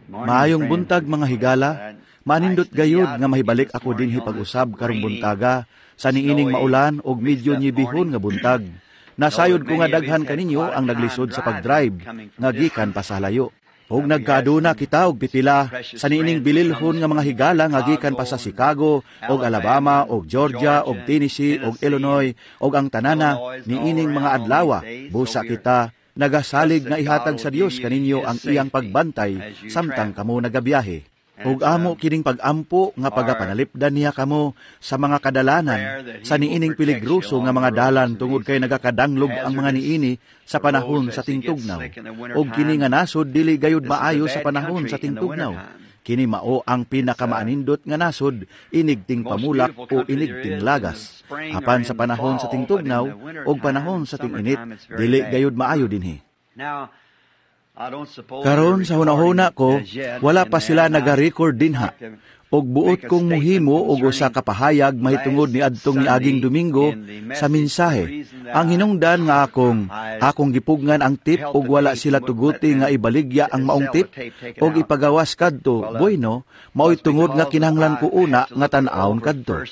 Maayong buntag, mga higala. Manindot gayud nga mahibalik ako dinhi pag-usab karong buntaga sa niining maulan og medyo nyebihon nga buntag. Nasayod ko nga daghan kaninyo ang naglisod sa pag-drive nga gikan pa sa layo. Og nagkaaduna kita og pipila sa niining bililhon nga mga higala nga gikan pa sa Chicago, og Alabama, og Georgia, og Tennessee, og Illinois, og ang tanana niining mga adlawa. Busa kita nagasalig nga ihatag sa Dios kaninyo ang iyang pagbantay samtang kamo nagabiyahe. Ug amo kining pag-ampo nga pagapanalipdan niya kamo sa mga kadalanan sa niining peligroso nga mga dalan tungod kay nagakadanglog ang mga niini sa panahon sa tingtugnaw. Ug kini nga nasod dili gayud maayo sa panahon sa tingtugnaw. Kini mao ang pinakamaanindot nga nasod inig tingpamulak o inig tinglagas. Apan sa panahon sa tingtugnaw ug panahon sa tinginit, dili gayud maayo dinhi. Karon sa hunahuna ko, wala pa sila naga-record dinha. Og buot kong muhimo og usa ka pahayag mahitungod ni adtong niaging Domingo sa mensahe. Ang hinungdan nga akong gipugngan ang tape og wala sila tuguti nga ibaligya ang maong tape og ipagawas kadto, bueno, mao'y tungod nga kinahanglan ko una nga tan-awon kadto.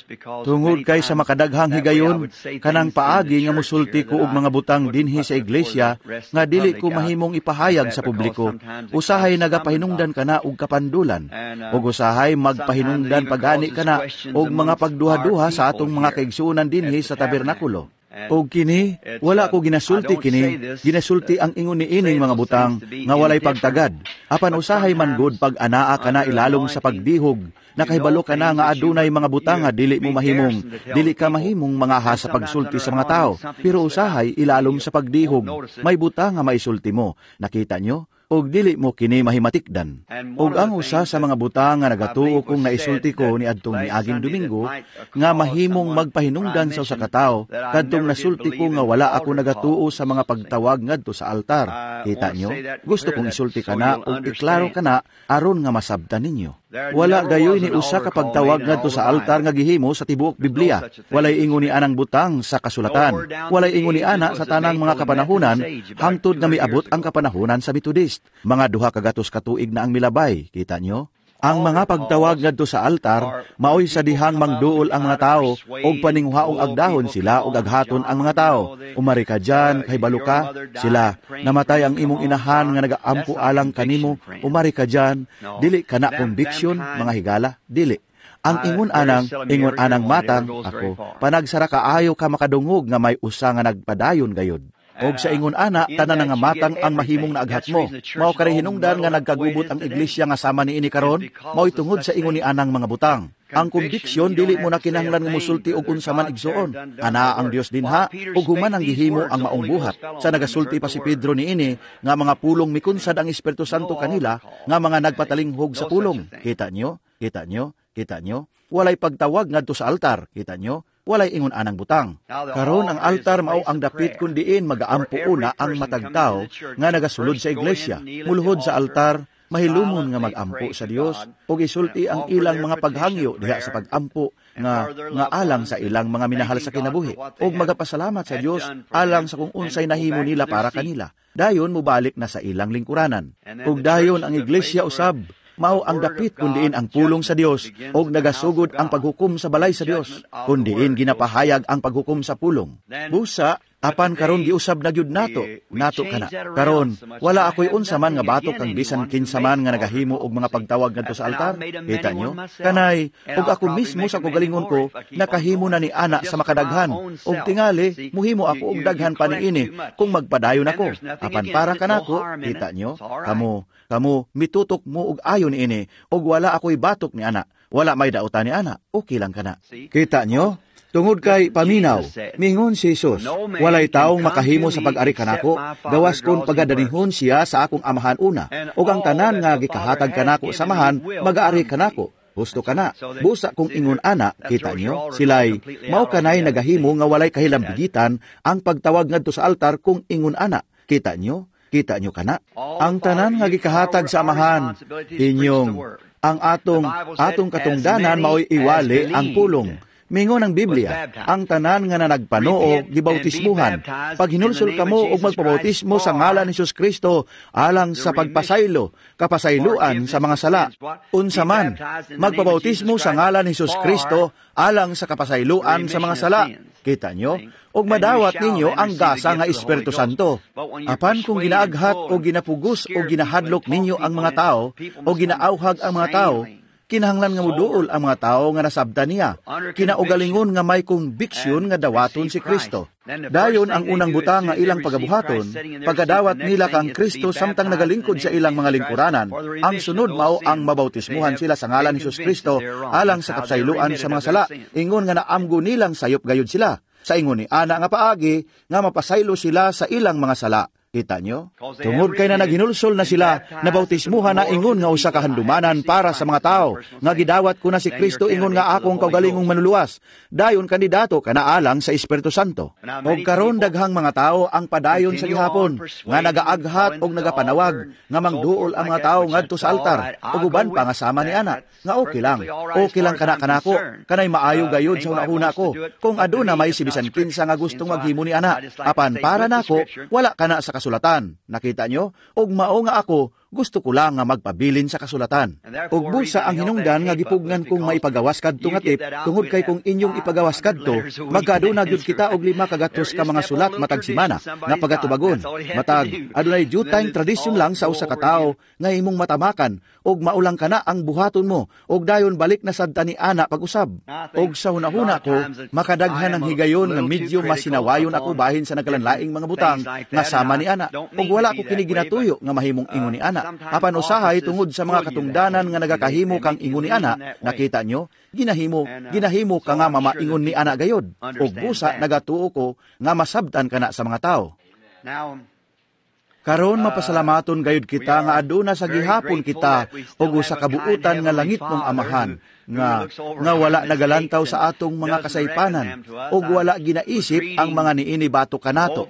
Tungod kay sa makadaghang higayon, kanang paagi nga musulti ko og mga butang dinhi sa iglesia nga dili ko mahimong ipahayag sa publiko. Usahay nagapahinungdan kana og kapandulan, ug usahay magpahinungdan pagani kana og mga pagduha-duha sa atong mga kaigsuonan dinhi sa tabernakulo. Og kini, wala ko ginasulti kini, ginasulti ang ingon niining mga butang nga walay pagtagad. Apan usahay man gud pag anaa kana ilalom sa pagdihog, nakahibalo ka na nga adunay mga butang nga dili mo mahimong, dili ka mahimong mangaha sa pagsulti sa mga tao. Pero usahay ilalom sa pagdihog, may butang nga maisulti mo. Nakita nyo? Og dili mo kini mahimatikdan. Og ang usa sa mga butang nga nagatuo kong naisulti ko ni adtong niaging Domingo nga mahimong magpahinungdan sa usa ka tawo kadtong nasulti ko nga wala ako nagatuo sa mga pagtawag ngadto sa altar. Kita nyo? Gusto kong isulti kana og iklaro kana aron nga masabtan ninyo. Wala gayoy ni usa ka pagtawag ngadto sa altar nga gihimo sa tibuok Biblia. Walay ingon ni anang butang sa kasulatan. Walay ingon ni ana sa tanang mga kapanahunan hangtod nga miabot ang kapanahunan sa Methodist. Mga 200 ka tuig na ang milabay, kita nyo? Ang mga pagtawag ngadto sa altar maoy sa dihang mangduol ang mga tao og paninguhaong agdahon sila og aghaton ang mga tao. Umari ka dyan, kahibalo ka, sila namatay ang imong inahan nga nagaampo alang kanimo, umari ka dyan, dili ka na conviction, mga higala, dili. Ang ingon anang matang ako, panagsara kaayo ka makadungog nga may usa nga nagpadayon gayod. Og sa ingon ana, tanan nga matang ang mahimong naaghat mo. Mao kari hinungdan nga nagkagubot ang iglesia nga sama niini karon, mao'y tungod sa ingon ni anang mga butang. Ang konbiksyon, dili mo na kinahanglan nga musulti og unsa man, igsuon. Ana ang Dios dinha ug human ang gihimo ang maong buhat. Sa nagasulti pa si Pedro niini nga mga pulong, mikunsad ang Espiritu Santo kanila nga mga nagpatalinghog sa pulong. Kita nyo? Kita nyo? Kita nyo? Walay pagtawag ngadto sa altar. Kita nyo? Walay ingon anang butang. Karon ang altar mao ang dapit kun diin magaampo una ang matag tawo nga nagasulod sa iglesia. Muluhod sa altar, mahilumon nga magampo sa Dios ug isulti ang ilang mga paghangyo diha sa pagampo nga nga alang sa ilang mga minahal sa kinabuhi ug magapasalamat sa Dios alang sa kung unsay nahimo nila para kanila. Dayon mobalik na sa ilang lingkuranan. Ug dayon ang iglesia usab mao ang dapit kun diin ang pulong sa Dios og nagasugod ang paghukom sa balay sa Dios, kun diin ginapahayag ang paghukom sa pulong. Busa apan karon giusab na gyud nato nato kana. Karon wala ako'y unsa man nga batok kang bisan kinsa man nga nagahimo og mga pagtawag ngadto sa altar. Kita nyo? Kanay ug ako mismo sa kaugalingon ko nakahimo na ni ana sa makadaghan, ug tingali muhimo ako og daghan pa niini kung magpadayon ako. Apan para kanako, kita nyo, kamo kamo mitutok mo og ayo niini ug wala ako'y batok ni ana. Wala may dautan ni ana. Okay lang kana. Kita nyo? Tungod kay paminaw, mingon si Jesus, "Walay taong makahimo sa pag-ari kanako, gawas kon pagadanihon siya sa akong Amahan una. Ug ang tanan nga gikahatag kanako sa Amahan, magaari kanako." Husto kana. Busa kung ingon ana, kita nyo, sila'y, mao kanay nagahimo nga walay kahilambigitan ang pagtawag ngadto sa altar kung ingon ana. Kita nyo? Kita nyo kana? Ang tanan nga gikahatag sa Amahan, inyong, ang atong katungdanan mao'y iwali ang pulong. Mingon ang Biblia, ang tanan nga nanagpanoo gibautismuhan. Paghinulsol kamo og magpabautismo sa ngalan ni Jesus Kristo alang sa pagpasaylo, kapasayloan sa mga sala. Unsa man, magpabautismo sa ngalan ni Jesus Kristo alang sa kapasayloan sa mga sala. Kita nyo? Og madawat ninyo ang gasa nga Espiritu Santo. Apan kung ginaaghat o ginapugos o ginahadlok ninyo ang mga tao o ginaauhag ang mga tao, kinahanglan nga muduol ang mga tao nga nasabtan niya. Kinaugalingon nga may conviction nga dawaton si Kristo. Dayon ang unang butang nga ilang pagabuhaton, pagkadawat nila kang Kristo samtang nagalingkod sa ilang mga lingkuranan, ang sunod mao ang mabautismuhan sila sa ngalan ni Jesus Kristo alang sa kapsayloan sa mga sala. Ingon nga naamgo nilang sayop gayud sila. Sa ingon ni ana nga paagi nga mapasaylo sila sa ilang mga sala. Kita nyo? Tungod kay na naghinulsol na sila, nabautismuhan na ingon nga usa ka handumanan para sa mga tao, nga gidawat ko na si Kristo ingon nga akong kaugalingong manuluwas. Dayon kandidato ka na alang sa Espiritu Santo. Og karon daghang mga tao ang padayon sa gihapon, nga nagaaghat og nagapanawag, nga mangduol ang mga tao ngadto sa altar, ug uban pa nga sama ni ana, nga okay lang. Okay lang kana kanako, kanay maayo gayud sa hunahuna ko. Kung aduna may si bisan kinsa nga gustong maghimo ni ana, apan para nako wala kana sa kasulatan. Nakita nyo? Og mao nga ako, gusto ko lang nga magpabilin sa kasulatan. Og busa ang hinungdan nga gipugnan kong maipagawas kadto nga tip, tungod kay kung inyong ipagawas kadto, magkaduna gyud kita og 500 ka mga sulat matag semana nga pagatubagon. Matag adunay due time tradisyon lang sa usa ka tawo nga imong matamakan og maulang kana ang buhaton mo og dayon balik na sad ta ni ana pag-usab. Og sa hunahuna ko, makadaghan ang higayon nga medyo masinawayon ako bahin sa nagkalanlaing mga butang nga sama ni ana. Og wala ko kini ginatuyo nga mahimong ingon ni ana. Apan usahay tungod sa mga katungdanan nga nagakahimo kang ingon ni ana, nakita nyo, ginahimo ka nga mamaingon ni ana gayod. Og busa nagatuo ko nga masabtan kana sa mga tao. Karon mapasalamaton gayud kita nga aduna sa gihapon kita og usa ka buutan nga langit mong amahan nga wala nagalantaw sa atong mga kasaypanan og wala ginaisip ang mga niini batok kanato.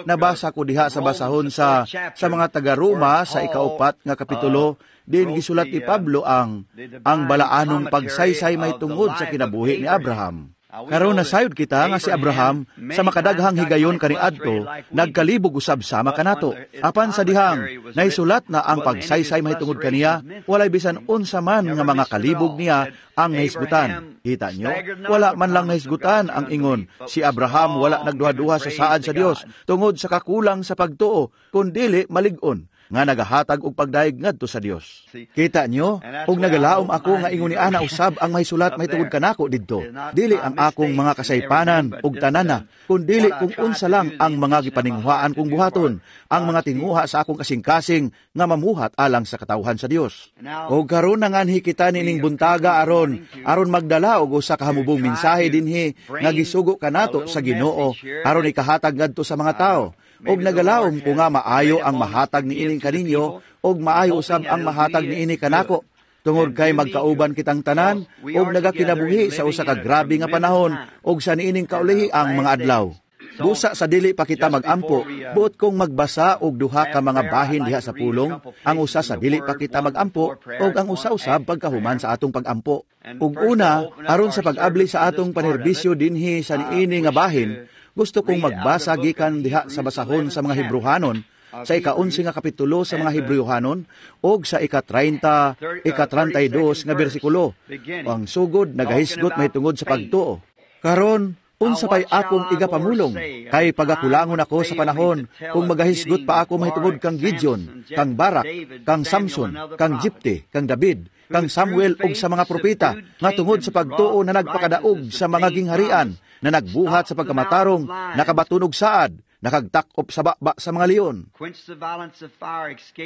Nabasa ko diha sa basahon sa mga taga-Roma sa 4 nga kapitulo, din gisulat ni Pablo ang balaanong pagsaysay may tungod sa kinabuhi ni Abraham. Karon nasayod kita nga si Abraham sa makadaghang higayon kaniadto nagkalibog usab sama kanato. Apan sa dihang naisulat na ang pagsaysay mahitungod kaniya, walay bisan unsa man nga mga kalibog niya ang nahisgutan. Kita nyo? Wala man lang nahisgutan ang ingon si Abraham wala nagduha-duha sa saad sa Dios tungod sa kakulang sa pagtuo, kundili malig-on nga nagahatag og pagdayeg ngadto sa Dios. Kita nyo? Og nagalaom ako nga ingon ni ana usab ang mahisulat mahitungod kanako didto. Dili ang akong mga kasaypanan ug tanana, kundili kung unsa lang ang mga gipaninguhaan kong buhaton, ang mga tinguha sa akong kasing-kasing nga mamuhat alang sa katawhan sa Dios. Og karon nanganhi kita nining buntaga aron magdala og usa ka hamubong mensahe dinhi nga gisugo kanato sa Ginoo aron ikahatag ngadto sa mga tawo. Og nagalaom ko nga maayo ang mahatag niini kaninyo og maayo usab ang mahatag niini kanako, tungod kay magkauban kitang tanan og nagakinabuhi sa usa ka grabe nga panahon og sa niining kaulihi ang mga adlaw. Busa sa dili pa kita magampo, buot kong magbasa og duha ka mga bahin diha sa pulong, ang usa sa dili pa kita magampo og ang usa usab pagkahuman sa atong pagampo. Ug una, aron sa pag-abli sa atong panerbisyo dinhi sa niini nga bahin, gusto kong magbasa gikan diha sa basahon sa mga Hebreohanon, sa 11 nga kapitulo sa mga Hebreohanon og sa ika-30, ika-32 nga bersikulo. Ang sugod nagahisgot mahitungod sa pagtuo. Karon, unsa pay akong igapamulong, kay pagakulangon ako sa panahon kung magahisgot pa ako mahitungod kang Gideon, kang Barak, kang Samson, kang Jipte, kang David, kang Samuel ug sa mga propeta nga tungod sa pagtuo na nagpakadaog sa mga gingharian, na nagbuhat sa pagkamatarong, nakabatunog saad, nakagtakop sa baba sa mga leon,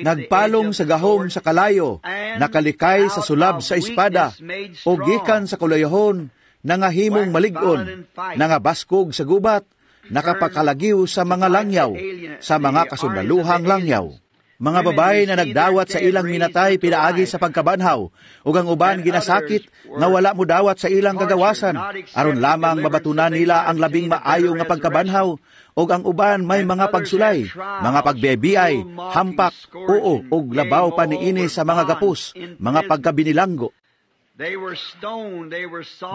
nagpalong sa gahom sa kalayo, nakalikay sa sulab sa espada, o gikan sa kulayahon, nangahimong malig-on, nangabaskog sa gubat, nakapakalagiw sa mga langyaw, sa mga kasundaluhang langyaw. Mga babae na nagdawat sa ilang minatay pinaagi sa pagkabanhaw, ug ang uban ginasakit nga wala modawat sa ilang kagawasan, aron lamang mabatunan nila ang labing maayo nga pagkabanhaw, ug ang uban may mga pagsulay, mga pagbebiay, hampak, oo, ug labaw pa niini sa mga gapos, mga pagkabinilanggo.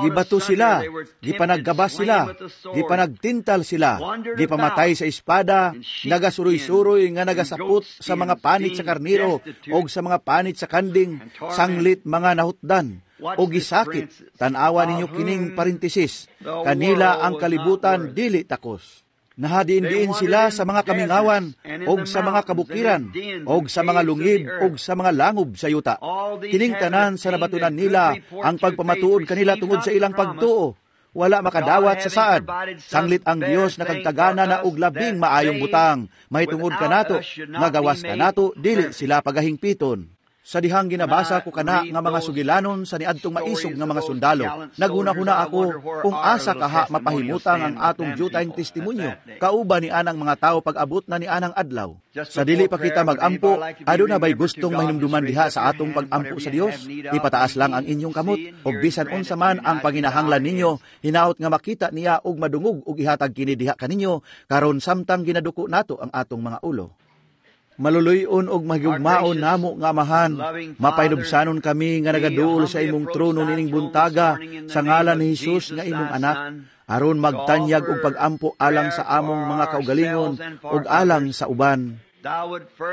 Gibato sila, gipanagkabas sila, gipanagtintal sila, gipamatay sa espada, nagasuroy-suroy nga nagasapot sa mga panit sa karniro og sa mga panit sa kanding, sanglit mga nahutdan o gisakit. Tan-awa ninyo kining parentesis, kanila ang kalibutan dili takos. Nahadiin-diin sila sa mga kamingawan, og sa mga kabukiran, og sa mga lungib, og sa mga langob sa yuta. Kining tanan sa nabatunan nila ang pagpamatuod kanila tungod sa ilang pagtuo. Wala makadawat sa saad. Sanglit ang Dios nakagtagana na og labing maayong butang, mahitungod kanato, nga gawas kanato, dili sila pagahingpiton. Sa dihang ginabasa ko kana nga mga sugilanon sa niadtong maisog nga mga sundalo, naghuna-huna ako kung asa kaha mapahimutang ang atong dyutayng testimonyo, kauban ni anang mga tawo pag-abot na ni anang adlaw. Sa dili pa kita mag-ampo, aduna bay gustong mahinumduman diha sa atong pag-ampo sa Dios? Ipataas lang ang inyong kamot, ug bisan unsa man ang panginahanglan ninyo, hinaot nga makita niya ug madungog ug ihatag kini diha kaninyo karon samtang ginaduko nato ang atong mga ulo. Maluluy-on og mahigugmaon namo nga Amahan, mapahinubsanon kami nga nagaduol sa imong trono nining buntaga sa ngalan ni Hesus nga imong anak, aron magtanyag og pag-ampo alang sa among mga kaugalingon ug alang sa uban.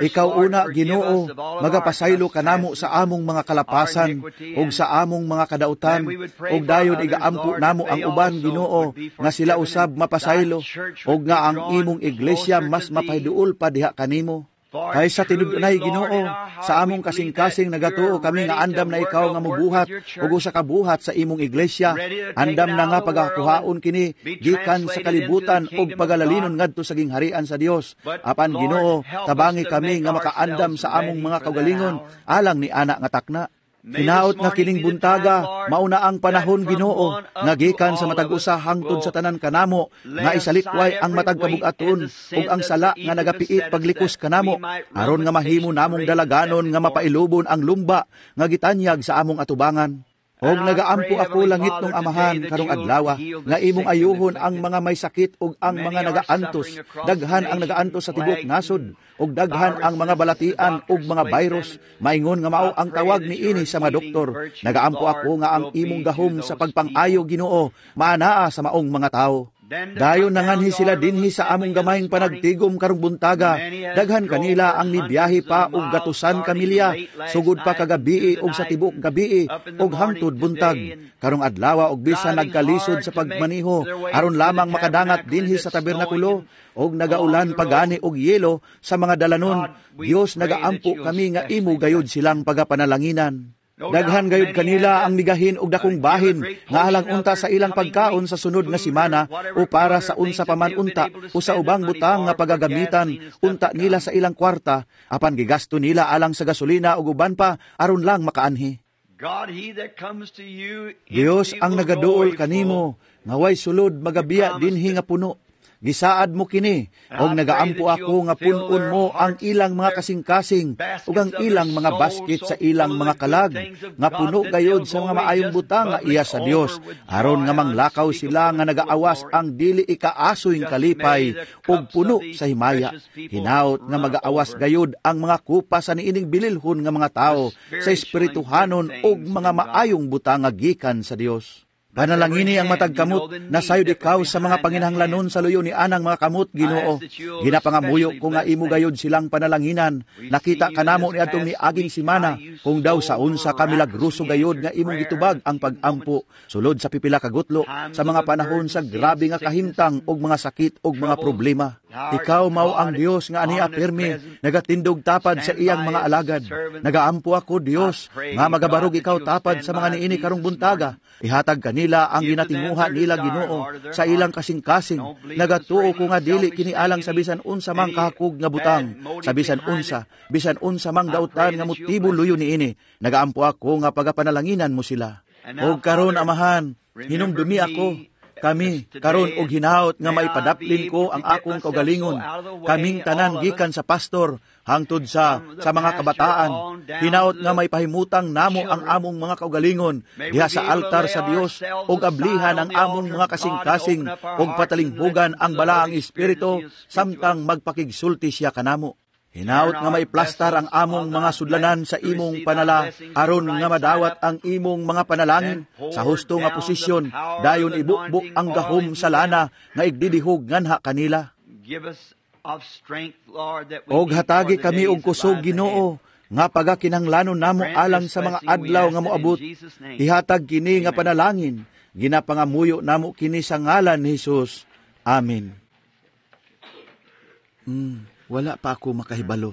Ikaw una, Ginoo, magapasaylo kanamo sa among mga kalapasan ug sa among mga kadautan, ug dayon igaampo namo ang uban, Ginoo, nga sila usab mapasaylo ug nga ang imong iglesia mas mapahiduol pa diha kanimo. Kay sa tinud-unay, Ginoo, sa among kasing-kasing nagatuo kami nga andam na ikaw nga mubuhat ug usa ka buhat sa imong iglesia, andam na nga pagakuhaon kini gikan sa kalibutan ug pagalalinon ngadto sa gingharian sa Dios. Apan Ginoo, tabangi kami nga makaandam sa among mga kaugalingon alang ni ana nga takna. Hinaot nga kining buntaga, mauna ang panahon, Ginoo, nga gikan sa matag usa hangtod sa tanan kanamo, nga isalikway ang matag kabug-aton ug ang sala nga nagapiit paglikos kanamo, aron nga mahimo namong dalaganon nga mapailubon ang lumba nga gitanyag sa among atubangan. Og nagaampo ako, langit nung Amahan, karong adlawa, nga imong ayuhon ang mga may sakit ug ang mga nagaantos. Daghan ang nagaantos sa tibuok nasod, ug daghan ang mga balatian ug mga virus, maingon nga mao ang tawag niini sa mga doktor. Nagaampo ako nga ang imong gahom sa pagpang-ayo, Ginoo, maanaa sa maong mga tawo. Dayon nanganhi sila dinhi sa among gamayng panagtigom karong buntaga. Daghan kanila ang nibiyahe pa og gatusan ka milya, sugod pa kagabii og sa tibuok gabii og hangtod buntag. Karong adlawa og bisan nagkalisod sa pagmaniho aron lamang makadangat dinhi sa tabernakulo, og nagaulan pagani og yelo sa mga dalanon. Dios, nagaampo kami nga imo gayud silang pagapanalanginan. Daghan gayud kanila ang migahin og dakong bahin nga alang unta sa ilang pagkaon sa sunod nga simana o para sa unsa pa man unta o sa ubang butang nga pagagamitan unta nila sa ilang kwarta, apan gigasto nila alang sa gasolina ug uban pa aron lang makaanhi. Dios, ang nagaduol kanimo nga way sulod magabiya dinhi nga puno. Gisaad mo kini, og nagaampo ako nga pun-on mo ang ilang mga kasing-kasing ug ang ilang mga basket sa ilang mga kalag, nga puno gayod sa mga maayong butang nga iya sa Dios, aron nga manglakaw sila nga nagaawas ang dili ikaasoy kalipay ug puno sa himaya. Hinaot nga magaawas gayod ang mga kupa sa niining bililhon nga mga tawo sa espirituhanon ug mga maayong butang nga gikan sa Dios. Panalangini ang matag kamot, nasayod ikaw sa mga panginahanglanon sa luyo ni anang mga kamot, Ginoo. Ginapangamuyo ko nga imo gayod silang panalanginan. Nakita kanamo ni atong niaging simana kung daw sa unsa ka milagroso gayod nga imong gitubag ang pag-ampo sulod sa pipila ka gutlo sa mga panahon sa grabe nga kahimtang og mga sakit og mga problema. Ikaw mao ang Dios nga ania pirmi nagatindog tapad sa iyang mga alagad. Nagaampo ako, Dios, nga magabarog ikaw tapad sa mga niini karong buntaga. Ihatag kanila ang ginatinguha nila, Ginoo, sa ilang kasing-kasing. Nagatuo ko nga dili kini alang sa bisan unsa mang kahakog nga butang, sa bisan unsa mang dautan nga motibo luyo niini. Nagaampo ako nga pagapanalanginan mo sila. Og karon, Amahan, hinumdumi ako, kami karon og hinaot nga maipadaplin ko ang akong kaugalingon, kaming tanan gikan sa pastor hangtod sa mga kabataan. Hinaot nga maipahimutang namo ang among mga kaugalingon diha sa altar sa Dios ug ablihan ang among mga kasing-kasing ug patalinghugan ang Balaang Espiritu samtang magpakigsulti siya kanamo. Hinaot nga maiplastar ang among mga sudlanan sa imong panala, aron nga madawat ang imong mga panalangin sa husto nga posisyon, dayon ibukbuk ang gahom sa lana nga igdidihog nganha kanila. Og hatagi kami og kusog, Ginoo, nga pagakinahanglanon namo alang sa mga adlaw nga moabot. Ihatag kini nga panalangin, ginapangamuyo namo kini sa ngalan ni Hesus. Amen. Wala pa ako makahibalo.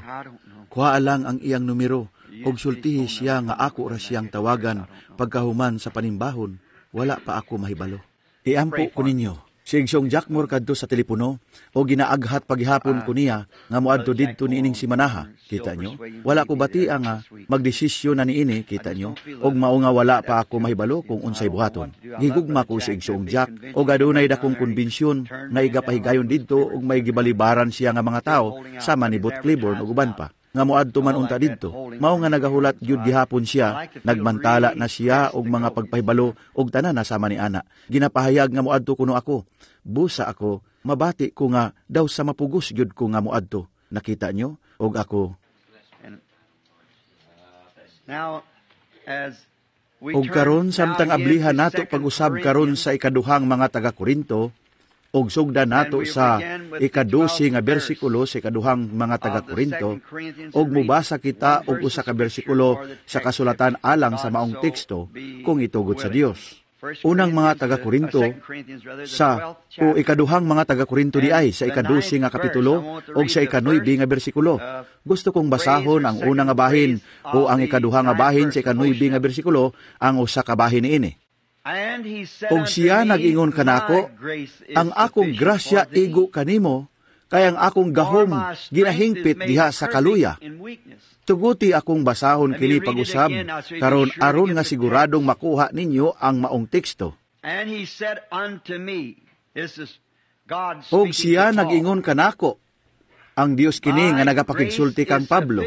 Kuha lang ang iyang numero og sultihi siya nga ako ra siyang tawagan pagkahuman sa panimbahon. Wala pa ako mahibalo. Iampo ko ninyo. Si Igsoong Jack Moore kadto sa telepono o ginaaghat paghihapon ko niya nga moadto didto niining simanaha. Kita nyo? Wala ko batia nga magdesisyon na niini, kita nyo? Og mao nga wala pa ako mahibalo kung unsay buhaton. Gigugma ko si Igsoong Jack og adunay dakong konbensyon nga igapahigayon didto og may gibalibaran siya nga mga tawo sama ni Booth Clibborn ug uban pa nga moadto man unta didto. Mao nga nagahulat gyud gihapon siya, nagmantala na siya og mga pagpahibalo og tanan na sama ni ana. Ginapahayag nga moadto kuno ako. Busa ako, mabati ko nga daw sa mapugos gyud ko nga moadto. Nakita nyo? Og ako. Og karon samtang ablihan nato pag-usab karon sa ikaduhang mga taga-Korinto, og sugdan nato sa 12 nga bersikulo sa ikaduhang mga taga-Korinto, og mubasa kita og usa ka bersikulo sa kasulatan alang sa maong teksto kung itugot sa Dios. Unang mga taga-Korinto sa o ikaduhang mga taga-Korinto di ay sa 12 nga kapitulo og sa 9 nga bersikulo. Gusto kong basahon ang una nga bahin o ang ikaduha nga bahin sa 9 nga bersikulo, ang usa ka bahin niini. Og siya nag-ingon kanako, ang akong grasya igo kanimo, kay ang akong gahom ginahingpit diha sa kaluya. Tuguti akong basahon kini pag-usab, karon aron nga siguradong makuha ninyo ang maong teksto. Og siya nag-ingon kanako, ang Dios kini nga nagapakigsulti kang Pablo,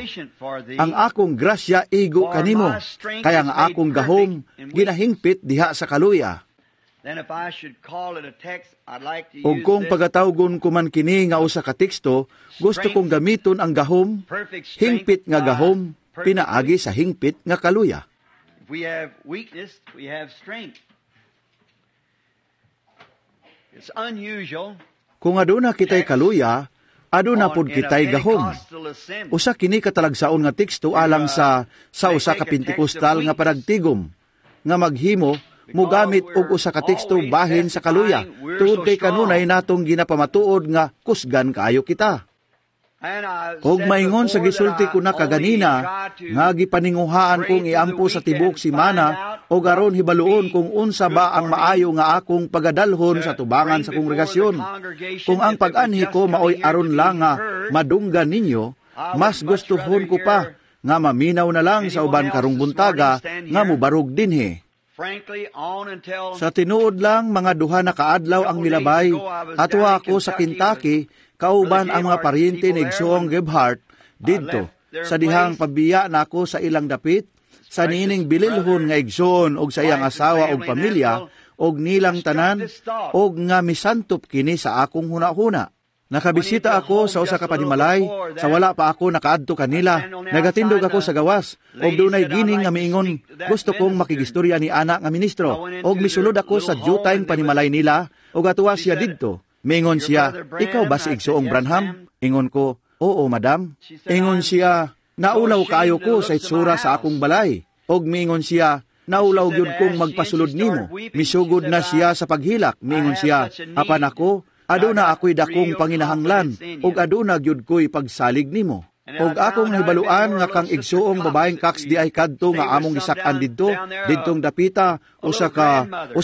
ang akong grasya igo kanimo, kaya ang akong gahom ginahingpit diha sa kaluya. Og kung pagatawgon ko man kini nga usa ka teksto, gusto kong gamiton ang gahom, hingpit nga gahom, pinaagi sa hingpit nga kaluya. Kung aduna kitay kaluya, aduna pod kitay gahom. Usa kini katalagsaon nga teksto alang sa usa ka Pentecostal nga panagtigom nga maghimo mugamit og usa ka teksto bahin sa kaluya tungod kay kanunay natong ginapamatuod nga kusgan kaayo kita. Og maingon sa gisulti ko na kaganina nga gipaninguhaan kong iampo sa tibok simana og aron hibaluon kung unsa ba ang maayo nga akong pagadalhon sa tubangan sa kongregasyon. Kung ang pag-anhi ko maoy aron lang nga madunggan ninyo, mas gustuhon ko pa nga maminaw na lang sa uban karong buntaga nga mobarog dinhi. Sa tinuod lang, mga 2 na kaadlaw ang milabay, atwa ako sa Kentucky, kauban ang mga paryente ni Igsoong Gebhardt didto. Sa dihang pabiya nako sa ilang dapit, sa niining bililhon nga igsoon og sa iyang asawa og pamilya, og nilang tanan, og nga misantop kini sa akong hunahuna. Nakabisita ako sa usa ka panimalay, sa wala pa ako nakaadto kanila. Nagatindog ako sa gawas, og dunay gining nga miingon, gusto kong makigistorya ni ana nga ministro, og misulod ako sa jutayng panimalay nila, og atuwa siya didto. Miingon siya, ikaw ba si Igsoong Branham? Ingon ko, oo, madam. Ingon siya, naulaw kaayo ko sa itsura sa akong balay. Og miingon siya, naulaw gyud kong magpasulod nimo. Misugod na siya sa paghilak. Miingon siya, apan ako, aduna ako'y dakong panginahanglan, ug aduna gyud ko'y pagsalig nimo. Og akong nahibaluan nga kang igsuong babaeng Cox di ay kadto nga among gisak-an didto, didtong dapita usa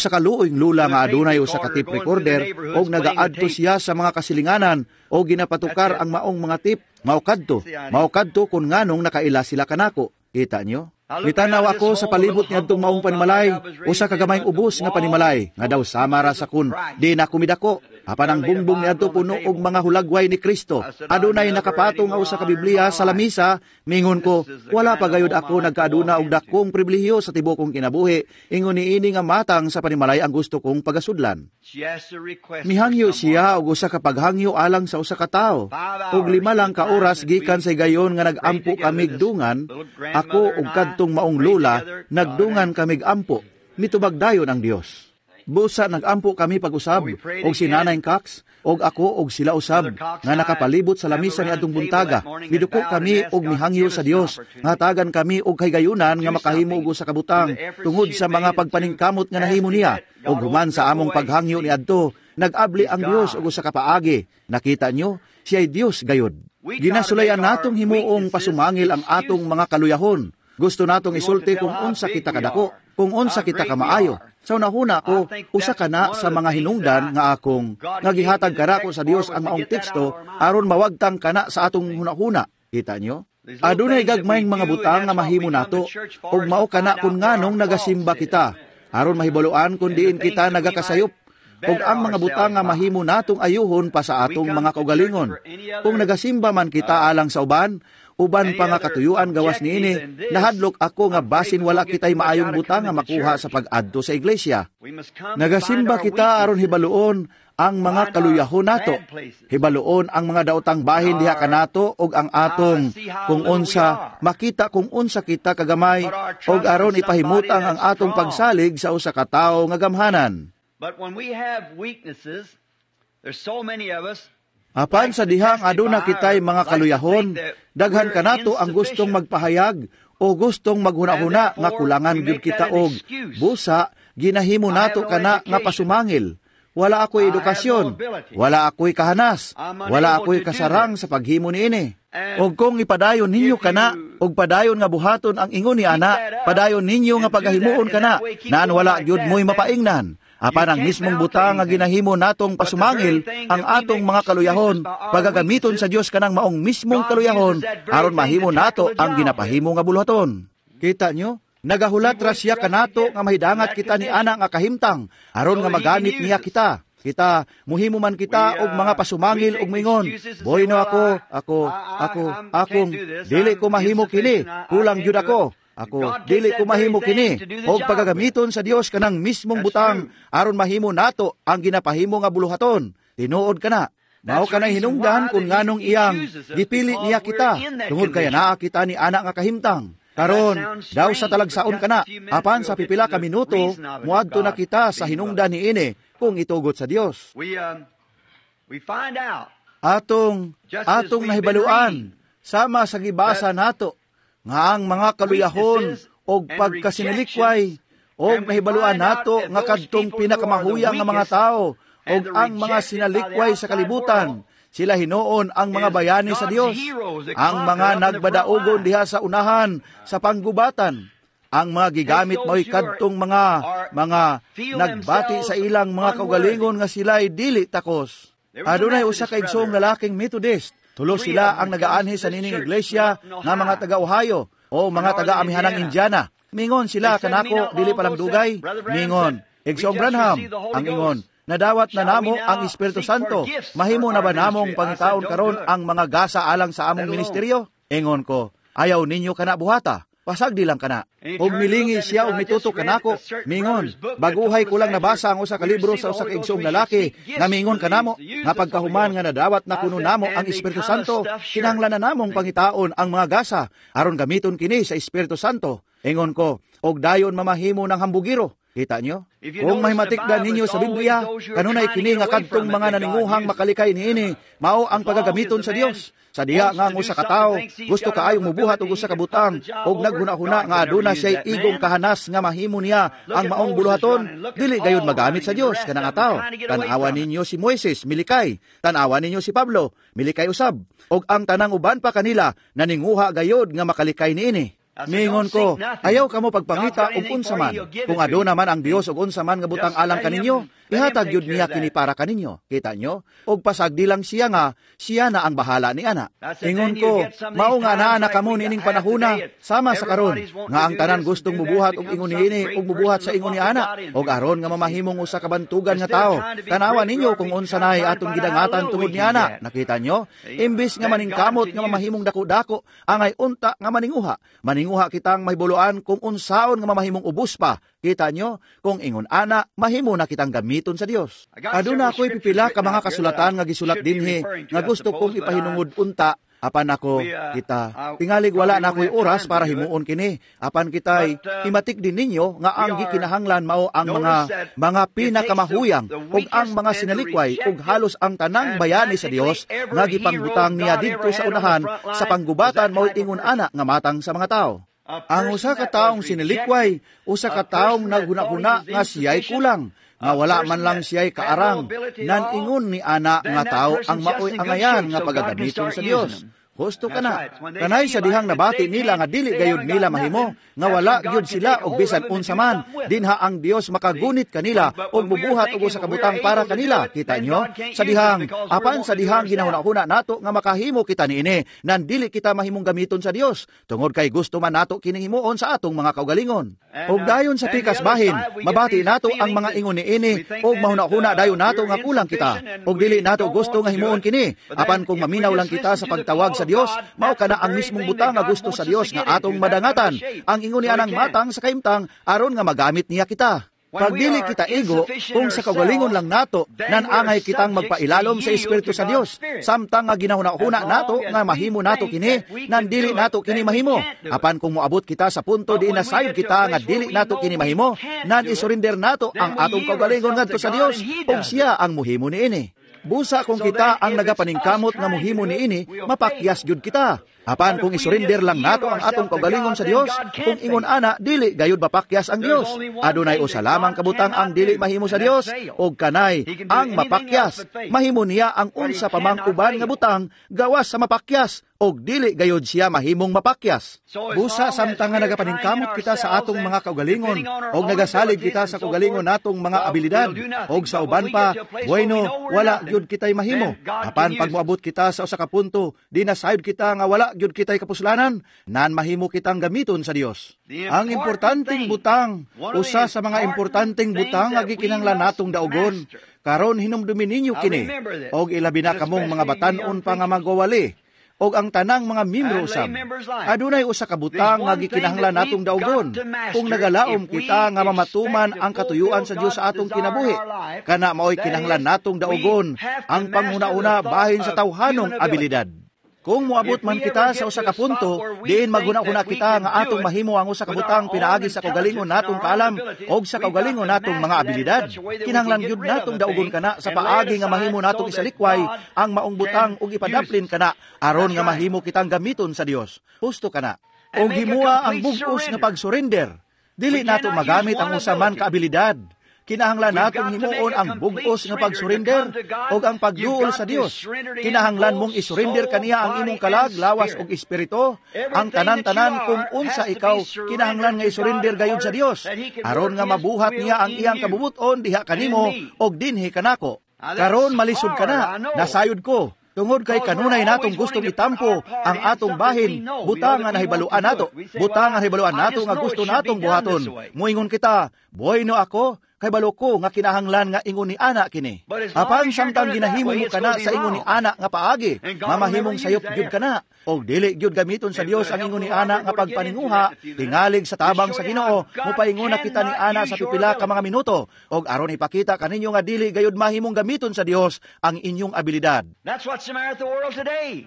ka luoyng lula nga adunay usa ka tape recorder, og nagaadto siya sa mga kasilinganan og ginapatukar ang maong mga tip. Mao kadto kun nganong nakaila sila kanako. Kita nyo? Mitanaw ako sa palibot niadtong maong panimalay, usa ka gamayng ubos nga panimalay, nga daw sama ra sa kun, di na kumidako. Apan ang bungbong niadto puno og mga hulagway ni Kristo. Adunay nakapatong nga usa ka Biblia sa lamisa, mingon ko, wala pa gayud ako nagkaaduna og dakong pribilehiyo sa tibuok kong kinabuhi, ingon niini nga matang sa panimalay ang gusto kong pagasudlan. Mihangyo siya og usa ka paghangyo alang sa usa ka tawo. Og 5 lang ka oras gikan sa higayon nga nag-ampo kamig dungan, ako og kadtong maong lula, nagdungan kamig ampo. Mitubag dayon ang Dios. Busa nagampo kami pag-usab, og si Nanay Cox, og ako og sila usab, nga nakapalibot sa lamisa ni adtong buntaga. Miduko kami og mihangyo sa Dios, nga tagan kami og kahigayunan nga makahimo og usa ka butang, tungod sa mga pagpaningkamot nga nahimo niya. Og human sa among paghangyo ni adto, nag-abli ang Dios og usa ka paagi. Nakita nyo, siya'y Dios gayud. Ginasulayan natong himuong pasumangil ang atong mga kaluyahon. Gusto natong isulti kung unsa kita kadako, kung unsa kita kamaayo. Sa unahuna ko, usa ka na sa mga hinungdan nga akong nga gihatag kanako sa Dios ang maong teksto aron mawagtang kana sa atong hunahuna. Kita nyo? Adunay gagmayng mga butang nga mahimo nato ug mao kana kun nganong nagasimba kita aron mahibaluan kun diin kita nagakasayop ug ang mga butang nga mahimo natong ayuhon pa sa atong mga kaugalingon. Kung nagasimba man kita alang sa uban, uban pa nga katuyuan gawas niini, nahadlok ako nga basin wala kita'y maayong butang nga makuha sa pag-adto sa iglesia. Nagasimba kita aron hibaluon ang mga kaluyahon nato, hibaluon ang mga daotang bahin diha kanato ug ang atong kung unsa makita kung unsa kita kagamay ug aron ipahimutang ang atong pagsalig sa usa ka tawo nga gamhanan. But when we have weaknesses, there's so many of us. Apan sa dihang aduna kitay mga kaluyahon, daghan kanato ang gustong magpahayag o gustong maghuna-huna nga kulangan gyud kita og busa ginahimo nato kana nga pasumangil. Wala ako'y edukasyon, wala ako'y kahanas, wala ako'y kasarang sa paghimo niini. Og kung ipadayon ninyo kana, og padayon nga buhaton ang ingon ni ana, padayon ninyo nga pagahimuon kana, naan wala gyud mo'y mapaingnan. Apan ang mismong butang nga ginahimo natong pasumangil ang atong mga kaluyahon, pagagamiton sa Dios kanang maong mismong kaluyahon, aron mahimo nato ang ginapahimo nga buluhaton. Kita nyo? Nagahulat ra siya kanato nga mahidangat kita ni ana nga kahimtang, aron nga magamit niya kita. Kita, muhimo man kita og mga pasumangil og mingon, boy no ako, ako, ako, akong, dili ko mahimo kini, kulang gyud ako. Ako, dili ko mahimo kini, og pagagamiton sa Dios kanang mismong butang, aron mahimo nato ang ginapahimo nga buluhaton. Tinuod kana. Mao kanay hinungdan kung nganong iyang gipili niya kita, tungod kay naa kita ni ana nga kahimtang. Karon, daw sa talagsaon kana, apan sa pipila ka minuto, muadto na kita sa hinungdan niini kung itugot sa Dios. Atong nahibaluan, sama sa gibasa nato, nga ang mga kaluyahon og pagkasinalikway og nahibaluan nato nga kadtong pinakamahuyang nga mga tao og ang mga sinalikway sa kalibutan, sila hinuon ang mga bayani sa Dios, ang mga nagbadaogon diha sa unahan sa panggubatan, ang mga gigamit mo'y kadtong mga nagbati sa ilang mga kaugalingon nga sila'y dili takos. Adunay usa ka igsoong lalaking Methodist. Tulo sila ang nagaanhi sa nining iglesia nga mga taga-Ohio o mga taga-amihanang Indiana. Mingon sila kanako dili palang dugay. Mingon, Igsoong Branham, ang ingon, nadawat na namo ang Espiritu Santo. Mahimo na ba namong pangitaon karon ang mga gasa alang sa among ministeryo? Ingon ko, ayaw ninyo kana buhata. Pasagdi lang kana. Og milingi siya og mitutok kanako. Mingon, baguhay ko lang nabasa ang usa ka libro sa usa ka igsoong lalaki nga mingon kanamo nga pagkahuman nga nadawat na kuno namo ang Espiritu Santo, kinahanglan na namong pangitaon ang mga gasa aron gamiton kini sa Espiritu Santo. Ingon ko, og dayon mamahimo ng hambugiro. Kita nyo? Kung mahimatikdan ninyo sa Biblia, kanunay kini nga kadtong mga naninguhang makalikay niini, mao ang pagagamiton sa Dios. Sa diha nga ang usa ka tawo gusto kaayong mubuhat og usa ka butang og naghuna-huna nga aduna siya'y igong kahanas nga mahimo niya ang maong buluhaton, dili gayud magamit sa Dios kanang tawo. Tan-awa ninyo si Moises, milikay. Tan-awa ninyo si Pablo, milikay usab. Og ang tanang uban pa kanila naninguha gayud nga makalikay niini. Miingon ko, ayaw kamo pagpangita og unsa man. Kung aduna man ang Dios og unsa man nga butang alang kaninyo, ihatag gyud niya kini para kaninyo. Kita nyo? Og pasagdi lang siya nga, siya na ang bahala ni ana. Ingon ko, mao nga naa na kamo niining panahuna, sama sa karon, nga ang tanan gustong mubuhat og ingon niini og mubuhat sa ingon ni ana, og aron nga mamahimong usa ka bantugan nga tawo. Tanawa ninyo kung unsa nay atong gidangatan tungod ni ana. Nakita nyo? Imbis nga maningkamot nga mamahimong dako-dako, angay unta nga maninguha. Maninguha kitang mahibuluan kung unsaon nga mamahimong ubos pa. Kita nyo, kung ingon ana, mahimo na kitang gamiton sa Dios. Aduna ako'y pipila ka mga kasulatan nga gisulat dinhi nga gusto kong ipahinungod unta, apan ako kita. Tingalig wala na ako'y oras para himuon kini. Apan kita'y himatik din ninyo nga ang gikinahanglan mao ang mga pinakamahuyang ug ang mga sinalikway ug halos ang tanang bayani sa Dios nga gipangbutang niya didto sa unahan sa panggubatan mao'y ingon ana nga matang sa mga tao. Ang usa ka taong sinilikway, usa ka taong naghuna-huna nga siya'y kulang, nga wala man lang siya'y kaarang, nan ingon ni ana nga tao ang maoy angayan nga pagagamiton sa Dios. Husto ka na. Kanay sa dihang nabati nila nga dili gayud nila mahimo, nga wala gyud sila og bisan unsa man, dinha ang Dios makagunit kanila og mubuhat og usa ka butang para kanila. Kita nyo? Sa dihang, apan sa dihang ginahuna-huna nato nga makahimo kita niini, nan dili kita mahimong gamiton sa Dios, tungod kay gusto man nato kini himuon sa atong mga kaugalingon. Og dayon sa pikas bahin, mabati nato ang mga ingon niini og mahuna-huna dayon nato nga kulang kita, og dili nato gusto nga himuon kini. Apan kung maminaw lang kita sa pagtawag sa Dios, mao kana ang mismong butang nga gusto sa Dios nga atong madangatan, ang ingon niya ng matang sa kaimtang aron nga magamit niya kita. Pagdili kita igo, kung sa kaugalingon lang nato, nanangay kitang magpailalom sa Espiritu sa Dios, samtang nga ginahuna-huna nato nga mahimo nato kini, nan dili nato kini mahimo. Apan kung moabot kita sa punto di nasayod kita nga dili nato kini mahimo, nan isurrender nato ang atong kaugalingon ngadto sa Dios, ug siya ang muhimo niini. Busa kung kita ang nagapaningkamot nga muhimo niini, mapakyas gyud kita. Apan kung isurrender lang nato ang atong kaugalingon sa Dios, kung ingon ana dili gayud mapakyas ang Dios. Adunay usa lamang kabutang ang dili mahimo sa Dios, og kanay ang mapakyas. Mahimo niya ang unsa pa mang uban nga butang gawas sa mapakyas, og dili gayud siya mahimong mapakyas. Busa samtang nga nagapaningkamot kita sa atong mga kaugalingon og nagasalig kita sa kaugalingon natong mga abilidad og sa uban pa, bueno, wala gyud kitay mahimo. Apan pag moabot kita sa usa ka punto, di nasayod kita nga wala gyud kitay kapuslanan, nan mahimo kitang gamiton sa Dios. Ang importanteng butang, usa sa mga importanteng butang nga gikinahanglan natong daugon, karon hinumdumi ninyo kini, og ilabi na kamong mga batan-on pa nga magwawali, og ang tanang mga miyembro usab. Adunay usa ka butang nga gikinahanglan natong daugon kung nagalaom kita nga mamatuman ang katuyuan sa Dios sa atong kinabuhi. Kana maoy kinahanglan natong daugon ang panghuna-una bahin sa tawhanong abilidad. Kung moabot man kita sa usa ka punto, diin maghuna-huna kita nga atong mahimo ang usa ka butang pinaagi sa kaugalingon natong kaalam og sa kaugalingon natong mga abilidad. Kinahanglan gyud natong daugon kana sa paagi nga mahimo natong isalikway ang maong butang ug ipadaplin kana aron nga mahimo kitang gamiton sa Dios. Husto kana. Og himua ang bug-os nga pagsurrender. Dili nato magamit ang usa man ka abilidad. Kinahanglan natong himuon ang bug-os nga pagsurrender og ang pagduol sa Dios. Kinahanglan mong isurrender kaniya ang imong kalag, lawas ug espiritu, ang tanan-tanan kung unsa ikaw kinahanglan nga isurrender gayud sa Dios aron nga mabuhat niya ang iyang kabubut-on diha kanimo og dinhi kanako. Karon malisod ka na, nasayod ko. Tungod kay kanunay natong gustong itampo ang atong bahin, butang nga nahibaluan nato, butang nga nahibaluan nato nga gusto natong buhaton. Moingon kita, bueno ako, kay balo ko nga kinahanglan nga ingon ni ana kini. Apan samtang ginahimo mo kana sa ingon ni ana nga paagi, mamahimong sayop gyud kana. Og dili gyud gamiton sa Dios ang ingon ni ana nga pagpaninguha, tingalig sa tabang sa Ginoo, mopaingon na kita ni ana sa pipila ka mga minuto, og aron ipakita kaninyo nga dili gayud mahimong gamiton sa Dios ang inyong abilidad. That's what's the matter with the world today.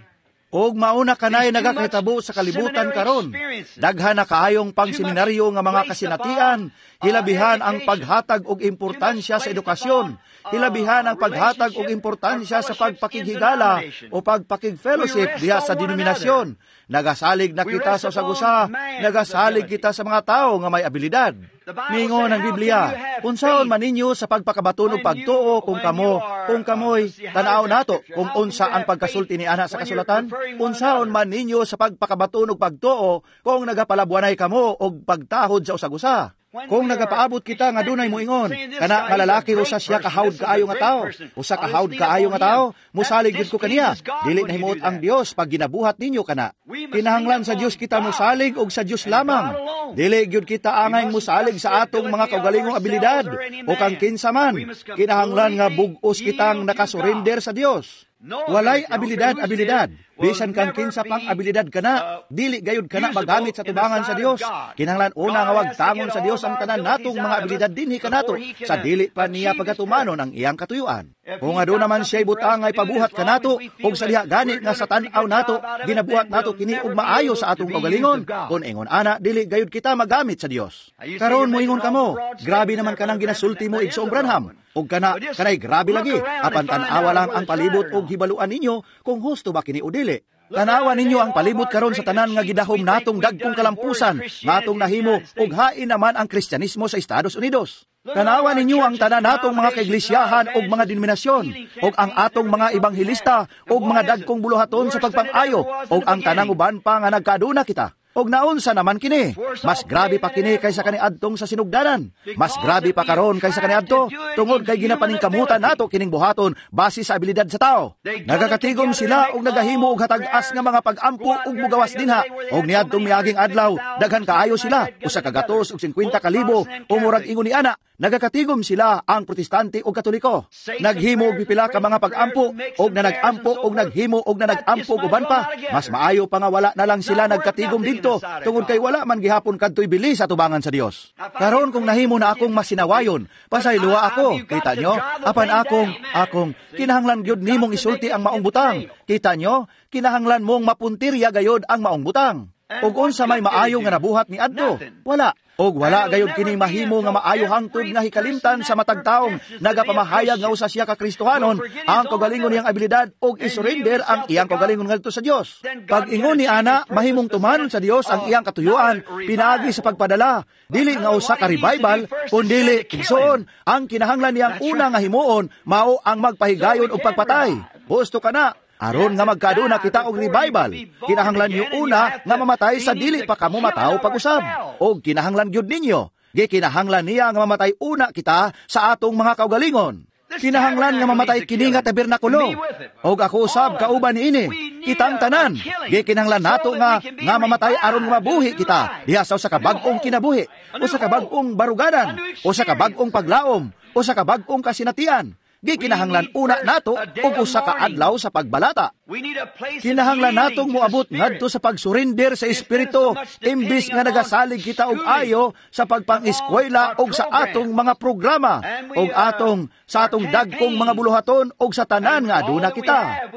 Og mauna kanay nagakahitabo sa kalibutan karon. Daghan na kaayong pangseminaryo nga mga kasinatian, hilabihan ang paghatag og importansya sa edukasyon, hilabihan ang paghatag og importansya sa pagpakighigala o pagpakig-fellowship diha sa denominasyon. Nagasalig na kita sa usag-usa, nagasalig kita sa mga tao nga may abilidad. Miingon ang Biblia, unsaon man ninyo sa pagpakabaton og pagtuo kung kamo, kung kamoy, tan-aw nato kung unsa ang pagkasulti ni ana sa kasulatan, unsaon man ninyo sa pagpakabaton og pagtuo kung nagapalabwanay kamo og pagtahod sa usag-usa. Kung nagapaabot kita nga dunay moingon, kana nga lalaki usa siya ka hawd kaayo nga tawo, usa ka hawd kaayo nga tawo, musalig gyud ko kaniya. Dili nahimuot ang Dios pag ginabuhat ninyo kana. Kinahanglan sa Dios kita musalig og sa Dios lamang. Dili gyud kita angay musalig sa atong mga kaugalingong abilidad o kang kinsa man. Kinahanglan nga bug-os kitang nakasurrender sa Dios. Walay abilidad. Bisan kang kinsa pang abilidad kana, dili gayud kana magamit sa tubangan sa Dios. Kinahanglan una nga wagtangon sa Dios ang tanan natong mga abilidad dinhi kanato sa dili pa niya pagatumanon ang iyang katuyuan. Kung aduna man siya'y butang nga ipabuhat kanato ug sa diha gani nga sa tan-aw nato ginabuhat nato kini og maayo sa atong kaugalingon, kun ingon ana dili gayud kita magamit sa Dios. Karon moingon kamo, grabe naman kanang ginasulti mo, Igsoong Branham. Og kana kanay grabe lagi, apan tan-awa lang ang palibot og hibaluan ninyo kung husto ba kini o dili. Tanawa ninyo ang palibot karon sa tanan nga gidahom natong dagkong kalampusan nga atong nahimo og hain naman ang Kristyanismo sa Estados Unidos. Tanawa ninyo ang tanan natong mga kaiglisyahan og mga denominasyon og ang atong mga ebanghelista og mga dagkong buluhaton sa pagpang-ayo og ang tanang uban pa nga nagkaaduna kita. Og naunsa naman kini, mas grabe pa kini kaysa kaniadtong sa sinugdanan. Mas grabe pa karon kaysa kaniadto tungod kay ginapaningkamutan nato kining buhaton base sa abilidad sa tao. Nagakatigom sila og nagahimo og hatag-as nga mga pag-ampo og mugawas dinha. Og niadtong miaging adlaw, daghan kaayo sila, 150,000 o murag ingon ni ana. Nagakatigom sila ang Protestante o Katoliko. Naghimo og pipila ka mga pag-ampo og nanag-ampo og naghimo og nanag-ampo og uban pa. Mas maayo pa nga wala na lang sila nagkatigom didto tungod kay wala man gihapon kadtoy bili sa tubangan sa Dios. Karon kung nahimo na akong masinawayon, pasayloa ako, kita nyo? Apan akong kinahanglan gyud nimong isulti ang maong butang. Kita nyo? Kinahanglan mong mapuntirya gayod ang maong butang. Og unsa may maayo nga nabuhat ni adto? Wala. Og wala gayud kini mahimo nga maayo hangtod nga hikalimtan sa matag taong nagapamahayag nga usa siya ka Kristohanon ang kaugalingon niyang abilidad og isurrender ang iyang kaugalingon ngadto sa Dios. Pag ingon ni ana, mahimong tumanon sa Dios ang iyang katuyuan pinaagi sa pagpadala, dili nga usa ka revival kun dili igsoon ang kinahanglan niyang una nga himuon mao ang magpahigayon og pagpatay. Husto kana. Aron nga magkaduna kita og revival, kinahanglan niyo una nga mamatay sa dili pa kamo mataw pag-usab. Og kinahanglan gyud ninyo, gikinahanglan niya nga mamatay una kita sa atong mga kaugalingon. Kinahanglan nga mamatay kini nga tabernakulo. Og ako usab kauban niini, kitang tanan, gikinahanglan nato nga nga mamatay aron nga mabuhi kita diha sa usa ka bag-ong kinabuhi, usa ka bag-ong baruganan, usa ka bag-ong paglaom, usa ka bag-ong kasinatian. Gikinahanglan una nato og usa ka adlaw sa pagbalata. Kinahanglan natong moabot ngadto sa pagsurrender sa espiritu imbis nga nagasalig kita og ayo sa pagpang-eskwela og sa atong mga programa og atong sa atong dagkong mga buluhaton og sa tanan nga aduna kita.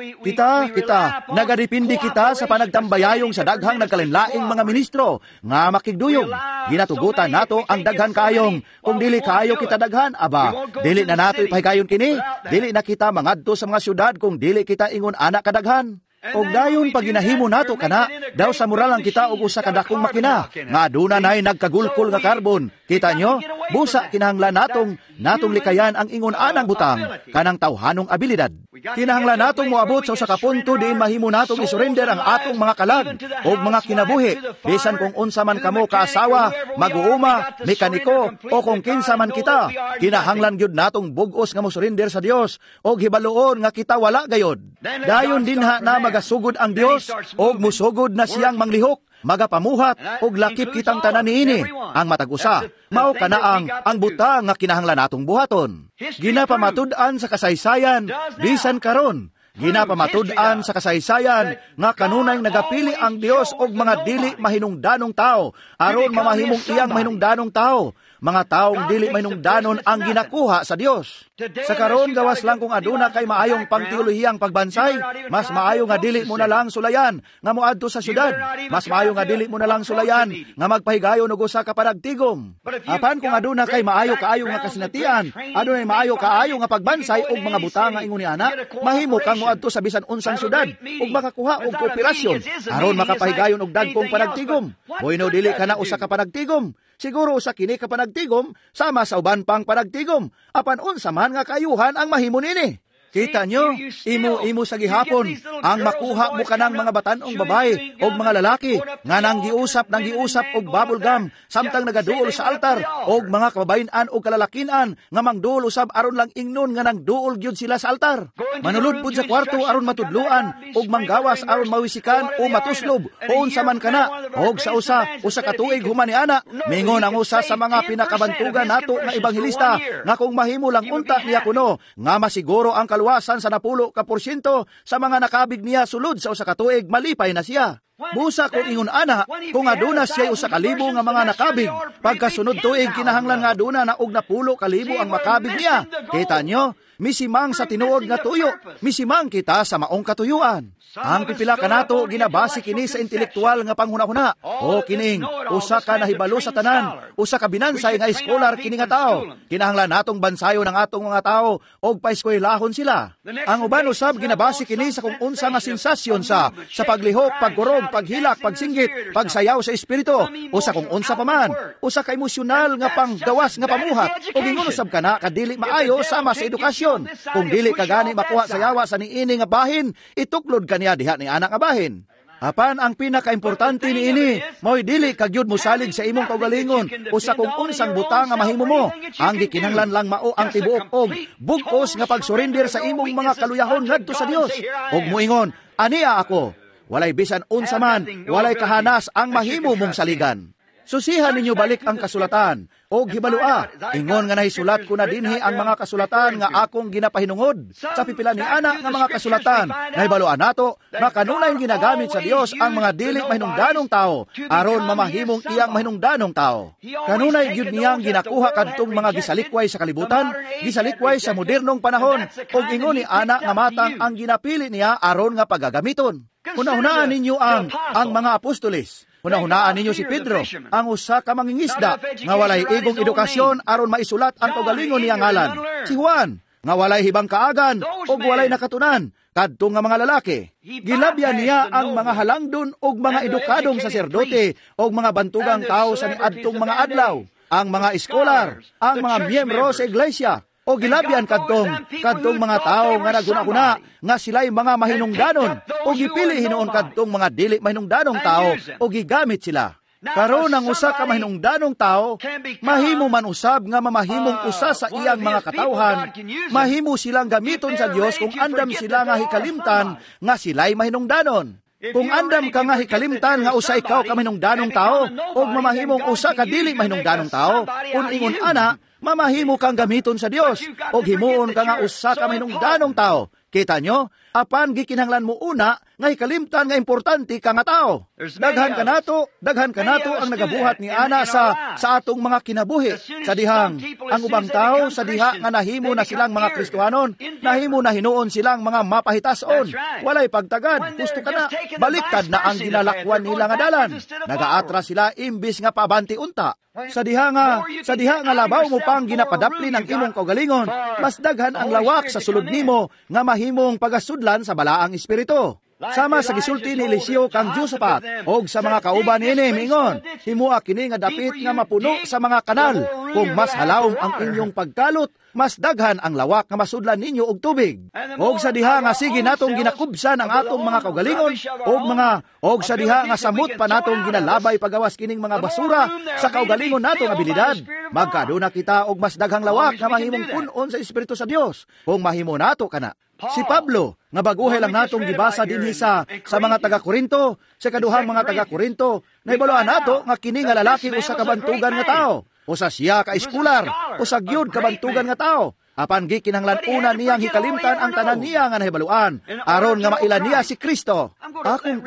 Kita nagadepende kita sa panagtambayayong sa daghang nagkalinlaing mga ministro nga makigduyog. Ginatugutan nato ang daghan kaayong kung dili kaayo kita daghan, aba dili na nato ipahigayon kini. Dili na kita mangadto sa mga syudad kung dili kita ingon anak kadaghan. Og dayon pag ginahimo nato kana, daw sa moral lang kita og usa ka dakong makina nga aduna nay nagkagulkol nga karbon. Kita nyo? Busa kinahanglan natong likayan ang ingon anang butang kanang tawhanong abilidad. Kinahanglan natong moabot sa usa ka punto diin mahimo natong isurrender ang atong mga kalag og mga kinabuhi, bisan kung unsa man kamo kaasawa, mag-uuma, mekaniko o kung kinsa man kita. Kinahanglan gyud natong bug-os nga mosurrender sa Dios og hibaluon nga kita wala gayod. Dayon dinha na magasugod ang Dios og musugod na siyang manglihok, magapamuhat og lakip kitang tanan niini ang matag usa. Mao kana ang butang nga kinahanglan natong buhaton. Ginapamatud-an sa kasaysayan bisan karon. Ginapamatud-an sa kasaysayan nga kanunay nagapili ang Dios og mga dili mahinungdanong tao aron mamahimong iyang mahinungdanong tao. Mga taong dili mahinungdanon ang ginakuha sa Dios. Sa karon gawas lang kung aduna kay maayong pangteolohiyang pagbansay, mas maayo nga dili mo na lang sulayan nga moadto sa syudad. Mas maayo nga dili mo na lang sulayan nga magpahigayon og usa ka panagtigom. Apan kung aduna kay maayo kaayo nga kasinatian, adunay maayo kaayo nga pagbansay og mga butang nga ingon ni ana, mahimo kang moadto sa bisan unsang syudad ug makakuha og kooperasyon aron makapahigayon og dagkong panagtigom. Bueno, dili kana usa ka panagtigom. Siguro usa kini ka panagtigom sama sa uban pang panagtigom. Apan unsa man nga kayuhan ang mahimo nini? Kita nyo, imo sa gihapon ang makuha mo kanang mga batan-ong babae o mga lalaki nga nang giusap og bubble gum samtang nagaduol sa altar og mga kababayen-an o kalalakinan nga mangduol usab aron lang ingnon nga nangduol gyud sila sa altar. Manulod pud sa kwarto aron matudluan og manggawas aron mawisikan o matuslob o unsa man kana og sa usa ka tuig human ni ana mingon ang usa sa mga pinakabantugan nato nga ebanghelista nga kung mahimo lang unta niya kuno nga masiguro ang kaluwasan sa 90% sa mga nakabig niya sulod sa usa ka tuig, malipay na siya. Busa kung ingon ana, kung aduna siya 1,000 nga mga nakabig, pagkasunod tuig kinahanglan nga aduna na og 10,000 ang makabig niya. Kita nyo, misimang sa tinuod nga tuyo, misimang kita sa maong katuyuan. Ang pipila kanato ginabase kini sa intelektual nga panghunahuna. O kining usa ka nahibalo sa tanan, usa ka binansay nga iskolar kini nga tao. Kinahanglan natong bansayon ang atong mga tao og paeskwelahon sila. Ang uban usab ginabase kini sa kung unsa nga sensasyon sa paglihok, pagkurog, paghilak, pagsinggit, pagsayaw sa espiritu, o sa kung unsa pa man, usa ka emosyonal nga panggawas nga pamuhat, o gingon usab kana kadili maayo sama sa edukasyon. Kung dili ka gani makuha sa yawa sa niini nga bahin, ituklod kaniya diha ni anak nga bahin. Apan ang pinakaimportante niini, mao'y dili ka gyud mosalig sa imong kaugalingon o sa kung unsang butang nga mahimo mo. Ang gikinahanglan lang mao ang tibuok og bug-os nga pagsurrender sa imong mga kaluyahon ngadto sa Dios. Og moingon, aniya ako. Walay bisan unsa man, walay kahanas ang mahimo mong saligan. Susihan ninyo balik ang kasulatan og hibalua, ingon nga nahisulat ko na dinhi ang mga kasulatan nga akong ginapahinungod. Sa pipila ni ana nga mga kasulatan, nahibaluan nato nga kanunay ginagamit sa Dios ang mga dili mahinungdanong tao aron mamahimong iyang mahinungdanong tao. Kanunay gyud niyang ginakuha kadtong mga gisalikway sa kalibutan, gisalikway sa modernong panahon, og ingon ni ana nga matang ang ginapili niya aron nga pagagamiton. Hunahunaan ninyo ang mga apostoles. Hunahunaan ninyo si Pedro, ang usa ka mangingisda nga walay igong edukasyon aron maisulat ang kaugalingon niya ngalan. Si Juan, nga walay hibang kaagan ug walay nakatunan kadto nga mga lalaki. Gilabyan niya ang mga halangdon ug mga edukadong saserdote ug mga bantugang tao sa niadtong mga adlaw, ang mga eskolar, ang mga miyembro sa iglesia. O gilabyan kadtong mga tao nga naghuna-huna nga sila'y mga mahinungdanon, o gipili hinuon kadtong mga dili mahinungdanong tao o gigamit sila. Karon ang usa ka mahinungdanong tao, mahimo man usab nga mamahimong usa sa iyang mga katawhan, mahimo silang gamiton sa Dios kung andam sila nga hikalimtan nga sila'y mahinungdanon. Kung andam ka nga hikalimtan nga usa ikaw ka mahinungdanong tao o mamahimong usa ka dili mahinungdanong tao, kung ingon ana, mamahimo kang gamiton sa Dios o himuon ka nga usa ka mahinungdanong tao. Kita nyo? Apan gikinahanglan mo una nga hikalimtan nga importante ka nga tao. Daghan kanato ang nagabuhat ni ana sa atong mga kinabuhi. Sa dihang ang ubang tao sa diha nga nahimo na silang mga Kristohanon, nahimo na hinuon silang mga mapahitason. Walay pagtagad, gusto ka na, baliktad na ang ginalakwan nila nga dalan. Nagaatra sila imbis nga paabante unta. Sa diha nga labaw mo pang ginapadapli ng imong kaugalingon, mas daghan ang lawak sa sulod nimo nga mahimong pagasudlan sa balaang espiritu. Sama sa gisulti ni Eliseo kang Josaphat og sa mga kauban niini miingon, himua kini nga dapit nga mapuno sa mga kanal. Kung mas halawom ang inyong pagkalot, mas daghan ang lawak nga masudlan ninyo og tubig. Og sa diha nga sige natong ginakubsan ang atong mga kaugalingon og sa diha nga samot pa natong ginalabay pagawas kining mga basura sa kaugalingon natong abilidad, magkaduna kita og mas daghang lawak nga mahimong punon sa Espiritu sa Dios kung mahimo nato kana. Si Pablo, nga baguhay lang natong gibasa dinhi sa mga taga-Korinto, sa kaduhang mga taga-Korinto, nahibaluan nato nga kini nga lalaki usa ka bantugan nga tao, usa siya ka eskular, usa gyud ka bantugan nga tao. Apan gikinahanglan una niyang hikalimtan ang tanan niya nga nahibaluan, aron nga maila niya si Kristo. Akong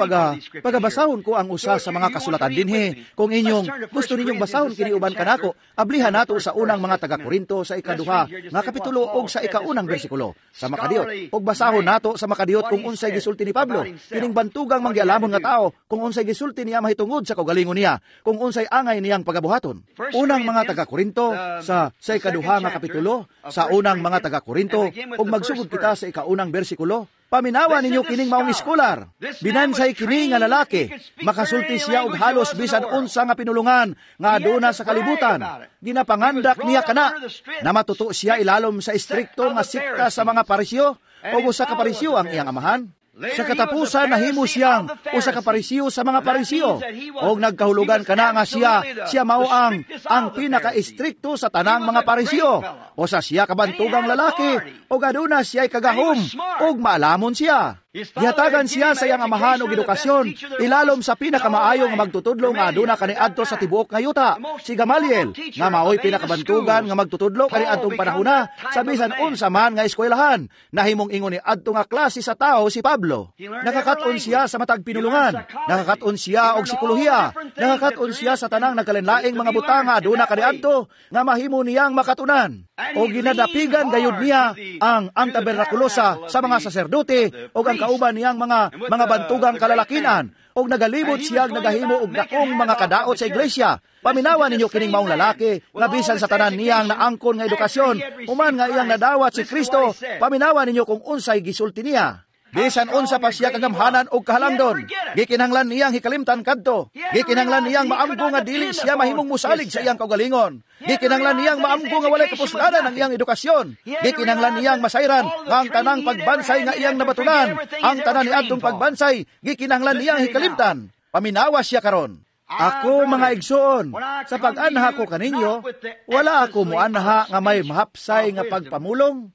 pagabasahon ko ang usa sa mga kasulatan dinhi. Kung inyong gusto ninyong basahon kini uban kanako, ablihan nato sa unang mga taga-Korinto sa ikaduha nga kapitulo og sa ikaunang bersikulo sa makadiyot. Og basahon nato sa makadiyot kung unsay gisulti ni Pablo, kining bantugang manggialamon nga tao, kung unsay gisulti niya mahitungod sa kaugalingon niya, kung unsay angay niyang pagabuhaton. Unang mga taga-Korinto sa ikaduha nga kapitulo, sa unang mga taga-Korinto, ug magsugod kita sa ikaunang bersikulo. Paminawa ninyo kining maong iskolar. Binansay kini nga lalaki. Makasulti siya og halos bisan unsa nga pinulungan nga aduna sa kalibutan. Ginapangandak niya kana. Namatuto siya ilalom sa istrikto nga sikta sa mga Pariseo o usa ka Pariseo ang iyang amahan. Sa katapusan nahimo siyang usa ka Pariseo sa mga Pariseo. Og nagkahulugan kana nga siya mao ang pinaka-istrikto sa tanang mga Pariseo. Usa siya kabantugang lalaki og aduna siya'y kagahom og maalamon siya. Gihatagan siya sa iyang amahan og edukasyon ilalom sa pinakamaayo nga magtutudlo nga aduna kaniadto sa tibuok nga yuta, si Gamaliel, nga maoy pinakabantugan nga magtutudlo kaniadtong panahona sa bisan unsa man nga eskwelahan. Nahimong ingon ni adto nga klase sa tao si Pablo. Nakakaton siya sa matag pinulungan, nakakaton siya og psikolohiya, nakakaton siya sa tanang nagkalinlaing mga butang nga aduna kaniadto nga mahimo niyang makatunan. O ginadapigan gayud niya ang tabernakulosa sa mga saserdote og ang kauban niyang mga bantugang kalalakinan, og nagalibot siya nagahimo og dakong mga kadaot sa iglesia. Paminawa ninyo kining maong lalaki nga bisan sa tanan niyang naangkon nga edukasyon, human nga iyang nadawat si Kristo, paminawa ninyo kung unsay gisulti niya. Bisan unsa pa siya kagamhanan og kahalangdon, gikinahanglan niyang hikalimtan kadto. Gikinahanglan niyang maamgo nga dili siya mahimong musalig sa iyang kaugalingon. Gikinahanglan niyang maamgo nga walay kapuslanan ang iyang edukasyon. Gikinahanglan niyang masayran nga ang tanang pagbansay nga iyang nabatunan, ang tanan niadtong pagbansay, gikinahanglan niyang hikalimtan. Paminawa siya karon. Ako, mga igsoon, sa pag-anha ko kaninyo, wala ako muanha nga may mahapsay nga pagpamulong.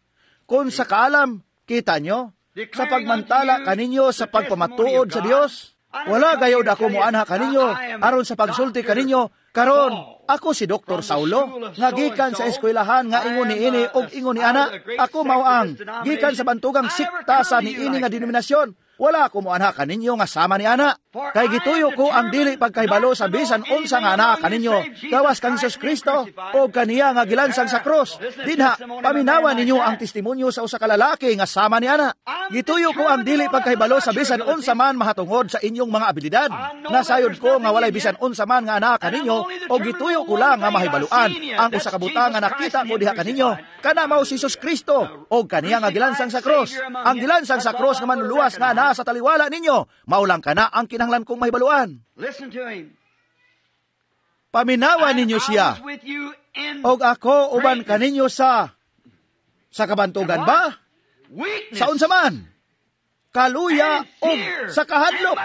Kung sa kaalam, kita nyo, sa pagmantala kaninyo sa pagpamatuod sa Dios, wala gayod ako muanha kaninyo aron sa pagsulti kaninyo karon ako si Dr. Saulo nga gikan sa eskwelahan nga ingon niini og ingon ni ana. Ako mao ang gikan sa bantugang sikta sa niini nga denominasyon. Wala ako muanha kaninyo nga sama ni ana. Kay gituyo ko ang dili pagkahibalo sa bisan unsa nga anaa kaninyo gawas kang Hesus Kristo o kaniya nga gilansang sa krus. Dinha paminawa ninyo ang testimonyo sa usa ka lalaki nga sama ni ana. Gituyo ko ang dili pagkahibalo sa bisan unsa man mahatungod sa inyong mga abilidad. Nasayod ko nga walay bisan unsa man nga anaa kaninyo o gituyo ko lang nga mahibaluan ang usa ka butang nga nakita ko diha kaninyo. Kana mao si Hesus Kristo o kaniya nga gilansang sa krus. Ang gilansang sa krus nga manluluwas nga anaa sa taliwala ninyo, maulang kana ang kinahanglan kong mahibaluan. Paminawa ninyo siya, og ako uban kaninyo sa kabantugan ba? Sa unsa man? Kaluya og sa kahadlok,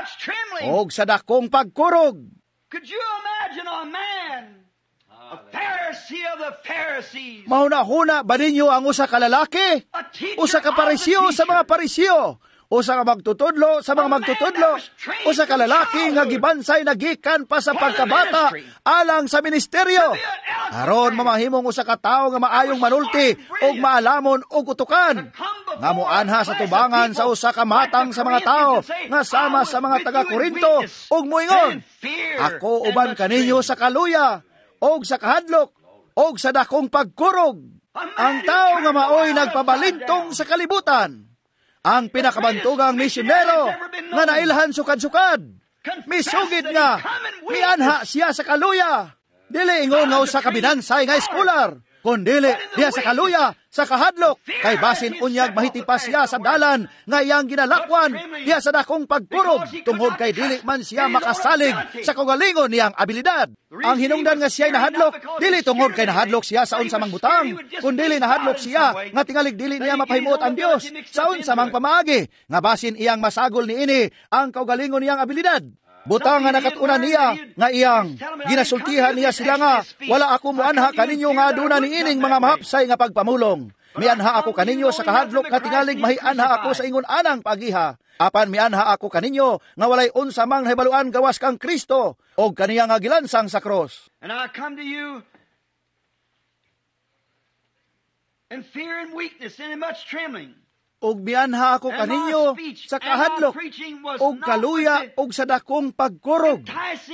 og sa dakong pagkurog. Mahuna-huna ba ninyo ang usa ka lalaki? Usa ka Pariseo sa mga Pariseo, usa ka magtutudlo sa mga magtutudlo, usa ka lalaki nga gibansay na gikan pa sa pagkabata alang sa ministeryo, aron mamahimong usa ka tawo nga maayong manulti ug maalamon og utukan, nga moanha sa tubangan sa usa ka matang sa mga tawo nga sama sa mga taga-Korinto ug moingon, ako uban kaninyo sa kaluya og sa kahadlok og sa dakong pagkurog. Ang tawo nga maoy nagpabalintong sa kalibutan, ang pinakabantugang misyonero nga nailhan sukad-sukad, misugid nga mianha siya sa kaluya. Dili ingon nga usa ka binansay nga eskolar, kundili diha sa kaluya, sa kahadlok, kay basin unyag mahitipas siya sa dalan nga iyang ginalakwan diha sa dakong pagkurog, tungod kay dili man siya makasalig sa kaugalingon niyang abilidad. Ang hinungdan nga siya'y nahadlok, dili tungod kay nahadlok siya sa unsa mang butang, kundili nahadlok siya nga tingalig dili niya mapahimuot ang Dios sa unsa mang pamaagi, nga basin iyang masagol niini ang kaugalingon niyang abilidad. Butang nga nakatunan niya nga iyang ginasultihan niya sila nga wala ako muanha kaninyo nga aduna niining mga mahapsay nga pagpamulong. Mianha ako kaninyo sa kahadlok nga tingalig mahianha ako sa ingon anang pagiha. Apan mianha ako kaninyo nga walay unsa mang nahibaluan gawas kang Kristo og kaniya nga gilansang sa krus. And I come to you in fear and weakness and in much trembling. Og mianha ako kaninyo sa kahadlok og kaluya og sa dakong pagkurog.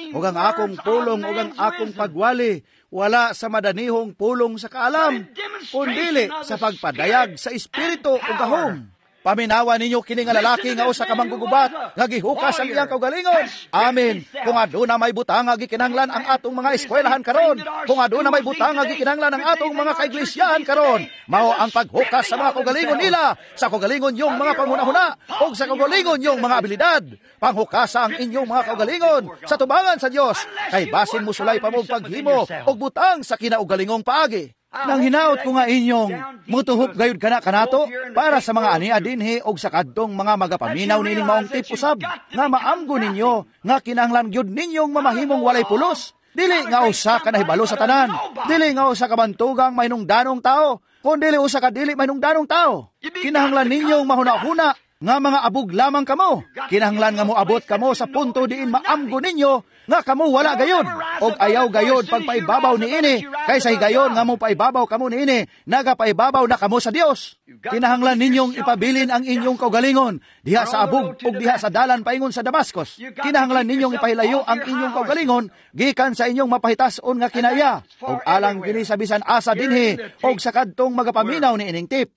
Og ang akong pulong og ang akong pagwali wala sa madanihong pulong sa kaalam, kundili sa pagpadayag sa espiritu ug gahom. Paminawa ninyo kini nga lalaki nga usa ka manggugubat nga gihukas ang iyang kaugalingon. Amen. Kung aduna may butang nga gikinahanglan ang atong mga eskwelahan karon, kung aduna may butang nga gikinahanglan ang atong mga kaiglisyahan karon, mao ang paghukas sa mga kaugalingon nila, sa kaugalingon yung mga panghunahuna ug sa kaugalingon yung mga abilidad. Panghukasa ang inyong mga kaugalingon sa tubangan sa Dios, kay basin musulay pa mo paghimo og butang sa kinaugalingong paagi. Nang hinaot ko nga inyong mutuhop gayud kana kanato para sa mga ania dinhi og sa kadtong mga magapaminaw nining maong tip usab nga maamgo ninyo nga kinahanglan gyud ninyong mamahimong walay pulos. Dili nga usa ka nahibalo sa tanan, dili nga usa ka bantugang mahinungdanong tao, kun dili usa ka dili mahinungdanong tao. Kinahanglan ninyong mahuna-huna nga mga abog lamang kamo. Kinahanglan nga moabot kamo sa punto diin maamgo ninyo nga kamo wala gayod og ayaw gayod pagpaibabaw niini, kaysa higayon nga mopaibabaw kamo niini, nagapaibabaw na kamo sa Dios. Kinahanglan ninyong ipabilin ang inyong kaugalingon diha sa abog ug diha sa dalan paingon sa Damascus. Kinahanglan ninyong ipahilayo ang inyong kaugalingon gikan sa inyong mapahitas-on nga kinaya, ug alang kini sa bisan asa dinhi og sa kadtong magapaminaw niining tip.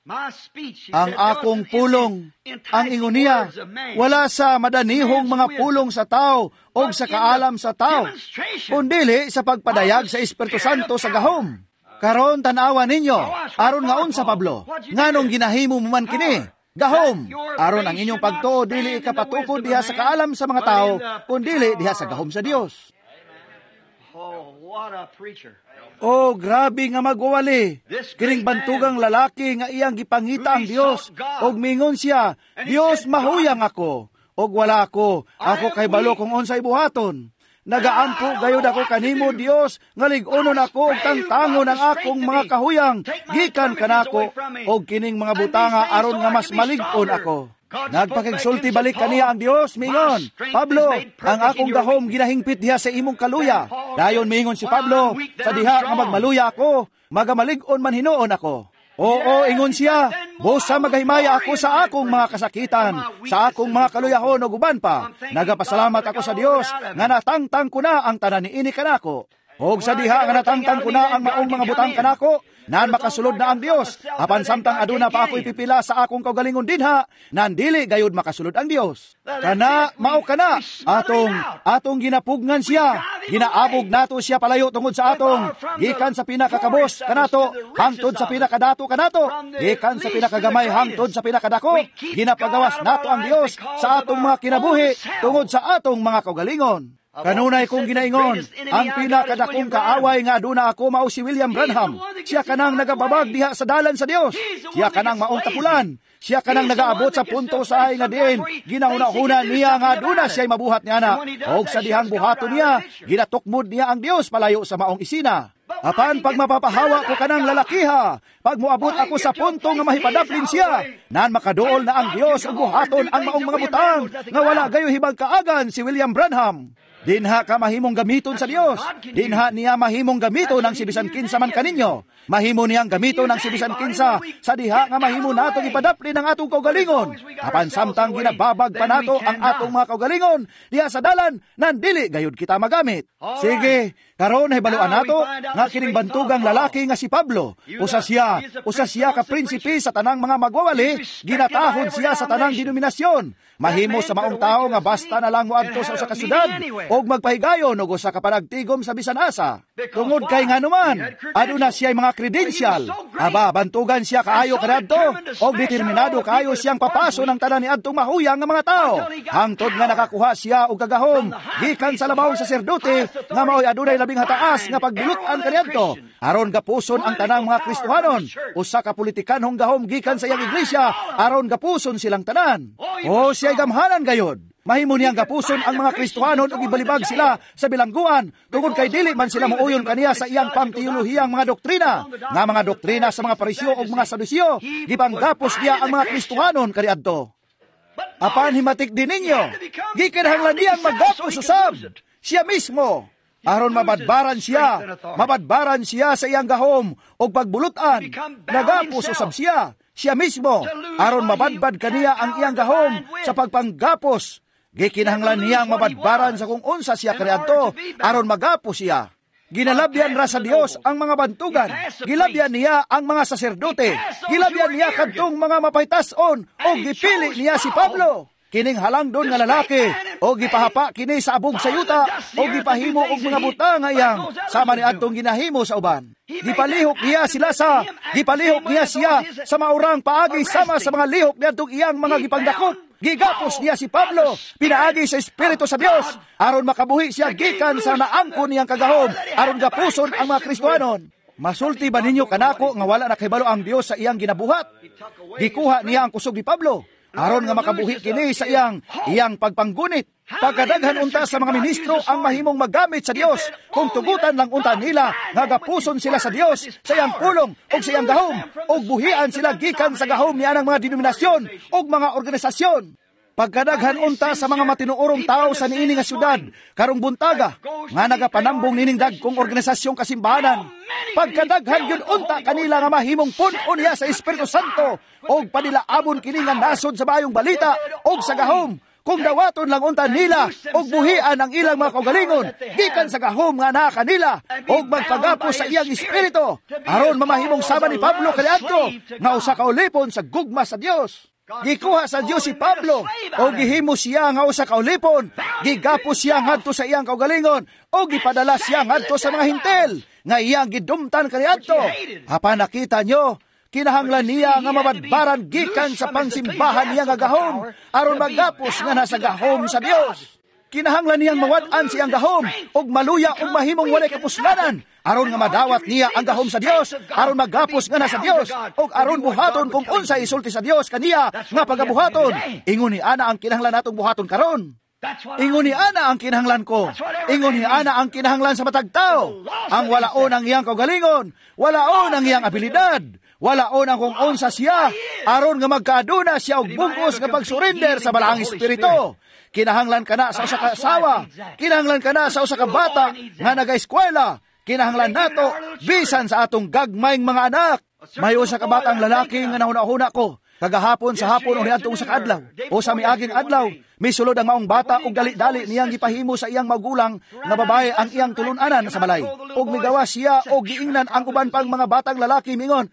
Ang akong pulong, ang ingon niya, wala sa madanihong mga pulong sa tao o sa kaalam sa tao, kundili sa pagpadayag sa Espiritu Santo sa gahom. Karon tan-awa ninyo, aron nga unsa Pablo, nganong ginahimo mo man kini? Gahom, aron ang inyong pagtuo dili ikapatukod diha sa kaalam sa mga tao, kundili diha sa gahom sa Dios. Oh, grabe nga magwawali. Kining bantugang lalaki nga iyang gipangita ang Dios, og mingon siya, Dios, mahuyang ako, og wala ako, ako kay balo kung unsay buhaton. Nagaampo gayud ako kanimo, Dios, nga lig-onon ako og tangtangon ang akong mga kahuyang gikan kanako og kining mga butanga aron nga mas malig-on ako. Nagpakigsulti balik kaniya ang Dios, mingon, Pablo, ang akong gahom ginahingpit diha sa imong kaluya. Dayon mingon si Pablo, sa diha nga magmaluya ako, magamalig-on man hinuon ako. Oo, ingon siya, busa magahimaya ako sa akong mga kasakitan, sa akong mga kaluyahon o guban pa. Nagapasalamat ako sa Dios nga natangtang ko na ang tanan niini kanako. Og sa diha nga natangtang ko na ang maong mga butang kanako, nan makasulod na ang Dios. Apan samtang aduna pa ako ipipila sa akong kaugalingon dinha, nan dili gayud makasulod ang Dios. Kana mao kana atong ginapugnan siya, ginaabog nato siya palayo tungod sa atong gikan sa pinakakabos kanato hangtod sa pinakadato kanato, gikan sa pinakagamay hangtod sa pinakadako, ginapagawas nato ang Dios sa atong mga kinabuhi tungod sa atong mga kaugalingon. Kanunay kong ginaingon, ang pinakadakong kaaway nga aduna ako mao si William Branham. Siya kanang nagababag diha sa dalan sa Dios. Siya kanang maong tapulan. Siya kanang nagaabot sa punto sa ay nga diin ginahuna-huna niya nga aduna siya'y mabuhat niya na. Og sa dihang buhaton niya, ginatukmod niya ang Dios palayo sa maong isina. Apan pag mapapahawa ko kanang lalakiha, pag moabot ako sa punto nga mahipadaplin siya, nan makaduol na ang Dios ug buhaton ang maong mga butang nga wala gayo hibag kaagan si William Branham. Dinha ka mahimong gamiton sa Dios. Dinha niya mahimong gamiton ang sibisan kinsa man kaninyo. Mahimo niyang gamiton ang sibisan kinsa sa diha nga mahimo natong ipadaplin ang atong kaugalingon. Apan samtang ginababag pa nato ang atong mga kaugalingon diha sa dalan, nandili gayud kita magamit. Sige, karon hibaluan nato nga kining bantugang lalaki nga si Pablo, usa siya ka prinsipe sa tanang mga magwawali, ginatahod siya sa tanang denominasyon. Mahimo sa maong tao nga basta na lang moadto sa usa ka syudad og magpahigayon og usa ka panagtigom sa bisan asa. Tungod kay nganuman, aduna siya mga kredensyal. Aba, bantugan siya kaayo kaniadto og determinado kaayo siyang papaso ng tanan niadtong mahuyang nga mga tao. Hangtod nga nakakuha siya og kagahom gikan sa labaw saserdote nga maoy adunay labing hataas nga pagbilut-an kaniadto. Aron gapuson ang tanang mga Kristohanon, usa ka politikanhong gahom gikan sa iyang iglesia aron gapuson silang tanan. O siya gamhanan gayod. Mahimo niyang gapuson ang mga Kristohanon ug ibalibag sila sa bilangguan tungod kay dili man sila mooyon kaniya sa iyang pangteolohiyang mga doktrina. Nga mga doktrina sa mga Pariseo ug mga Saduseo, gipanggapos niya ang mga Kristohanon kaniadto. Apan himatik din ninyo, gikinahanglan niyang maggapos usab siya mismo. Aron mabadbaran siya sa iyang gahom og pagbulutan, nagapos usab siya, siya mismo, aron mabadbad kaniya ang iyang gahom sa pagpanggapos. Gikinahanglan niyang mabadbaran sa kung unsa siya kaniadto, aron magapos siya. Ginalabyan ra sa Dios ang mga bantugan. Gilabyan niya ang mga saserdote. Gilabyan niya kadtong mga mapaytas-on o gipili niya si Pablo. Kining halangdon nga lalaki o gipahapa kini sa abog sa yuta o gipahimo og mga butang nga iyang sama ni adtong ginahimo sa uban. Gipalihok niya sila sa gipalihok niya siya sa maurang paagi sama sa mga lihok niadtong iyang mga gipangdakop. Gigapos niya si Pablo pinaagi sa Espiritu sa Dios aron makabuhi siya gikan sa naangkon niyang kagahom aron gapuson ang mga Kristohanon. Masulti ba ninyo kanako nga wala na kahibalo ang Dios sa iyang ginabuhat? Gikuha niya ang kusog ni Pablo aron nga makabuhi kini sa iyang pagpanggunit. Pagkadaghan unta sa mga ministro ang mahimong maggamit sa Dios kung tugutan lang unta nila nga gapuson sila sa Dios sa iyang pulong ug sa iyang gahom ug buhian sila gikan sa gahom niya ng mga denominasyon ug mga organisasyon. Pagkadaghan unta sa mga matinuorong tao sa niini nga syudad karong buntaga nga nagapanambong nining dagkong organisasyong kasimbahanan, pagkadaghan gyud unta kanila nga mahimong pun-on niya sa Espiritu Santo og panilaabon kini nga nasod sa maayong balita og sa gahom kung dawaton lang unta nila og buhian ang ilang mga kaugalingon gikan sa gahom nga naa kanila og magpagapos sa iyang espiritu aron mamahimong sama ni Pablo kaniadto nga usa ka ulipon sa gugma sa Dios. Gikuha sa Dios si Pablo o gihimo siya nga usa ka ulipon, gigapos siya ngadto sa iyang kaugalingon o gipadala siya ngadto sa mga Hintil nga iyang gidumtan kaniadto. Apan nakita nyo, kinahanglan niya nga mabadbaran gikan sa pangsimbahan niya nga gahom aron magapos nga nasa gahom sa Dios. Kinahanglan niyang mawad-an siyang gahom og maluya og mahimong walay kapuslanan aron nga madawat niya ang gahom sa Dios, aron magapos nga nasa Dios og aron buhaton kung unsa isulti sa Dios kaniya nga pagabuhaton. Ingon ni ana ang kinahanglan natong buhaton karon. Ingon ni ana ang kinahanglan ko. Ingon ni ana ang kinahanglan sa matag tao. Ang walaon ang iyang kaugalingon, walaon ang iyang abilidad, walaon ang kung unsa siya aron nga magkaaduna siya og bugos nga pagsurrender sa Balaang Espiritu. Kinahanglan ka na sa usa ka asawa, kinahanglan ka na sa usa ka bata nga nagaeskwela, kinahanglan nato bisan sa atong gagmayng mga anak. May usa ka batang lalaki nga nahuna-huna ko kagahapon sa hapon o niadtong usa ka adlaw o sa miaging adlaw, misulod ang maong bata og dali-dali niyang gipahimo sa iyang magulang nga babae ang iyang tulun-anan sa balay. Og migawas siya og giingnan ang uban pang mga batang lalaki mingon,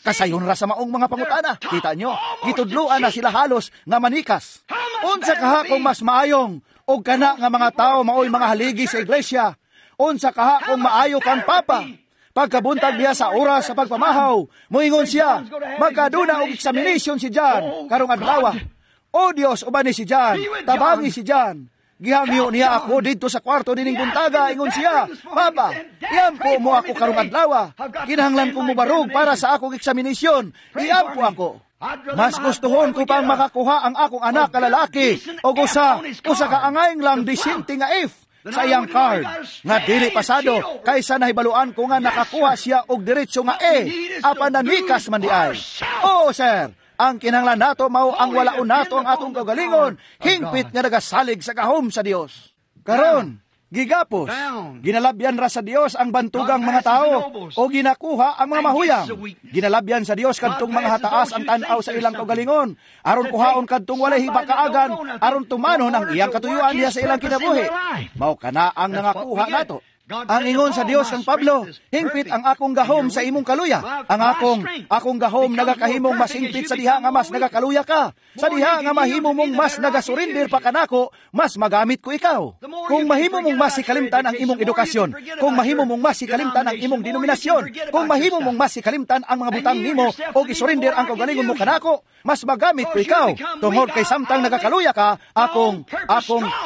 kasayon ra sa maong mga pangutana. Kita nyo, gitudluan na sila halos nga manikas. Unsa kaha kung mas maayong og kana nga mga tao maoy mga haligi sa iglesia? Unsa kaha kung maayo kang papa? Pagkabuntag niya sa oras sa pagpamahaw, moingon siya, magkaduna og examination si John karong adlaw. O Dios, uban ni si John, tabangi si John. Gihangyo niya ako didto sa kwarto nining buntaga, ingon siya, Papa, iampo mo ako karong adlaw. Kinahanglan kong mobarog para sa akong examination. Iampo ako. Mas gustuhon ko pang makakuha ang akong anak ka lalaki o usa ka angayng lang disente nga if sa iyang card nga dili pasado kaysa nahibaluan ko nga nakakuha siya og diretso nga E apan nanikas man di ay. Oh sir, ang kinahanglan nato mao ang walaon nato ang atong kaugalingon, hingpit nga nagasalig sa gahom sa Dios. Karon, gigapos, ginalabyan ra sa Dios ang bantugang mga tao o ginakuha ang mga mahuyang. Ginalabyan sa Dios kadtong mga hataas ang tan-aw sa ilang kaugalingon, aron kuhaon kadtong walay hibakaagan, aron tumanon ang iyang katuyuan niya sa ilang kinabuhi. Mao kana ang nangakuha nato. Ang ingon sa Dios kang Pablo, hingpit ang akong gahom sa imong kaluya. Ang akong gahom nagakahimong mas hingpit sa diha nga mas nagakaluya ka. Sa diha nga mahimo mong mas nagasurrender pa kanako, mas magamit ko ikaw. Kung mahimo mong mas hikalimtan ang imong edukasyon, kung mahimo mong mas hikalimtan ang imong denominasyon, kung mahimo mong mas hikalimtan ang mga butang nimo o isurrender ang kaugalingon mo kanako, mas magamit ko ikaw. Tungod kay samtang nagakaluya ka, akong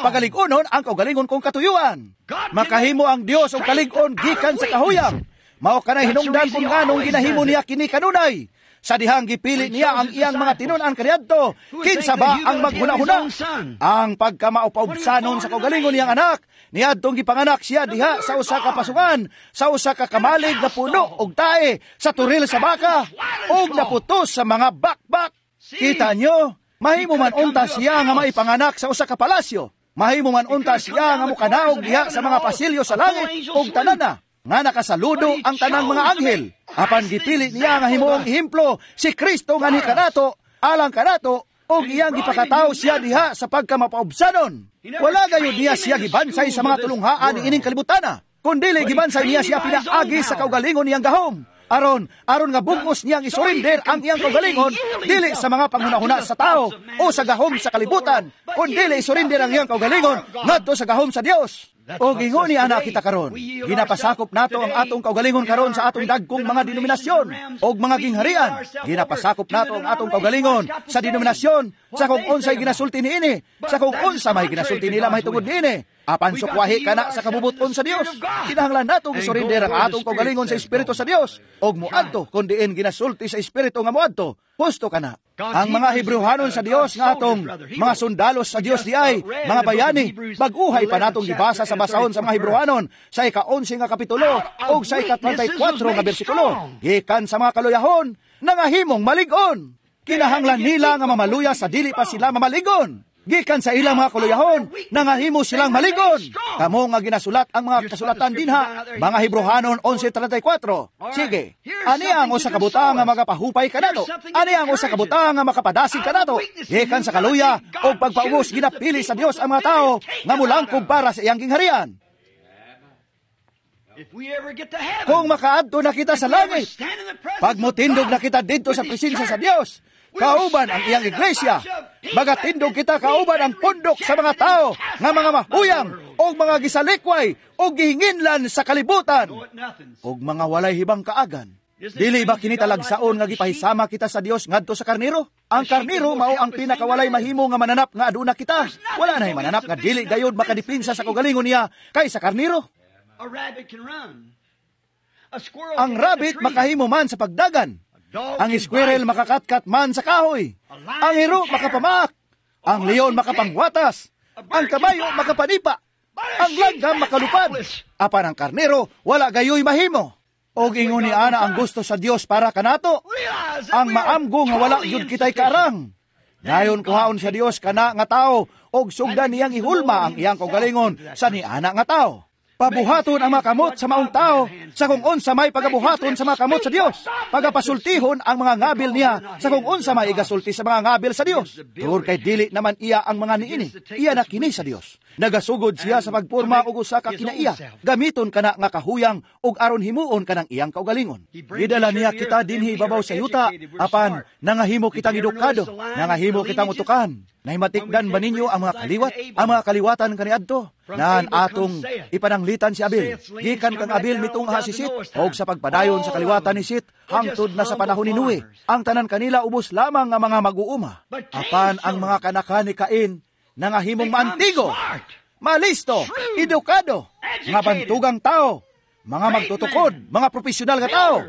pagalig-unon ang kaugalingon kong katuyuan. Makahimo ang Dios og kalig-on gikan sa kahuyang. Mao kanay hinungdan kung nganong ginahimo niya kini kanunay. Sa dihang gipili niya ang iyang mga tinun-an kaniadto, kinsa ba ang maghuna-huna? Ang pagkamaupaubsanon sa kaugalingon niyang anak, niadtong gipanganak siya diha sa usa ka pasungan, sa usa ka kamalig na puno og tae, sa turil sa baka, og naputos sa mga bakbak. Kita nyo, mahimo man unta siya nga maipanganak sa usa ka palasyo. Mahimo man unta siya nga mukanaog diha sa mga pasilyo sa langit og tanan na nga nakasaludo ang tanang mga anghel. Apan gipili niya nga himuong ehemplo si Kristo nga ni kanato, alang kanato, og iyang gipakatawo siya diha sa pagkamapaubsanon. Wala gayud niya siya gibansay sa mga tulunghaan niining kalibutana. Kun dili gibansay niya siya pinaagi sa kaugalingon niyang gahom. Aron aron nga bugos niyang isurrender ang iyang kaugalingon dili sa mga panghunahuna sa tao o sa gahom sa kalibutan, kun dili isurrender ang iyang kaugalingon ngadto sa gahom sa Dios. O ingon ni ana kita karon, ginapasakop nato ang atong kaugalingon karon sa atong dagkong mga denominasyon og mga gingharian. Ginapasakop nato ang atong kaugalingon sa denominasyon, sa kung unsay ginasulti niini, sa kung unsa may ginasulti nila mahitungod niini. Apan sukwahi kana sa kabubuton sa Dios. Kinahanglan nato gisurrender ang atong kaugalingon sa Espiritu sa Dios og moadto kun diin ginasulti sa Espiritu nga moadto. Husto kana. Ang mga Hebreohanon sa Dios nga atong mga sundalos sa Dios diay, mga bayani, bag-uhay pa natong gibasa sa basahon sa mga Hebreohanon sa ika-11 nga kapitulo ug sa ika-34 nga bersikulo. Gikan sa mga kaluyahon, nangahimong malig-on. Kinahanglan nila nga mamaluya sa dili pa sila mamaligon. Gikan sa ilang mga kuluyahon, nangahimo silang maligon. Kamo nga ginasulat ang mga kasulatan dinha, mga Hebreohanon 11:34. Sige, ani ang usa ka butang nga magapahupay kanato? Ani ang usa ka butang nga makapadasig kanato? Gikan sa kaluya og pagpaubos, ginapili sa Dios ang mga tao nga mulangkob para sa iyang gingharian. Kung makaadto na kita sa langit, pagmutindog na kita didto sa presensya sa Dios, kauban ang iyang iglesia, magatindog kita kauban ang pundok sa mga tao nga mga mahuyang o mga gisalikway o gihinginlan sa kalibutan o mga walay hibang kaagan. Dili ba kini talagsaon nga gipahisama kita sa Dios ngadto sa karnero? Ang karnero mao ang pinakawalay mahimo nga mananap nga aduna kita. Wala nay mananap nga dili gayud makadipinsa sa kaugalingon niya kaysa karnero. Ang rabbit makahimo man sa pagdagan. Ang squirrel makakatkat man sa kahoy. Ang hero makapamaak. Ang leon makapangwatas. Ang kabayo makapanipa. Ang langgam makalupad. Apan ang karnero wala gayoy mahimo. Og ingon ni ana ang gusto sa Dios para kanato. Ang maamgo nga wala gyud kitay kaarang. Dayon kuhaon sa Dios kana nga tao og sugdan niyang ihulma ang iyang kaugalingon sa niana nga tao. Pabuhaton ang mga kamot sa maong tao sa kung unsa may pagabuhaton sa mga kamot sa Dios. Pagapasultihon ang mga ngabil niya sa kung unsa may igasulti sa mga ngabil sa Dios. Tungod kay dili naman iya ang mga niini, iya na kini sa Dios. Nagasugod siya sa pagporma og usa ka kinaiya. Gamiton kana nga kahuyang ug aron himuon kanang iyang kaugalingon. Gidala niya kita dinhi ibabaw sa yuta, apan nangahimo kitang edukado, nangahimo kitang utukan. Nahimatikdan ba ninyo ang mga kaliwat? Ang mga kaliwatan kaniadto? Naan atong ipananglitan si Abel. Gikan kang Abel mitungha si Sit, og sa pagpadayon sa kaliwatan ni Sit, hangtod na sa panahon ni Noe. Ang tanan kanila ubos lamang nga mga mag-uuma. Apan ang mga kanakan ni Cain, nangahimong maantigo, malisto, edukado, mga bantugang tao, mga magtutukod, mga profesional nga tao.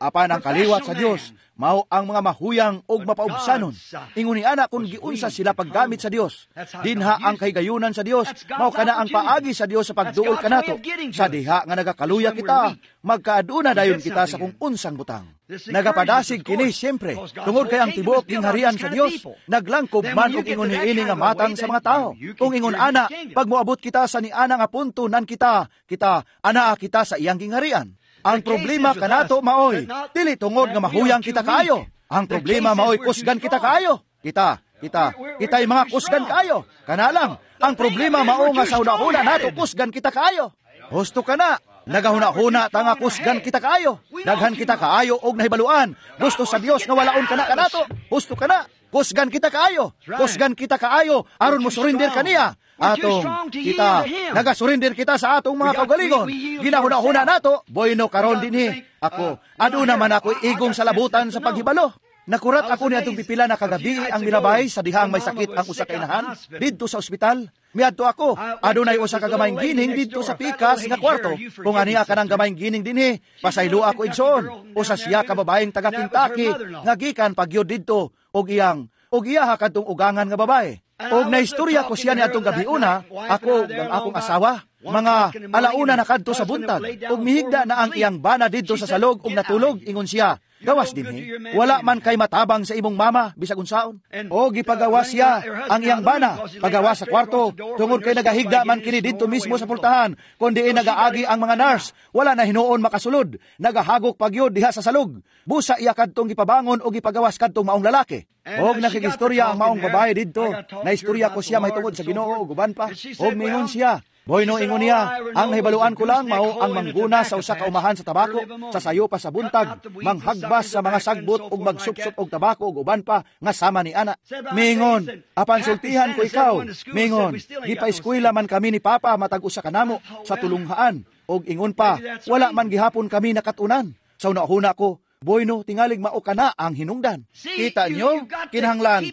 Apan ang kaliwat sa Dios, mao ang mga mahuyang og mapaubsanon. Ingon ni ana kung giunsa sila paggamit sa Dios. Dinha ang kahigayunan sa Dios, mao kana ang paagi sa Dios sa pagduol kanato. Sa diha nga nagakaluya kita, magkaaduna dayon kita sa kung unsang butang. Nagapadasig kini siyempre, tungod kay ang tibuok gingharian sa Dios, naglangkob man og ingon niini nga matang sa mga tao. Kung ingon ana, pag moabot kita sa niana nga punto nan kita, kita anaa kita sa iyang gingharian. Ang problema kanato maoy, dili tungod nga mahuyang kita kaayo. Ang problema maoy kusgan kita kaayo. Kita'y mga kusgan kaayo. Kana lang, ang problema mao nga sa hunahuna nato kusgan kita kaayo. Husto kana, nagahuna-huna ta nga kusgan kita kaayo. Daghan kita kaayo og nahibaluan. Gusto sa Dios nga walaon kana kanato. Husto kana, kusgan kita kaayo. Kusgan kita kaayo aron mo surrender kaniya. Atong kita nagasurrender kita sa atong mga kaugalingon. Ginahuna-huna nato, bueno karon dinhi ako. Aduna man ako igong sa labutan sa paghibalo. Nakurat ako ni atong pipila na kagabi ang mirabay sa dihang may sakit ang usa ka inahan didto sa ospital. Miadto ako, adunay usa ka gamayng gining didto sa pikas nga kwarto. Kung aniya kanang gamayng gining dinhi, pasaylo ako igsoon. Usa siya ka babaeng taga Kentucky nga gikan pagyud didto og iyang og iyaha kadtong ugangan nga babae. Og naistorya ko siya ni atong gabiuna, ako ug ang akong asawa, mga alauna na kadto sa buntag, ug mihigda na ang iyang bana didto sa salog ug natulog, ingon siya, gawas dinhi, wala man kay matabang sa imong mama, bisag unsaon. O gipagawas siya ang iyang bana, pagawas sa kwarto, tungod kay nagahigda man kini didto mismo sa pultahan, kun diin nagaagi ang mga nurse, wala na hinuon makasulod, nagahagok pagyud diha sa salog. Busa iya kadtong gipabangon o gipagawas kadtong maong lalaki. Og nakigistorya ang maong babae didto, naistorya ko siya mahitungod sa Ginoo ug uban pa. Og mingon siya, Bueno, ingon niya, ang nahibaluan ko lang mao ang mangguna sa usa ka umahan sa tabako, sa sayo pa sa buntag, manghagbas sa mga sagbot ug magsupsop og tabako ug uban pa nga sama ni ana. Mingon, apan sultihan ko ikaw. Mingon, gipaeskwela man kami ni Papa matag usa kanamo sa tulunghaan og ingon pa, wala man gihapon kami nakatunan. Sa una-una ko, bueno, tingalig mao kana ang hinungdan. Kita nyo, kinahanglan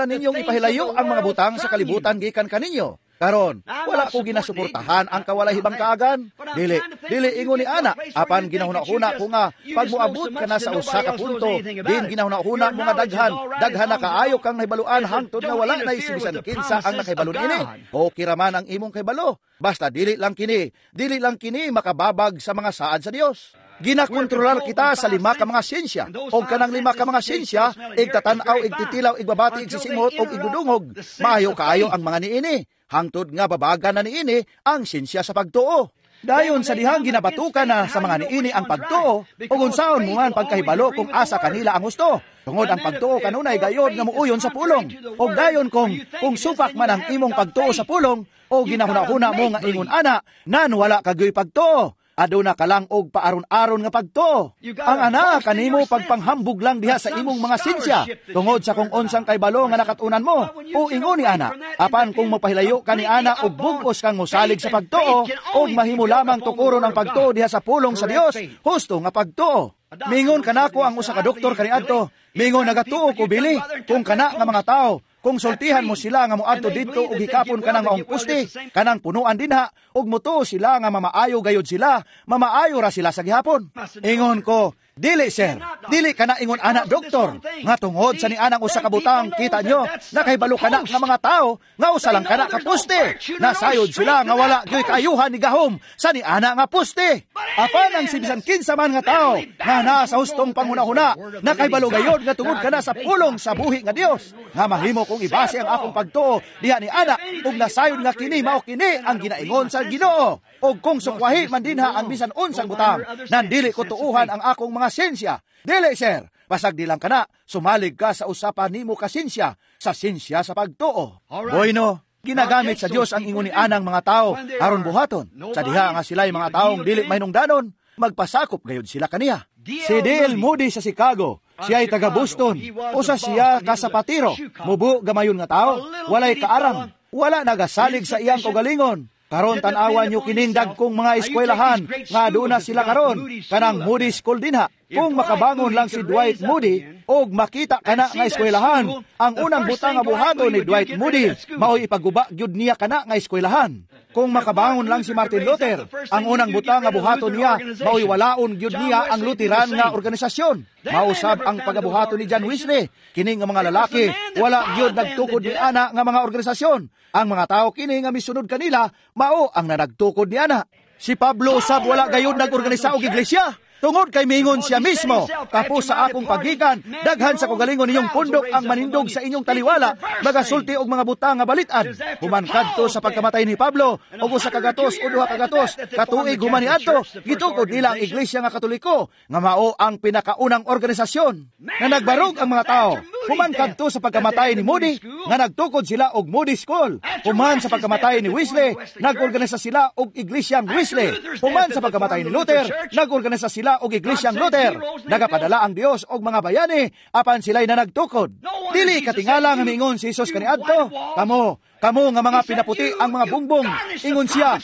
ninyong ipahilayo ang mga butang sa kalibutan gikan kaninyo. Karon, wala ko ginasuportahan ang kawalay hibang kaagan. Dili ingon ni ana, apan ginahuna-huna ko nga pag moabot ka na sa usa ka punto, din ginahuna-huna mo nga daghan na kaayo kang nahibaluan hangtod nga wala na isibisan kinsa ang nakahibalo niini. Okay ra man ang imong kahibalo, basta dili lang kini makababag sa mga saad sa Dios. Ginakontrolar kita sa lima ka mga siyensya. Og kanang lima ka mga siyensya, igtatan-aw, igtitilaw, igbabati, igsisimot, og igdudungog. Maayo kaayo ang mga niini. Hangtod nga babaga na niini ang siyensya sa pagtuo. Dayon sa dihang ginabatukan na sa mga niini ang pagtuo, ug unsaon mo man pagkahibalo kung asa kanila ang husto. Tungod ang pagtuo kanunay gayod nga muuyon sa pulong. Og dayon kung supak man ang imong pagtuo sa pulong, o ginahuna-huna mo nga ingon ana, nan wala kagyoy pagtuo. Aduna ka lang og paaron-aron nga pagtuo. Ang ana kanimo pagpanghambog lang diha sa imong mga sinsya tungod sa kung unsang kaybalo nga nakatunan mo o ingon ni ana. Apan kung mopahilayo ka ni ana og bug-os kang mosalig sa pagtuo og mahimo lamang tukoron ang pagtuo diha sa pulong sa Dios, husto nga pagtuo. Mingon kanako ang usa ka doktor kaniadto. Mingon nagatuo ko bili kung kana nga mga tao, kung sultihan mo sila nga moadto didto og hikapon kanang maong puste, kanang punuan dinha, ug motuo sila nga mamaayo gayud sila, mamaayo ra sila sa gihapon. Ingon ko, dili sir, dili kana ingon ana doktor, nga tungod sa nianang usa ka butang, kita nyo, nakahibalo kana nga mga tao, nga usa lang kana ka puste, nasayod sila nga wala gyoy kaayuhan ni gahom sa niana nga puste. Apan ang sibisan kinsa man nga tao, nga naa sa hustong panghunahuna, nakahibalo gayod nga tungod kana sa pulong sa buhi nga Dios, nga mahimo kong ibase ang akong pagtuo diha ni ana, ug nasayod nga kini mao kini ang ginaingon sa Ginoo. Og kung sukwahi man dinha ang bisan unsang butang, nandili ko tuuhan ang akong mga siyensya. Dili sir, pasag di lang kana, sumalig ka sa usapan nimo ka siyensya, sa siyensya sa pagtuo. Bueno, ginagamit sa Dios ang ingon ni anang mga tao aron buhaton. Sa diha nga sila'y mga taong dili mahinungdanon, magpasakop gayud sila kaniya. Si D.L. Moody sa Chicago, siya ay taga Boston, usa siya kasapatiro, mubo gamayon nga tao, walay kaarang, wala nagasalig sa iyang kaugalingon. Karon tan-awan nyo kining dagkong mga eskwelahan nga doon na sila karon, kanang Moody School dinha. Kung makabangon lang si Dwight Moody og makita kana nga eskwelahan, ang unang butang nga buhaton ni Dwight Moody mao'y ipaguba gyud niya kana nga eskwelahan. Kung makabangon lang si Martin Luther, ang unang butang nga buhaton niya mao'y walaon gyud niya ang Lutheran nga organisasyon. Mausab ang pagabuhaton ni John Wesley. Kini nga mga lalaki wala gyud nagtukod ni ana nga mga organisasyon. Ang mga tao kini nga misunod kanila mao ang nanagtukod ni ana. Si Pablo usab wala gayud nagorganisa og iglesia. Tungod kay mingon siya mismo, tapos sa akong pagikan, daghan sa kagalingon ninyong pundok ang manindog sa inyong taliwala, magasulti og mga butang nga balitan. Human kadto sa pagkamatay ni Pablo, og usa ka gatos o duha ka gatos, katuig human niadto, gitukod nila ang Iglesia nga Katoliko, nga mao ang pinakaunang organisasyon na nagbarog ang mga tao. Human kadto sa pagkamatay ni Moody, nga nagtukod sila og Moody School. Human sa pagkamatay ni Wesley, nagorganisa sila og Iglesiang Wesley. Human sa pagkamatay ni Luther, nagorganisa sila og Iglesyang Luther. Nagapadala ang Dios og mga bayani apan sila'y nanagtukod. Dili katingala nga miingon si Jesus kaniadto, kamo nga mga pinaputi ang mga bungbong, ingon siya,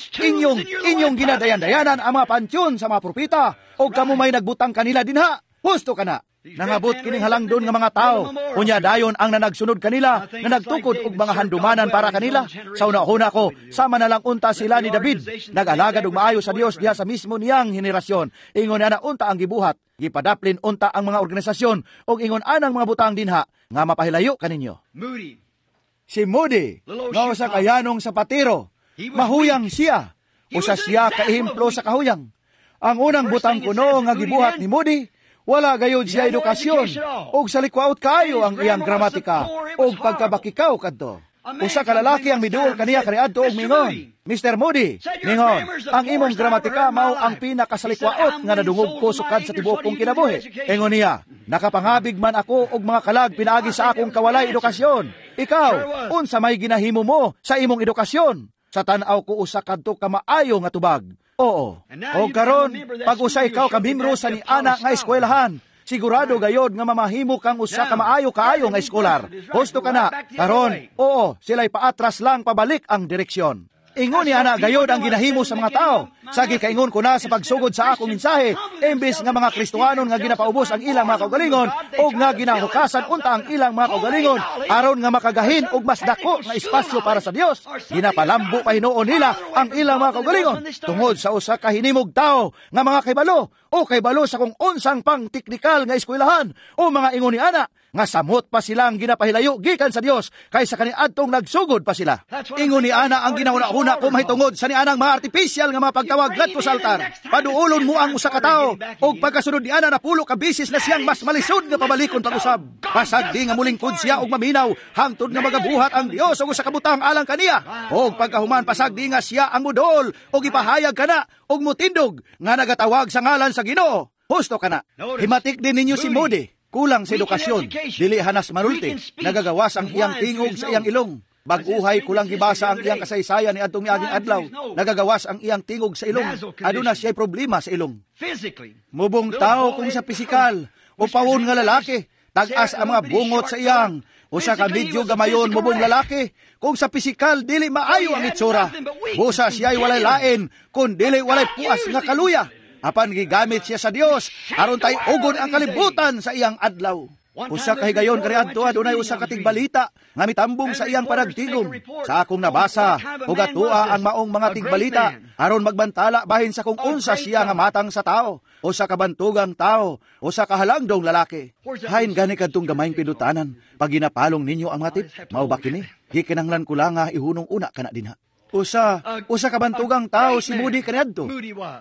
inyong ginadayan-dayanan ang mga pantyon sa mga propeta, og kamo may nagbutang kanila dinha. Husto kana. Nangabot kining halangdon nga mga tao. Unya dayon ang nanagsunod kanila, na nagtukod og mga handumanan para kanila. Sa una-una ko, sama na lang unta sila ni David, nag-alagad og maayo sa Dios diha sa mismo niyang henerasyon. Ingon ana unta ang gibuhat, gipadaplin unta ang mga organisasyon og ingon anang mga butang dinha nga mapahilayo kaninyo. Si Moody, nga usa ka yanong sapatero, mahuyang siya. Usa siya ka ehemplo sa kahuyang. Ang unang butang kuno nga gibuhat ni Moody, wala gayud siya edukasyon, og sa likwaot kaayo ang iyang gramatika, og pagkabakikaw kadto. Usa ka lalaki ang miduol kaniya kaniadto og mingon, Mr. Moody, mingon, ang imong gramatika mao ang pinakasalikwaot nga nadungog ko sukad sa tibuok kong kinabuhi. Ingon niya, nakapangabig man ako og mga kalag pinaagi sa akong kawalay edukasyon. Ikaw, unsa may ginahimo mo sa imong edukasyon? Sa tan-aw ko usa kadto ka maayo nga tubag. Oo. O karon, pag usa ikaw ka membro sa niana nga eskwelahan, sigurado gayod nga mamahimo kang usa ka maayo kaayo nga eskolar. Husto ka na. Karon, oo, sila'y paatras lang pabalik ang direksyon. Ingon ni ana gayod ang ginahimo sa mga tao. Sa gikaingon ko na sa pagsugod sa akong mensahe, imbes nga mga Kristohanon nga ginapaubos ang ilang mga kaugalingon og nga ginahukasan unta ang ilang mga kaugalingon aron nga makagahin og mas dako nga espasyo para sa Dios, ginapalambo pa hinuon nila ang ilang mga kaugalingon tungod sa usa ka hinimog tawo nga mga kaybalo o kaybalo sa kung unsang pang teknikal nga eskwelahan o mga ingon ni ana nga samot pa silang ginapahilayo gikan sa Dios kaysa kaniadtong nagsugod pa sila. Ingon ni ana ang ginahuna-huna ko mahitungod sa nianang mga artificial nga mga pagtawag ngadto sa altar. Paduolon mo ang usa ka tawo og pagkasunod ni ana napulo ka bisis na siyang mas malisod nga pabalikon pag-usab. Pasagdi nga mulingkod siya og maminaw hangtod nga magabuhat ang Dios og usa ka butang alang kaniya. Og pagkahuman pasagdi nga siya ang mudol og ipahayag kana og mutindog nga nagatawag sa ngalan sa Ginoo. Husto kana. Himatik din ninyo si Moody. Kulang sa edukasyon, dili hanas manulti, nagagawas ang iyang tingog sa iyang ilong. Bag-uhay kulang gibasa ang iyang kasaysayan ni adtong miaging adlaw, nagagawas ang iyang tingog sa ilong. Aduna siya'y problema sa ilong. Mubong tao kung sa pisikal, o pawon nga lalaki, tag-as ang mga bungot sa iyang. Usa ka medyo gamayon mubong lalaki, kung sa pisikal dili maayo ang itsura. Busa siya'y walay lain, kun dili walay puas nga kaluya. Apan gigamit siya sa Dios aron tay ugon ang kalibutan sa iyang adlaw. Usa ka higayon kaniadto adunay usa ka tigbalita nga mitambong sa iyang panagtigom. Sa akong nabasa ug atua ang maong mga tigbalita aron magbantala bahin sa kung unsa siya nga matang sa tao, usa ka bantugang tao, usa ka halangdong lalaki. Hain gani kadtong gamayng pindutanan pag ginapalong ninyo ang mga tip, mao ba kini? Gikinahanglan ko lang nga ihunong una kana dinha. Usa ka bantugang tao si Moody kaniadto.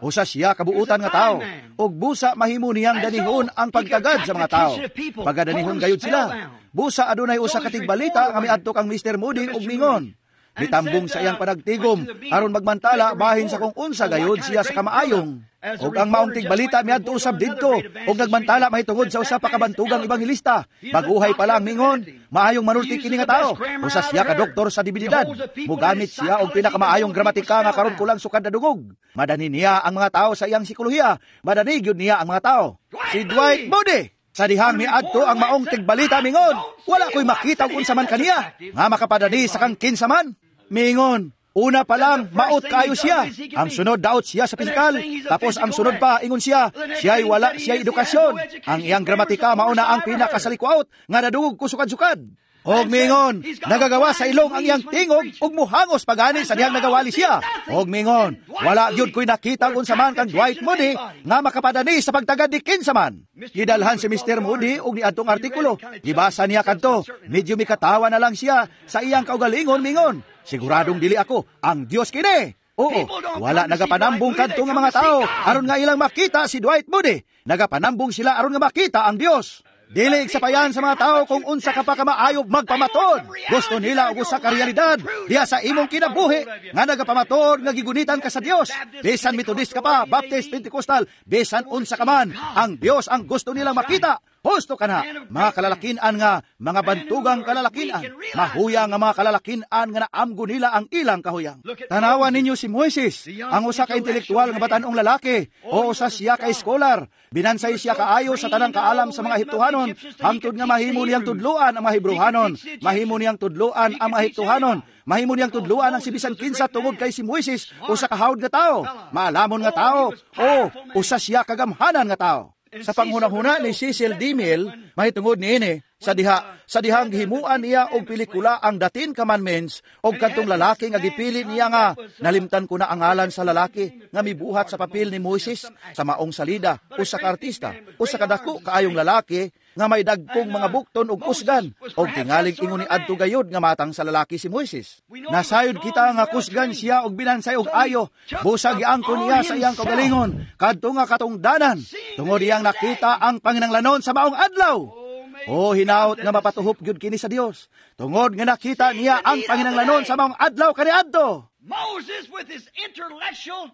Usa siya kabuutan nga tao. Og busa mahimo niyang danihon ang pagtagad sa mga tao. Pagadanihon gayud sila. Busa adunay usa ka tigbalita nga miadto kang Mr. Moody og mingon. Mitambong sa iyang panagtigom aron magmantala bahin sa kung unsa gayud siya sa kamaayong. Og ang maong tigbalita miadto usab didto og nagmantala mahitungod sa usa pa ka bantugang ebanghelista. Baguhay pa lang mingon, maayong manulti kini nga tao. Usa siya ka doktor sa divinidad. Mogamit siya og pinakamaayong gramatika nga karon kulang sukad na dungog. Madani niya ang mga tao sa iyang psikolohiya. Madani gyud niya ang mga tao. Si Dwight Moody. Sa dihang miadto ang maong tigbalita mingon, wala ko'y makita og unsa man kaniya nga makapadani sa kang kinsa man. Mingon, una pa lang, maot kayo siya. Ang sunod, daot siya sa pisikal. Tapos ang sunod pa, ingon siya, siya'y wala, siya'y edukasyon. Ang iyang gramatika, mauna ang pinakasalikwaot, nga nadugog ko sukad-sukad. Og mingon, nagagawa sa ilong ang iyang tingog, ug muhangos pagani sa dihang nagawali siya. Og mingon, wala gyud ko'y nakita unsa man kang Dwight Moody nga makapadani sa pagtagad ni kinsa man. Gidalhan si Mr. Moody og niadtong artikulo. Gibasa niya kadto, medyo mikatawa na lang siya sa iyang kaugalingon mingon. Siguradong dili ako, ang Dios kini. Oo, wala nagapanambong kadto nga mga tao aron nga ilang makita si Dwight Moody. Nagapanambong sila aron nga makita ang Dios. Dili sapayan sa mga tao kung unsa ka pa ka maayo magpamatod. Gusto nila og usa ka realidad diha sa imong kinabuhi nga nagapamatod nga gigunitan ka sa Dios. Bisan Methodist ka pa, Baptist, Pentecostal, bisan unsa ka man, ang Dios ang gusto nilang makita. Husto ka na, mga kalalakinan nga, mga bantugang kalalakinan, mahuyang nga mga kalalakinan nga naamgo nila ang ilang kahuyang. Tanawan ninyo si Moises, ang usa ka intelektual nga batan-ong lalaki, o usa siya ka eskolar, binansay siya kaayo sa tanang kaalam sa mga Ehiptohanon, hangtod nga mahimo niyang tudloan ang mga Hebreohanon, mahimo niyang tudloan ang mga Ehiptohanon, mahimo niyang tudloan ang si bisan kinsa tungod kay si Moises, usa ka hawd nga tao, maalamon nga tao, o usa siya kagamhanan nga tao. Sa panghunahuna ni Cecil DeMille, mahitungod niini, sa dihang gihimuan niya og pelikula ang The Ten Commandments og kadtong lalaki nga gipili niya nga nalimtan ko na ang ngalan sa lalaki nga mibuhat sa papel ni Moises sa maong salida, usa ka artista, usa ka dako kaayong lalaki nga may dagkong mga bukton og kusgan og tingalig ingon ni adto gayod nga matang sa lalaki si Moises. Nasayod kita nga kusgan siya og binansay og ayo, busa giangkon niya sa iyang kaugalingon kadto nga katungdanan tungod iyang nakita ang panginanglanon sa maong adlaw. O hinaot nga mapatuhop gyud kini sa Dios tungod nga nakita niya ang panginanglanon sa maong adlaw kaniadto. Moses with his intellectual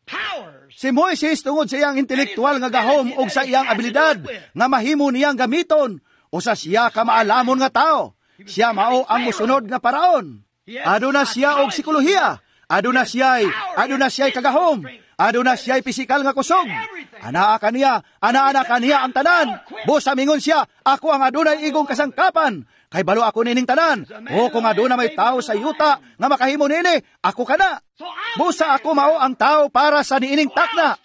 powers. Si Moises tungod sa iyang intelektual nga gahom og sa iyang abilidad nga mahimo niyang gamiton, usa siya ka maalamon nga tao. Siya mao ang mosunod nga paraon. Aduna siya og psikolohiya. Aduna siya'y kagahom. Aduna siya'y pisikal nga kusog. Anaa kaniya, anaa na kaniya ang tanan. Busa mingon siya, "Ako ang adunay igong kasangkapan. Kay balo ako nining tanan. O kung aduna may tao sa yuta nga makahimo nini, ako kana. Busa ako mao ang tao para sa niining takna.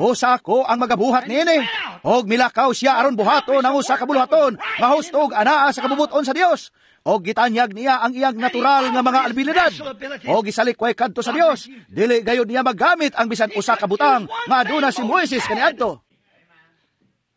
Busa ako ang magabuhat niini." Og milakaw siya aron buhaton ang usa ka buluhaton nga husto og anaa sa kabubuton sa Dios. Og gitanyag niya ang iyang natural nga mga abilidad. Og gisalikway kadto sa Dios. Dili gayud niya magamit ang bisan usa ka butang nga aduna si Moises kaniadto.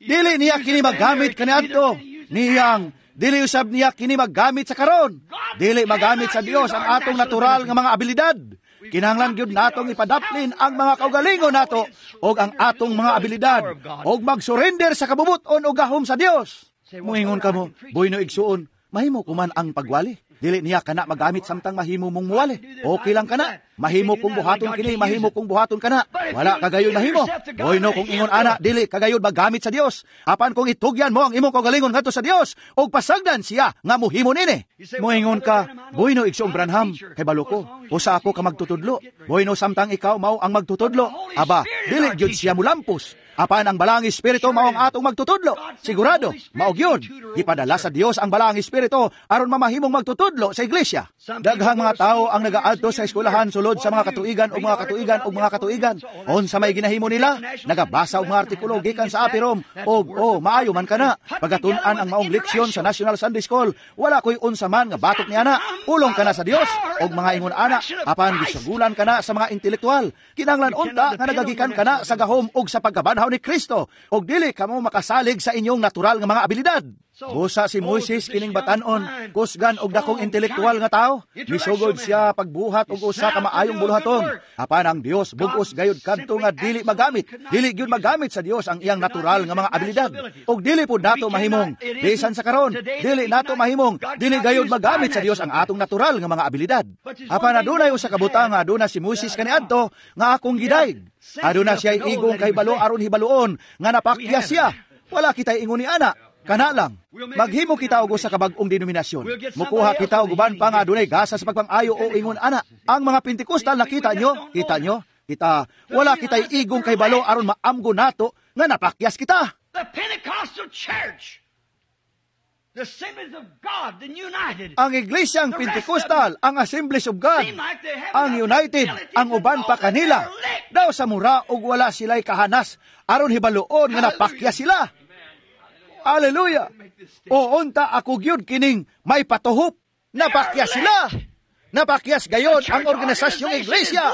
Dili niya kini magamit kaniadto. Niyang dili usab niya kini magamit sa karon. Dili magamit sa Dios ang atong natural nga mga abilidad. Kinahanglan gyud natong ipadaplin ang mga kaugalingon nato og ang atong mga abilidad og mag-surrender sa kabubuton og gahom sa Dios. Muingon kamo, "Bueno, igsuon, mahimo ko man ang pagwali." Dili niya kana magamit samtang mahimo mong muwali. Okay lang kana. Mahimo kong buhaton kini, mahimo kong buhaton kana. Wala kagayon mahimo. Bueno, kung ingon ana, dili kagayon magamit sa Dios. Apan kung itugyan mo ang imong kaugalingon ngadto sa Dios, og pasagdan siya nga muhimo nini. Moingon ka, "Bueno, Igsoong Branham, kay balo ko. Usa ako ka magtutudlo." Bueno, samtang ikaw mao ang magtutudlo, aba, dili gyud siya mulampos. Apan ang Balaang Espiritu mao ang atong magtutudlo. Sigurado, mao gyud. Gipadala sa Dios ang Balaang Espiritu aron mamahimong magtutudlo sa iglesia. Daghang mga tao ang nagaadto sa eskwelahan sulod sa mga katuigan o mga katuigan o mga katuigan. Unsa may ginahimo nila? Nagabasa og mga artikulo gikan sa Apirom og "Oh, maayo man kana." Pagatun-an ang maong leksyon sa National Sunday School, wala koy unsa man nga batok niana. Pulong kana sa Dios og mga ingon ana, apan gisugulan kana sa mga intelektual. Kinahanglan unta nga nagagikan kana sa gahom og sa pagkabanhaw ni Kristo og dili kamo makasalig sa inyong natural nga mga abilidad. Busa si Moises, kining batanon, kusgan og dakong intelektual nga tao. Misugod siya pagbuhat og usa ka maayong buluhaton. Apan ang Dios bug-os gayud kadto nga dili magamit. Dili gyud magamit sa Dios ang iyang natural nga mga abilidad. Og dili pud nato mahimong bisan sa karon, dili nato mahimong dili gayud magamit sa Dios ang atong natural nga mga abilidad. Apan adunay usa ka butang nga aduna si Moises kaniadto nga akong gidayeg. Aduna siya igong kahibalo aron hibaluon nga napakya siya. Wala kita'y ingon ni ana. Kana lang, maghimo kita og usa ka bag-ong denominasyon. Mukuha kita og uban pa nga adunay gasa sa pagpang-ayo o ingon ana. Ang mga Pentecostal, nakita nyo, kita nyo, kita, wala kita'y igong kahibalo aron maamgo nato nga napakyas kita. The Pentecostal Church, the Assemblies of God, the United, Ang Iglesyang Pentecostal, ang Assemblies of God, ang United, ang uban pa kanila, daw sa mura og wala sila'y kahanas aron hibaluon nga napakya sila. Hallelujah! O unta ako gyud kining may patuhop. Napakya sila. Napakyas gayon ang organisasyong iglesia.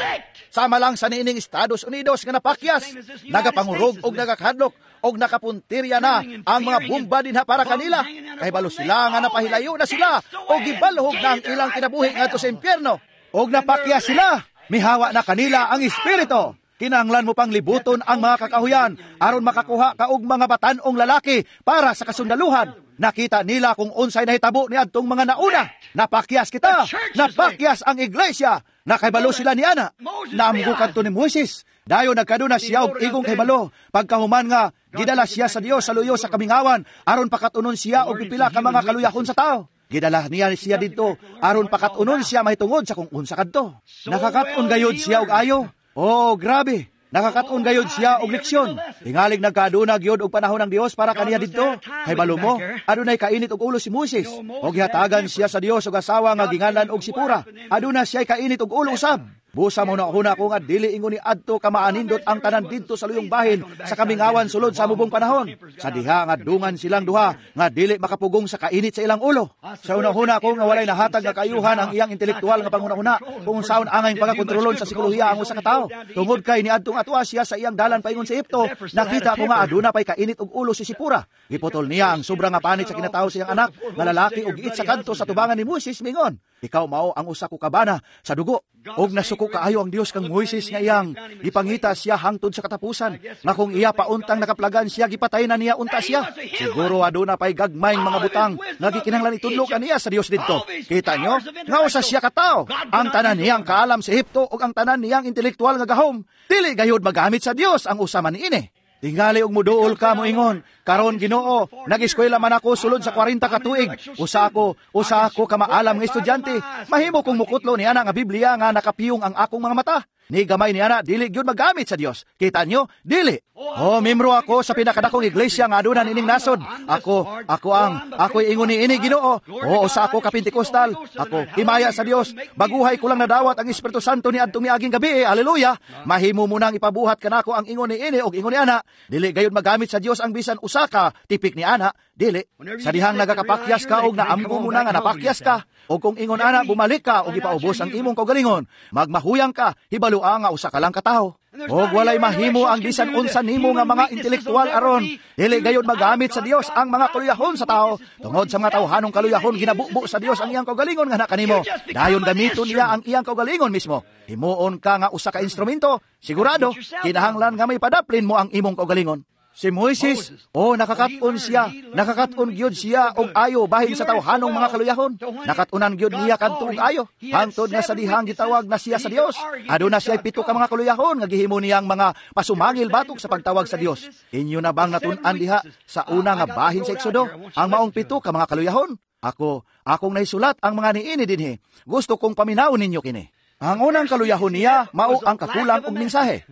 Sama lang sa niining Estados Unidos nga napakyas. Nagapangurog og nagakadlok og nakapuntirya na ang mga bomba dinha para kanila. Kay balo sila nga napahilayo na sila og gibalhog na ang ilang kinabuhi ngadto sa impyerno. Og napakya sila. Mihawa na kanila ang espiritu. Kinahanglan mo pang libuton ang mga kakahuyan aron makakuha ka og mga batan-ong lalaki para sa kasundaluhan. Nakita nila kung unsay nahitabo ni adtong mga nauna. Napakyas kita. Napakyas ang iglesia. Nakahibalo sila ni ana. Naamgo kadto ni Moises. Dayon nagkaduna siya og igong kahibalo. Pagkahuman nga gidala siya sa Dios sa luyo sa kamingawan aron pakatunon siya og pipila ka mga kaluyahon sa tao. Gidala niya siya didto aron pakatunon siya mahitungod sa kung unsa kadto. Nakakat-on gayud siya og ayo. Oh, grabe. Nakakat-on gayud siya og leksyon. Tingalig nagkaduna gyud og panahon ng Dios para kaniya didto. Kay balo mo, adunay kainit og ulo si Moises. Og gihatagan siya sa Dios og asawa nga gingalan og Sipora. Aduna siya kainit og ulo usab. Busa mo na huna ko nga dili ingon ni adto ka maanindot ang tanan didto sa luyong bahin sa kamingawan sulod sa mubong panahon. Sa diha nga dungan silang duha nga dili makapugong sa kainit sa ilang ulo. Sa una-huna ko nga walay nahatag nga kaayuhan ang iyang intelektual nga panghuna-huna kung unsaon angay pagakontrolon sa psikolohiya ang usa ka tawo. Tungod kay niadtong atua siya sa iyang dalan paingon sa Ehipto, nakita ko nga aduna pay kainit og ulo si Sipora. Giputol niya ang sobra nga panit sa kinatawo sa iyang anak nga lalaki ug giit sa kadto sa tubangan ni Moises, mingon, "Ikaw mao ang usa ko kabana sa dugo." Og nasuko kaayo ang Dios kang Moises nga iyang gipangita siya hangtod sa katapusan, nga kung iya pauntang nakaplagan siya, gipatay na niya unta siya. Siguro aduna pay gagmayng mga butang nga gikinahanglan itudlo kaniya sa Dios didto. Kita nyo nga usa siya ka tawo. Ang tanan niyang kaalam sa Ehipto ug ang tanan niyang intelektual nga gahom, dili gayud magamit sa Dios ang usa man niini. Tingali og muduol ka moingon, karon Ginoo, nag-eskwela man ako sulod sa 40 ka tuig. Usa ako ka maalam nga estudyante. Mahimo kong mukutlo ni ana nga Biblia nga nakapiyong ang akong mga mata. Ni gamay ni ana dili gyud magamit sa Dios. Kita nyo? Dili. Oh, membro ako sa pinakadakong iglesia nga aduna nining nasod. Ako'y ingon ni ini Ginoo. Oo, usa ako ka Pentecostal. Ako himaya sa Dios. Baguhay ko lang nadawat ang Espiritu Santo ni adtong miaging gabi. Haleluya. Mahimo mo nang ipabuhat kanako ang ingon ni ini og ingon ni ana. Dili gayud magamit sa Dios ang bisan usa ka tipik ni ana. Dili. Sa dihang nagakapakyas ka og naamgo mo na nga napakyas ka. O kung ingon ana, bumalik ka og ipaubos ang imong kaugalingon. Magmahuyang ka, hibalua nga usa ka lang katawo. Og walay mahimo ang bisan unsa nimo nga mga intelektual aron. Dili gayud magamit sa Dios ang mga kaluyahon sa tao. Tungod sa mga tawhanong kaluyahon, ginabubo sa Dios ang iyang kaugalingon nga kanimo. Dayon gamiton niya ang iyang kaugalingon mismo. Himuon ka nga usa ka instrumento. Sigurado, kinahanglan nga may padaplin mo ang imong kaugalingon. Si Moises, oh, nakakatun siya, nakakatun gyud siya og ayo bahin sa tawhanong mga kaluyahon. Nakatunan gyud niya kadto og ayo. Hangtod nga sa dihang gitawag na siya sa Dios. Aduna siya 7 ka mga kaluyahon nga gihimo niyang mga pasumangil batok sa pagtawag sa Dios. Inyo na bang natun-an diha sa una nga bahin sa Exodo ang maong 7 ka mga kaluyahon? Ako, akong naisulat ang mga niini dinhi. Gusto kong paminawon ninyo kini. Ang unang kaluyahon niya mao ang kakulang og mensahe.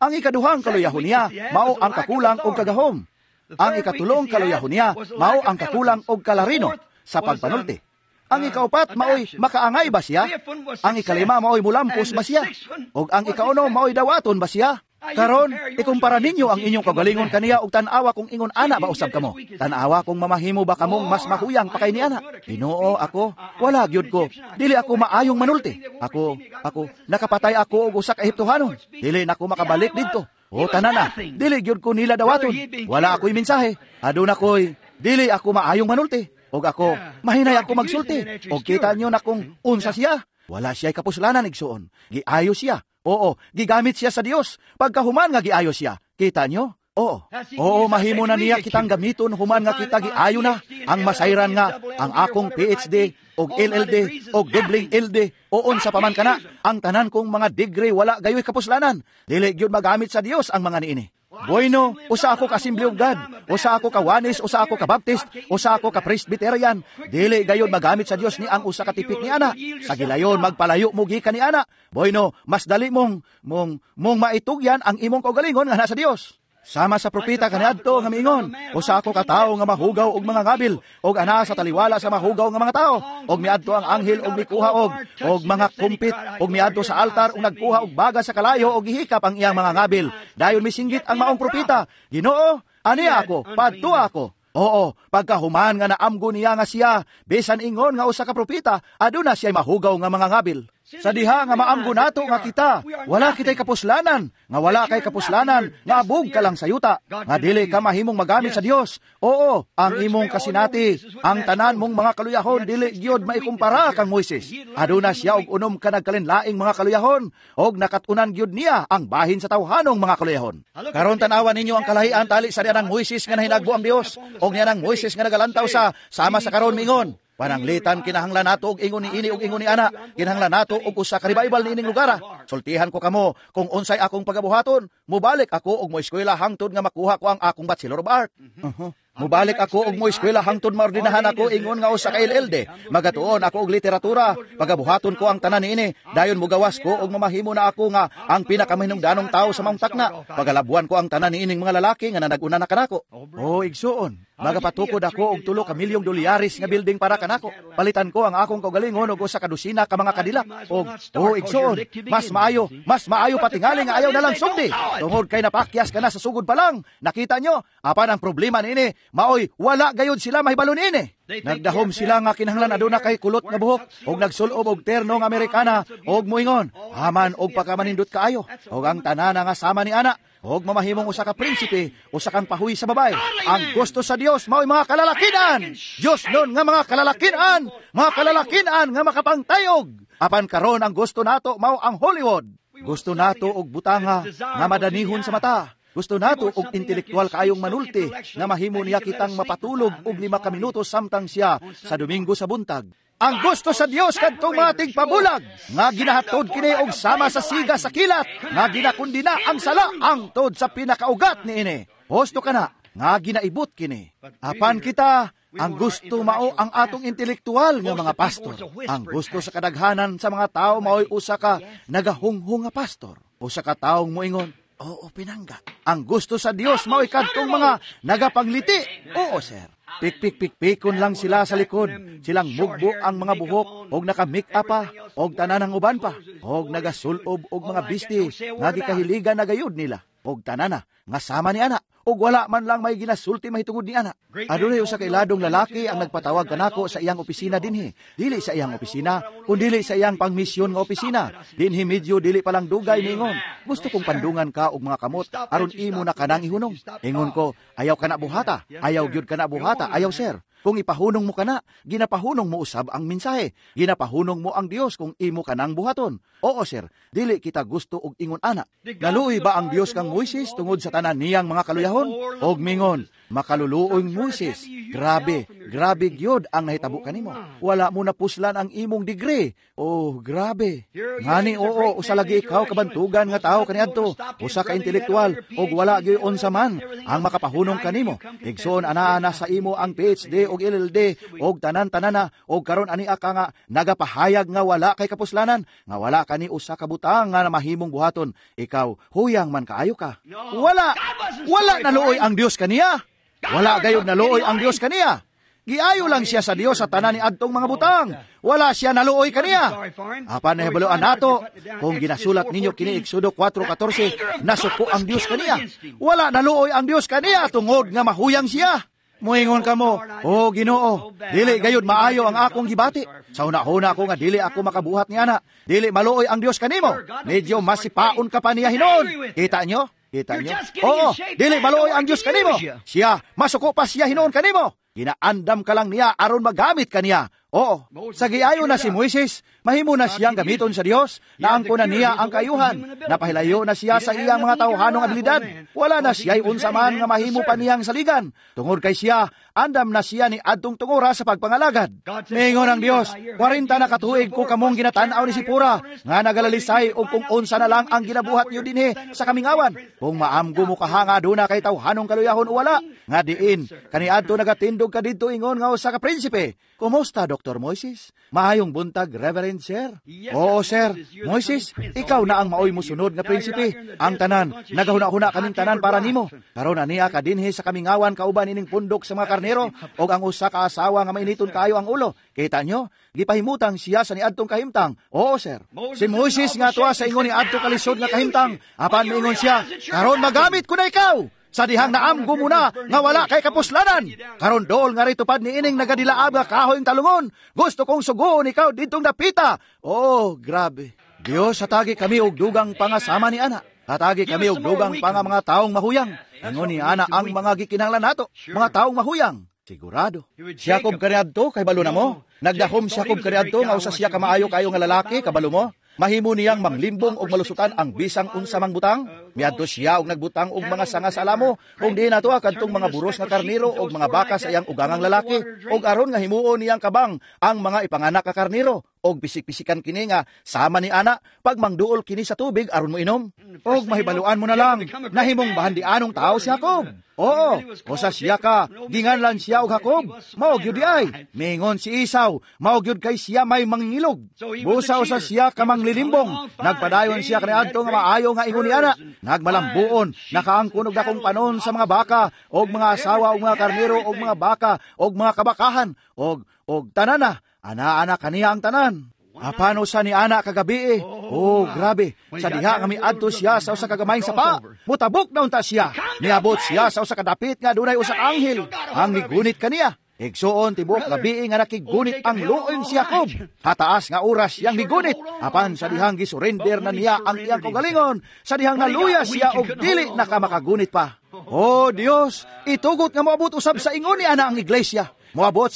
Ang ikaduhang kaluyahon niya, mao ang kakulang og kagahom. Ang ikatulong kaluyahon niya, mao ang kakulang og kalarino sa pagpanulti. Ang ikaupat, maoy makaangay ba siya? Ang ikalima, maoy mulampos ba siya? Og ang ikaunom, maoy dawaton ba siya? Karon, ikumpara ninyo ang inyong kagalingon kaniya og tan-awa kung ingon ana ba usab kamo. Tan-awa kung mamahimo ba kamong mas mahuyang pa kay ni ana. Ginoo, ako, wala gyud ko. Dili ako maayong manulti. Ako, nakapatay ako og usa ka Ehiptohanon. Dili nako makabalik didto. O tanan na, dili gyud ko nila dawaton. Wala ako'y mensahe. Aduna ko'y dili ako maayong manulti. Og ako, mahinay ako magsulti. Og kita nyo na kung unsa siya. Wala siya'y kapuslanan igsuon. Giayo siya. Oo, gigamit siya sa Dios. Pagkahuman nga giayo siya. Kita nyo? Oo. Oo, mahimo na niya kitang gamiton human nga kita giayo na. Ang masayran nga, ang akong PhD, og LLD, og doubling LD, oon sa paman kana, ang tanan kong mga degree wala gayoy kapuslanan. Dili gyud magamit sa Dios ang mga niini. Bueno, usa ako ka Assembly of God, usa ako ka Wanis, usa ako ka Baptist, usa ako ka Presbyterian. Dili gayud magamit sa Dios ni ang usa ka tipik ni ana. Sa gilayon magpalayo mo gikan ni ana. Bueno, mas dali mong mong mong maitugyan ang imong kaugalingon nga na sa Dios. Sama sa propeta kaniadto nga miingon, usa ako ka tawo nga mahugaw og mga ngabil, og ana sa taliwala sa mahugaw nga mga tawo, og miadto ang anghel og mikuha og mga kumpit, og miadto sa altar og nagkuha og baga sa kalayo og gihikap ang iyang mga ngabil. Dayon misinggit ang maong propeta, Ginoo, ani ako, padto ako. Oo, pagkahuman nga naamgo niya nga siya, bisan ingon nga usa ka propeta, aduna siya mahugaw nga mga ngabil. Sa diha nga maamgo nato nga kita, wala kitay kapuslanan, nga wala kay kapuslanan, nga abog ka lang sa yuta, nga dili ka mahimong magamit sa Dios. Oo, ang imong kasinati, ang tanan mong mga kaluyahon dili gyud maikumpara kang Moises. Aduna siya og unom ka nagkalinlaing mga kaluyahon, og nakat-unan gyud niya ang bahin sa tawhanong mga kaluyahon. Karon tan-awan ninyo ang kalahian tali sa dianang Moises nga nahinagbo ang Dios, og niyanang Moises nga nagalantaw sa sama sa karon mingon. Pananglitan kinahanglan nato og ingon ni ini og ingon ni ana, kinahanglan nato og usa ka revival niining lugar. Sultihan ko kamo kung unsay akong pagabuhaton, mubalik ako og moeskwela hangtod nga makuha ko ang akong Bachelor of Art. Mubalik ako og moeskwela hangtod maordinahan ako ingon nga usa ka LLD. Magatuon ako og literatura, pagabuhaton ko ang tanan niini. Dayon mugawas ko og mamahimo na ako nga ang pinakamahinungdanong tawo sa maong takna. Pagalabuan ko ang tanan niining mga lalaki nga nanag-una na kanako. O igsuon, magapatukod ako og 3 ka milyong dolyares nga building para kanako. Palitan ko ang akong kaugalingon og usa ka dosina ka mga kadilak. Og o igsuon, mas maayo patingali nga ayaw na lang sugdi. Tungod kay napakyas ka na sa sugod pa lang. Nakita nyo, apan ang problema niini, maoy wala gayud sila mahibalo niini. Nagdahom sila nga kinahanglan aduna kay kulot nga buhok og nagsulob og terno nga Amerikana og moingon, haman og pagkamanindot kaayo og ang tanan nga sama ni ana og mamahimong usa ka prinsipe, usa kang pahuy sa babae. Ang gusto sa Dios maoy mga kalalakinan. Dios nun nga mga kalalakinan, mga kalalakinan nga makapangtayog. Apan karon ang gusto nato mao ang Hollywood. Gusto nato og butanga nga madanihon sa mata. Gusto nato og intelektual kaayong manulti nga mahimo niya kitang mapatulog og 5 ka minuto samtang siya sa Domingo sa buntag. Ang gusto sa Dios kadtong mga tigpabulag nga ginahatod kini og sama sa siga sa kilat nga ginakundina ang sala hangtod sa pinakaugat niini. Husto kana nga ginaibot kini. Apan kita, ang gusto mao ang atong intelektual nga mga pastor. Ang gusto sa kadaghanan sa mga tao mao'y usa ka nagahunghong nga pastor. Usa ka taong moingon, "Oo, pinangga." Ang gusto sa Dios mao'y kadtong mga nagapangliti. "Oo, sir." Pikpik-pikpikon lang sila sa likod. Silang mugbo ang mga buhok, og naka-make-up pa, og tanan ang uban pa, og nagasulob og mga bisti, nga gikahiligan na gayud nila. Og tanana, nga sama ni ana, og wala man lang may ginasulti mahitungod ni ana. Adunay usa ka iladong lalaki ang nagpatawag kanako sa iyang opisina dinhi. Dili sa iyang opisina, kundili sa iyang pangmisyon nga opisina. Dinhi medyo dili pa lang dugay ningon, "Gusto kong pandungan ka og mga kamot aron imo na kanang ihunong." Ingon ko, "Ayaw kana buhata, ayaw gyud kana buhata, ayaw, sir. Kung ipahunong mo kana, ginapahunong mo usab ang mensahe. Ginapahunong mo ang Dios kung imo kanang buhaton." Oo, sir, dili kita gusto og ingon ana. Naluoy ba ang Dios kang Moises tungod sa tanan niyang mga kaluyahon? Og mingon, "Makaluluoy Moises, grabe, grabe gyud ang nahitabo kanimo. Wala mo napuslan ang imong degree. Oh, grabe. Ngani oo, usa lagi ikaw kabantugan nga tawo kaniadto, usa ka intelektual, og wala gyud unsa man ang makapahunong kanimo. Igsoon, anaa na sa imo ang PhD og LLD og tanan-tanana, og karon ani ka nga nagapahayag nga wala kay kapuslanan, nga wala kani usa ka butang nga mahimong buhaton. Ikaw, huyang man kaayo ka." Wala, wala naluoy ang Dios kaniya. Wala gayud naluoy ang Dios kaniya. Giayo lang siya sa Dios sa tanan ni adtong mga butang. Wala siya naluoy kaniya. Apan nahibaluan nato, kung ginasulat ninyo kini Exodo 4:14, nasuko ang Dios kaniya. Wala naluoy ang Dios kaniya tungod nga mahuyang siya. Muingon kamo, "Oh Ginoo, dili gayud maayo ang akong gibati. Sa una-una ako nga dili ako makabuhat ni ana." Dili maluoy ang Dios kanimo. Medyo masipaon ka pa niya hinon. Kita nyo? Kita nyo? Oo, dili maluoy ang Dios kanimo. Siya, masuko pa siya hinon kanimo. Ginaandam ka lang niya aron magamit ka niya. Oo, sa giayo na si Moises, mahimo na siyang gamiton sa Dios, naangko na niya ang kayuhan, napahilayo na siya sa iyang mga tawhanong abilidad. Wala na siya'y unsa man nga mahimo pa niyang saligan. Tungod kay siya, andam na siya ni adtong tungura sa pagpangalagad. Mingon ang Dios, "40 na katuig ko kamong ginatan-aw ni Sipora, nga nagalalisay og kung unsa na lang ang ginabuhat niyo dinhi sa kamingawan. Kung maamgo mo kahanga duna kay tawhanong kaluyahon o wala, nga diin, kaniadto nagatindog ka didto ingon nga usa ka prinsipe. Kumusta, Dr. Moises? Maayong buntag, Reverend Sir." "Oo, sir." "Moises, ikaw na ang maoy musunod nga prinsipe. Ang tanan, nagahuna-huna kaming tanan para nimo. Karon aniya ka dinhi sa kamingawan kauban ining pundok sa mga karnero og ang usa ka asawa nga mainiton kaayo ang ulo." Kita nyo? Gipahimutang siya sa niadtong kahimtang. "Oo, sir." Si Moises nga tuwa sa ingon ni adto kalisod nga kahimtang. Apan miingon siya, "Karon magamit ko na ikaw. Sa dihang naamgo mo na nga wala kay kapuslanan. Karon dool nga ritupad ni ining nagadilaab nga kahoy talungon. Gusto kong sugoon ikaw ditong dapita." Oh, grabe. Dios, hatagi kami og dugang pangasama ni ana. Hatagi kami og dugang pa nga mga taong mahuyang. Ingon ni ana ang mga gikinahanglan nato, mga taong mahuyang. Sigurado. Si Jacob kaniadto, kay balo na mo. Nagdahom si Jacob kaniadto nga usa siya kamaayo kayo nga lalaki, kabalo mo. Mahimo niyang manglimbong og malusutan ang bisang unsa mang butang. Miadto siya og nagbutang og mga sanga sa alamo, ug diin nato kadtong mga buros nga karnero og mga baka sa iyang ugangang lalaki, og aron nga himuon niyang kabang ang mga ipanganak ka karnero, og pisik-pisikan kini nga sama ni ana pagmangduol kini sa tubig aron mo inom. Og mahibaluan mo na lang nahimong bahandianong tao si Jacob. Oo, usa siya ka ginganlan siya og Jacob. Mao gyud ay. Mingon si Esau, mao gyud kay siya may mangingilog. Busa usa siya ka manglilimbong. Nagpadayon siya kaniadto nga maayo nga ingon ni ana, nagmalambuon, nakaangkon og dakong panon sa mga baka og mga asawa og mga karnero og mga baka og mga kabakahan og tanana, ana-ana kaniya ang tanan. Apano sa ni ana kagabi eh. Oh, grabe. Sa diha nga miadto siya sa usa ka gamayng sapa. Mutabok na unta siya. Niabot siya sa usa ka dapit nga dunay usa ka anghel ang migunit kaniya. Igsuon tibuok gabi nga nakigunit ang luoy si Jacob. Hataas nga oras siyang migunit. Apan sa dihang gisurrender na niya ang iyang kaugalingon. Sa dihang naluya siya og dili na ka makagunit pa. Oh Dios, itugot nga moabot usab sa ingon ni ana ang iglesia. Moabot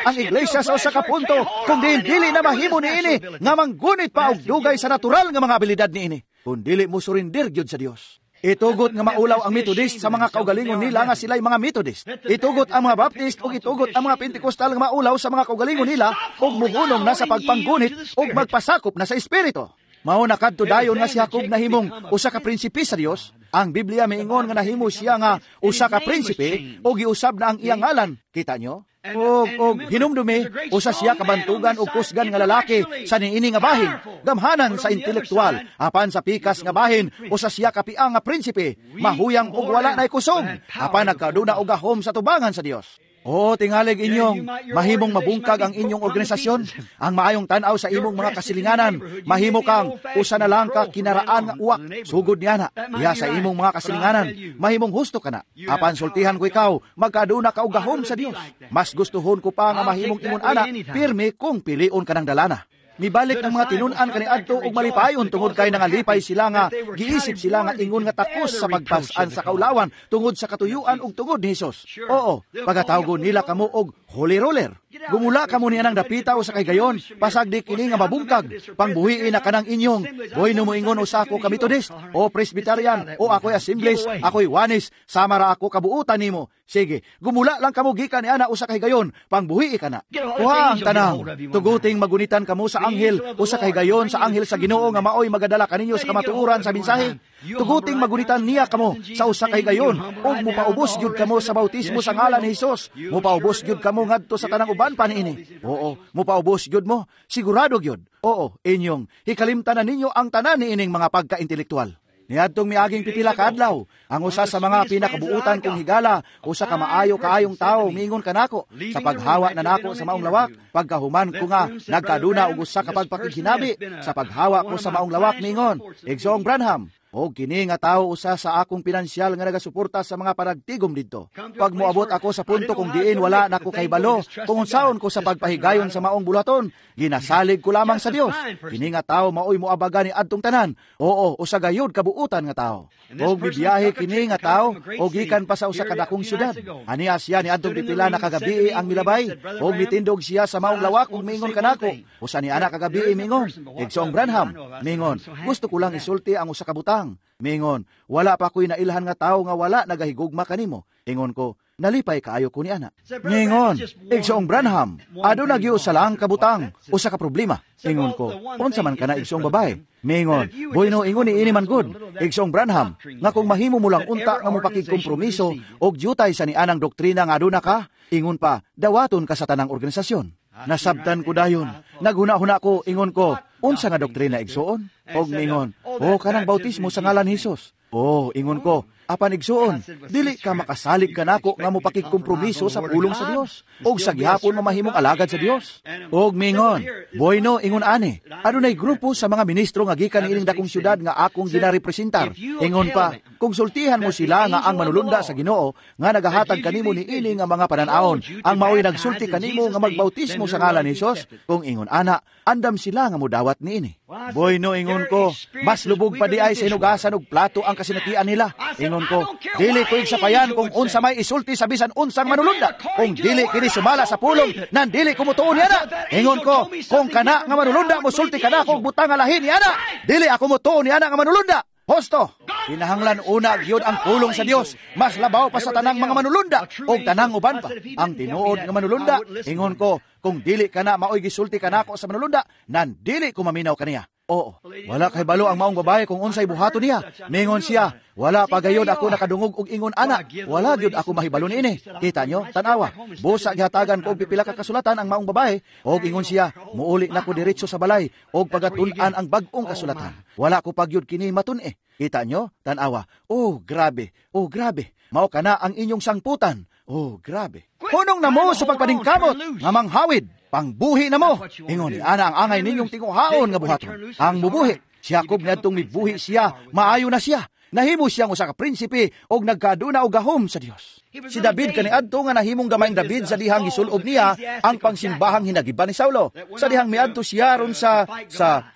ang iglesia sa usa ka punto kung dili na mahimo niini nga manggunit pa og dugay sa natural nga mga abilidad niini. Kung dili mo surrender gyud sa Dios. Itugot nga maulaw ang Methodist sa mga kaugalingon nila nga sila'y mga Methodist. Itugot ang mga Baptist ug itugot ang mga Pentecostal nga maulaw sa mga kaugalingon nila ug muhunong na sa pagpanggunit ug magpasakop na sa espiritu. Mao na kadto dayon nga si Jacob nahimong usa ka prinsipe sa Dios. Ang Biblia miingon nga nahimo siya nga usa ka prinsipe ug giusab na ang iyang ngalan. Kita nyo? Og hinumdumi, usa siya kabantugan og kusgan nga lalaki sa niini nga bahin, gamhanan sa intelektual, apan sa pikas nga bahin, usa siya kapiang nga prinsipe, mahuyang og wala nay kusog, apan nagkaduna og gahom sa tubangan sa Dios. O tingalig inyong mahimong mabungkag ang inyong organisasyon, ang maayong tan-aw sa imong mga kasilinganan, mahimo kang usa na lang ka kinaraan nga uwak, sugod niya na, diha sa imong mga kasilinganan, mahimong husto ka na. Apan sultihan ko ikaw, magkaduna ka og gahom sa Dios. Mas gustuhon ko pa nga mahimong imon ana, pirmi kung pilion ka ng dalana. Mibalik ang mga tinun-an kaniadto og malipayon tungod kay nangalipay sila nga giisip sila nga ingon nga takos sa pagpas-an sa kaulawan tungod sa katuyuan ug tungod ni Hesus. Oo, pagatawgon nila kamo og holy roller. Gumula kamo niya ng dapita o sa kaygayon, pasag di kini nga mabungkag, pangbuhiin na kanang inyong, boy no moingon usa ako ka Methodist, o Presbyterian, o ako'y Assemblies, ako'y Wanis, sama ra ako kabuutan nimo. Sige, gumula lang kamo gikan ni ana usa ka higayon, pangbuhii ka na. Kuha ang tanang, tuguting magunitan kamo sa anghel, usa ka higayon sa anghel sa Ginoo nga maoy magadala kaninyo sa kamatuoran sa mensahe. Tuguting magunitan niya kamo sa usa ka higayon, ug mupaubos gyud kamo sa bautismo sa ngalan ni Hesus. Mupaubos gyud kamo ngadto sa tanang uban pa niini. Oo, mupaubos gyud mo, sigurado gyud. Oo, inyong hikalimtan na ninyo ang tanan niining mga pagkaintelektual. Niadtong miaging pipila ka adlaw, ang usa sa mga pinakabuutan kong higala, usa ka maayo kaayong tawo, miingon kanako, sa paghawa na nako sa maong lawak, pagkahuman ko nga nagkaduna og usa ka pagpakighinabi, sa paghawa ko sa maong lawak miingon, Igsoong Branham, og kini nga tawo usa sa akong pinansyal nga nagasuporta sa mga panagtigom didto. Pag moabot ako sa punto kung diin wala nako kahibalo kung unsaon ko sa pagpahigayon sa maong bulaton, ginasalig ko lamang sa Dios. Kini nga tawo maoy moabaga ni adtong tanan. Oo, usa gayud kabuutan nga tawo. Og mibiyahe kini nga tawo og gikan pa sa usa ka dakong syudad. Aniya siya ni adtong pipila na kagabii ang milabay, og mitindog siya sa maong lawak ug miingon kanako. Usa ni ana kagabii miingon, Igsoong Branham, miingon, gusto ko lang isulti ang usa ka butang. Mingon, wala pa ko'y nailhan nga tao nga wala nagahigugma kanimo. Ingon ko, nalipay kaayo ko ni ana. Mingon, Igsoong Branham, aduna gyud usa lang ka butang, usa ka problema. Ingon ko, unsa man kana igsoong babae? Mingon, bueno ingon ni ini man gud, Igsoong Branham, nga kung mahimo mo lang unta nga mopakigkompromiso og dyutay sa nianang doktrina nga aduna ka, ingon pa, dawaton ka sa tanang organisasyon. Nasabtan ko dayon. Naghuna-huna ko, ingon ko, unsa nga doktrina igsoon? Og mingon, o kanang bautismo sa ngalan ni Hesus. O, ingon ko, apan igsoon, dili ka makasalig kanako nga mopakigkompromiso sa pulong sa Dios, og sa gihapon mamahimong alagad sa Dios. Og mingon, bueno, ingon ani, adunay grupo sa mga ministro nga gikan niining dakong syudad nga akong ginarepresentar. Ingon pa, kung sultihan mo sila nga ang manulunda sa Ginoo nga nagahatag kanimo niini nga mga pananawon, ang maoy nagsulti kanimo nga magbautismo sa ngalan ni Hesus, kung ingon ana, andam sila nga modawat niini. Bueno, ingon ko, mas lubog pa di ay sa inugasan og plato ang kasinatian nila. Ingon ko, dili ko igsapayan kung unsa may isulti sa bisan unsang manulunda. Kung dili kini sumala sa pulong, nan dili ko mutuon niya na. Ingon ko, kung kana nga manulunda mosulti kana kung butang nga lahi niya na, dili ako mutuon niya na nga manulunda. Hosto, kinahanglan una gyud ang pulong sa Dios, mas labaw pa sa tanang mga manulunda og tanang uban pa. Ang tinuod nga manulunda, ingon ko, kung dili kana maoy gisulti kanako sa manulunda, nan dili ko maminaw kaniya. Oo, wala kay balo ang maong babae kung unsay buhaton niya. Mingon siya, wala pa gayod ako nakadungog og ingon ana, wala gyud ako mahibalo niini. Kita nyo, tanawa, busa gihatagan ko og pipila ka kasulatan ang maong babae, og ingon siya, muuli na ko diretso sa balay og pagatun-an ang bag-ong kasulatan. Wala ko pagyud kini matun-e. Kita nyo, tanawa, oh grabe, oh grabe, mao kana ang inyong sangputan. Oh grabe. Hunong na mo sa pagpaningkamot nga manghawid, pangbuhi na mo. Ingon ni ana ang angay ninyong tinguhaon nga buhaton. Ang mubuhi, si Jacob niadtong mibuhi siya, maayo na siya. Nahimo siyang usa ka prinsipe og nagkaduna og gahom sa Dios. Si David kaniadto nga nahimong gamayng David sa dihang gisulob niya ang pangsimbahang hinagiban ni Saulo. Sa dihang miadto siya ron sa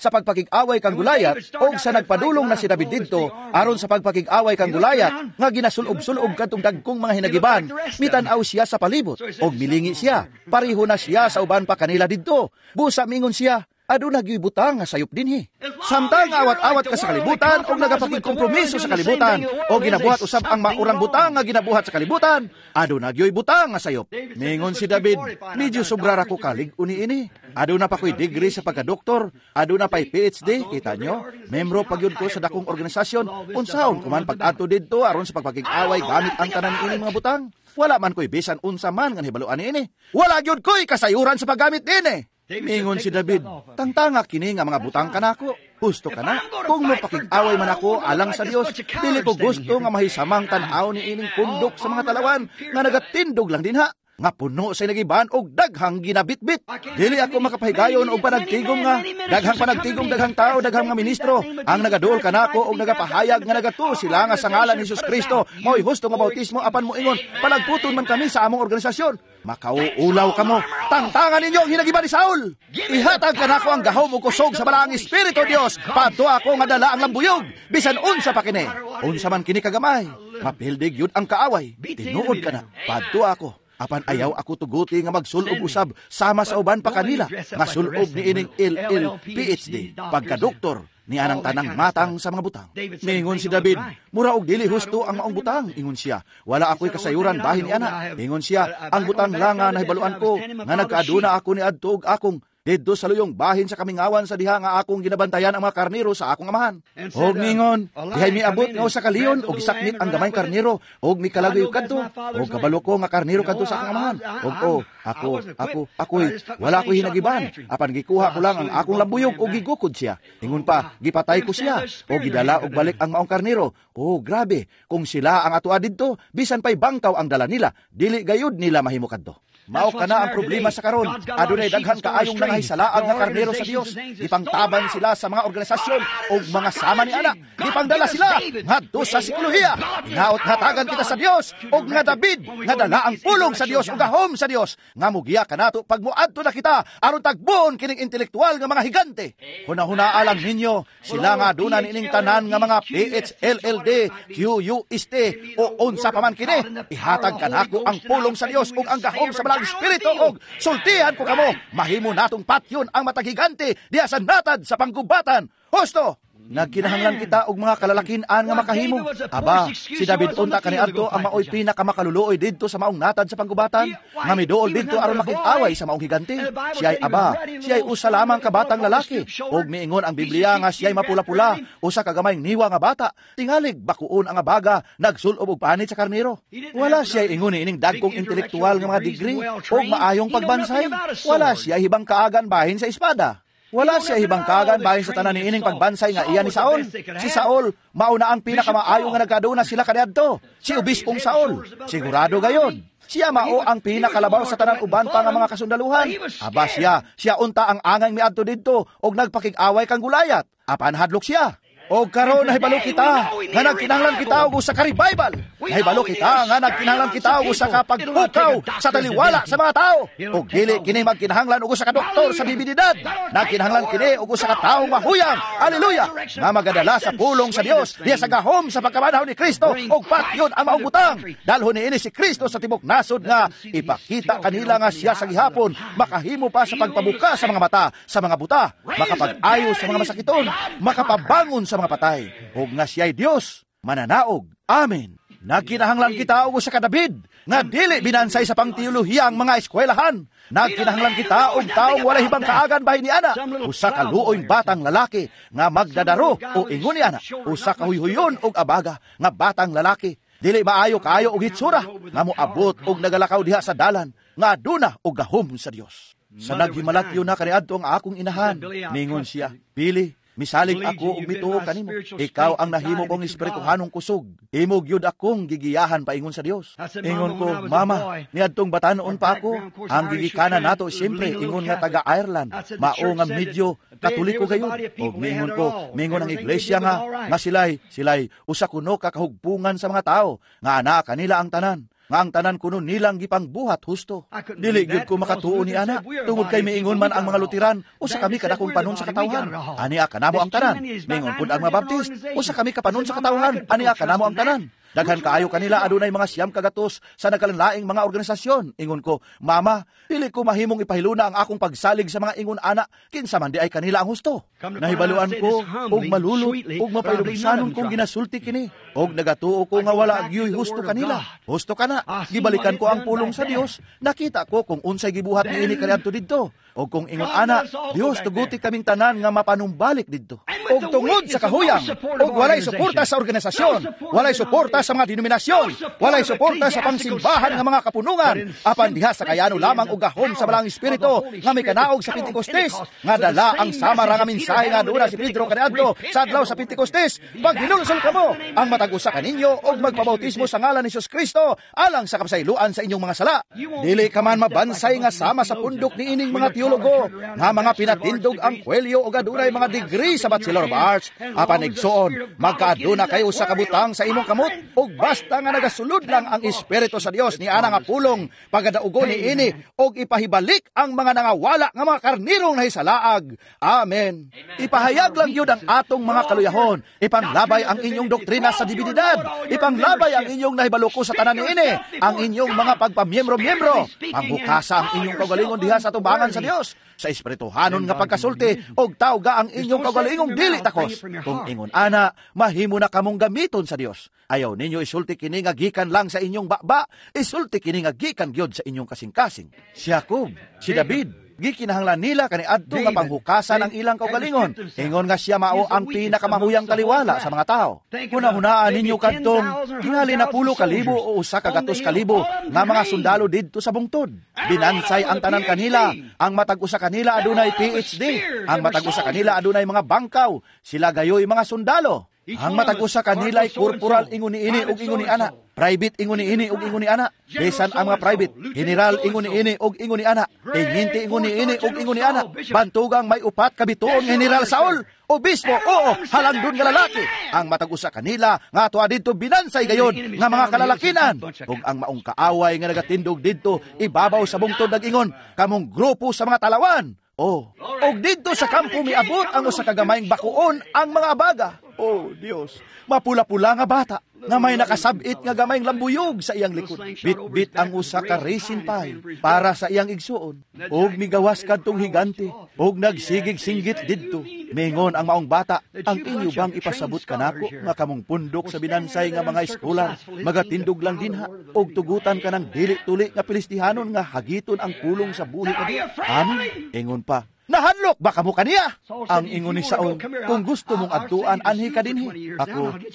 pagpakig-away kang Goliath og sa nagpadulong na si David didto aron sa pagpakig-away kang Goliath nga ginasulob-sulob kadtong dagkong mga hinagiban, mitan-aw siya sa palibot og milingi siya. Pareho na siya sa uban pa kanila didto. Busa mingon siya, Aduna gyud butang nga sayop dinhi. Samtang awat-awat ka sa kalibutan og nagapakigkompromiso sa kalibutan o ginabuhat usab ang maurang butang nga ginabuhat sa kalibutan, aduna gyud butang nga sayop. Mingon si David, medyo sobra ra ko kalig-on niini. Aduna pa ko'y degree sa pagkadoktor, aduna pa'y PhD, kita nyo? Membro pa gyud ko sa dakong organisasyon, unsaon ko man pag-adto didto aron sa pagpakig-away gamit ang tanan niining mga butang. Wala man ko'y bisan unsa man nga hibaluan niini. Wala gyud ko'y kasayuran sa paggamit niini. Mingon si David, tangtanga kini nga mga butang kanako. Husto ka na. Kung mapakig-away man ako alang sa Dios, dili ko gusto nga mahisamang tan-aw ni ining pundok sa mga talawan nga nagatindog lang dinha, nga puno sa nagiban og daghang ginabitbit. Dili ako makapahigayon og panagtigom nga daghang panagtigom, daghang tao, daghang mga ministro ang nagaduol kanako og nagapahayag nga nagatuo sila nga sa ngalan ni Jesus Kristo mao'y husto nga bautismo, apan moingon palagputon man kami sa among organisasyon. Makauulaw kamo. Tangtangan ninyo ang hinagiban ni Saul. Ihatag kanako ang gahom ug kusog sa Balaang Espiritu Dios. Padto ako nga dala ang lambuyog bisan unsa pa kini. Unsa man kini kagamay, mapildig yun ang kaaway. Tinuod ka na. Padto ako. Apan ayaw ako tuguti nga magsulob usab sama sa uban pa kanila nga sulob ni ining LL PhD pagkadoktor ni anang tanang matang sa mga butang. Ningon si David, mura og dili husto ang maong butang, ingon siya. Wala ako'y kasayuran bahin ni ana. Ingon siya, ang butang lang nga nahibaluan ko nga nagkaaduna ako ni adto og akong didto sa luyong bahin sa kamingawan sa diha nga akong ginabantayan ang mga karnero sa akong amahan. Og ningon, dihay miabot nga usa ka leon og gisaknit ang gamayng karnero og mikalagoy kadto og kabalo ko nga karnero kadto sa akong amahan. Og oh, ako ako ako'y wala ko'y hinagiban, apan gikuha ko lang ang akong lambuyog og gigukod siya. Ingon pa, gipatay ko siya og gidala og balik ang maong karnero. Oh, grabe, kung sila ang atoa didto, bisan pay bangkaw ang dala nila, dili gayud nila mahimo kadto. Mao kana ang problema sa karon. Adunay daghan kaayong nangahисalaag nga karnero sa Dios. Gipangtaban sila sa mga organisasyon o mga sama ni ana. Gipangdala sila ngadto sa psikolohiya. Hinaot hatagan kita sa Dios og nga David nga dala ang pulong sa Dios ug gahom sa Dios nga mugiya kanato pag moadto na kita aron tagboon kining intelektual nga mga higante. Hunahunaa lang ninyo sila nga aduna niining tanan nga mga PHLLD QUST o unsa pa man kini. Ihatag kanako ang pulong sa Dios ug ang gahom sa Balaang Espiritu og sultihan ko kamo, mahimo natong patyon ang matag higante diha sa natad sa panggubatan. Husto! Nagkinahanglan kita og mga kalalakin-an nga makahimo. Aba, si David unta kaniadto ang maoy pinakamakaluluoy didto sa maong natad sa panggubatan, nga miduol didto aron makig-away sa maong higante. Siya'y aba, siya'y usa lamang ka batang lalaki. Og miingon ang Biblia nga siya'y mapula-pula, usa ka gamayng niwa nga bata. Tingalig bakuon ang abaga, nagsulob og panit sa karnero. Wala siya'y ingon niining dagkong intelektual nga mga degree og maayong pagbansay. Wala siya'y hibang kaagan bahin sa espada. Wala siya hibang kagan bahin sa tanan niining pagbansay nga iya ni Saul. Si Saul, mauna ang pinakamaayo nga nagkaduna sila kaniadto. Si Obispong Saul, sigurado gayon. Siya mao ang pinakalabaw sa tanan uban pa nga mga kasundaluhan. Aba siya, siya unta ang angay miadto didto og nagpakig-away kang Gulayat. Apan hadlok siya. Og karon nahibalo kita nga nagkinahanglan kita og usa ka revival. Nahibalo kita nga nagkinahanglan kita og usa ka pagpukaw sa taliwala sa mga tao. Og dili kini magkinahanglan og usa ka doktor sa bibididad. Nagkinahanglan kini og usa ka tawo mahuyang. Aleluya! Nga magadala sa pulong sa Dios diha sa gahom sa pagkabanhaw ni Kristo og patyon ang maong butang. Dalhon niini si Kristo sa tibok nasod nga ipakita kanila nga siya sa gihapon makahimo pa sa pagpabuka sa mga mata sa mga buta, makapag-ayo sa mga masakiton, makapabangon sa mga patay, og nga siya'y Dios mananaog. Amen. Nagkinahanglan kita og usa ka David nga dili binansay sa pangteolohiya ang mga eskwelahan. Nagkinahanglan kita og taong walay hibang kaagan bahin ni ana, usa ka luoy batang lalaki nga magdadaro o ingon ni ana, usa ka huyhuyon og abaga nga batang lalaki, dili maayo kaayo og hitsura nga moabot og nagalakaw diha sa dalan nga aduna og gahom sa Dios. Sa naghimalatyo na kaniadto ang akong inahan, ningon siya, Pili, misalig ako og mituo kanimo. Ikaw ang nahimo kong espirituhanong kusog. Imo gyud akong gigiyahan paingon sa Dios. Ingon ko, Mama, niadtong batanon pa ako. Ang gigikanan nato siyempre ingon nga taga Ireland. Mao nga medyo Katoliko gayud. Og mingon ko, mingon ang iglesia nga nga silay usa kuno ka kahugpungan sa mga tao nga ana kanila ang tanan. Nga ang tanan kuno nilang gipangbuhat husto. Dili gyud ko makatuo ni ana tungod kay miingon man ang mga Luteran, usa kami kadakong panon sa katawhan. Ania kanamo ang tanan. Miingon pud ang mga Baptist, usa kami kapanon sa katawhan. Ania kanamo ang tanan. Daghan kaayo kanila, adunay mga 900 sa nagkalanlaing mga organisasyon. Ingon ko, "Mama, dili ko mahimong ipahiluna ang akong pagsalig sa mga ingon ana, kinsa man di ay kanila ang husto." Nahibaluan ko og malulot og mapailubsanon kong ginasulti kini. Og nagatuo ko nga wala gyoy husto kanila. Husto kana. Gibalikan ko ang pulong sa Dios. Nakita ko kung unsay gibuhat niini kaniadto didto. Og kung ingon ana, Dios, tuguti kaming tanan nga mapanumbalik didto. Og tungod sa kahuyang, og walay suporta sa organisasyon, walay suporta sa mga denominasyon, walay suporta sa pangsimbahan nga mga kapunungan, apan diha sa kayano lamang og gahom sa Balaang Espiritu nga may kanaog sa Pentecostes, nga dala ang sama ra nga mensahe nga aduna si Pedro kaniadto sa adlaw sa Pentecostes. "Paghinulsol kamo ang matag usa kaninyo og magpabautismo sa ngalan ni Jesus Kristo alang sa kapasayloan sa inyong mga sala." Dili ka man mabansay nga sama sa pundok niining mga teologo nga mga pinatindog ang kwelyo og adunay mga degree sa Bachelor of Arts. Apan igsoon, magkaaduna kayo sa kabutang sa imong kamot, ug basta nga nagasulod lang ang Espiritu sa Dios ni ana nga pulong, pagadaugon ni ini og ipahibalik ang mga nangawala nga mga karnirong nahisalaag. Amen. Ipahayag lang gyud ang atong mga kaluyahon. Ipanglabay ang inyong doktrina sa divinidad. Ipanglabay ang inyong nahibaluko sa tanan niini, ang inyong mga pagpamiyembro-miyembro. Panghukasa ang inyong kaugalingon diha sa tubangan sa Dios sa espirituhanon nga pagkasulti, og tawga ang inyong kaugalingong dili takos. Kung ingon ana, mahimo na kamong gamiton sa Dios. Ayaw ninyo isulti kini nga gikan lang sa inyong baba, isulti kini nga gikan gyud sa inyong kasing-kasing. Si Jacob, si David, gikinahanglan nila kaniadto nga panghukasan ang ilang kaugalingon. Ingon nga siya mao ang pinakamahuyang taliwala sa mga tao. Hunahunaan ninyo kadtong tingali 10,000 o 100,000 nga mga sundalo didto sa bungtod. Binansay ang tanan kanila. Ang matag usa kanila adunay PhD. Ang matag usa kanila adunay mga bangkaw. Sila gayoy mga sundalo. Ang matag usa kanila ay corporal ingon niini ug ingon ni ana. Private ingon niini ug ingon ni ana. Bisan ang mga private, general ingon niini ug ingon ni ana. Teniente ingon niini ug ingon ni ana. Bantugang may 4 ka bituon nga General Saul. Obispo, oo, halandon nga lalaki. Ang matag usa kanila nga tuwa didto binansay gayon nga mga kalalakinan. Ug ang maong kaaway nga nagatindog didto ibabaw sa bungtod nag-ingon, "Kamong grupo sa mga talawan." Oh, og didto sa kampo miabot ang usa ka gamayng bakuon ang mga abaga. Oh, Dios, mapula-pula nga bata nga may nakasabit nga gamayng lambuyog sa iyang likod. Bit-bit ang usa ka raisin pie para sa iyang igsuon. Og migawas kadtong higante og nagsigig singgit didto. Mingon ang maong bata, "Ang inyo bang ipasabot kanako nga kamong pundok sa binansay nga mga eskolar magatindog lang dinha og tugutan ka ng dili tuli nga Pilistihanon nga hagiton ang pulong sa buhi ka?" Amen. Ingon pa, "Nahadlok ba kamo kaniya?" Ang ingon ni Saul, "Kung gusto mong adtuan, anhi ka dinhi.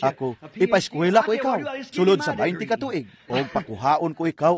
Ako, ipaeskwela ko ikaw, sulod sa 20 ka tuig, og pakuhaon ko ikaw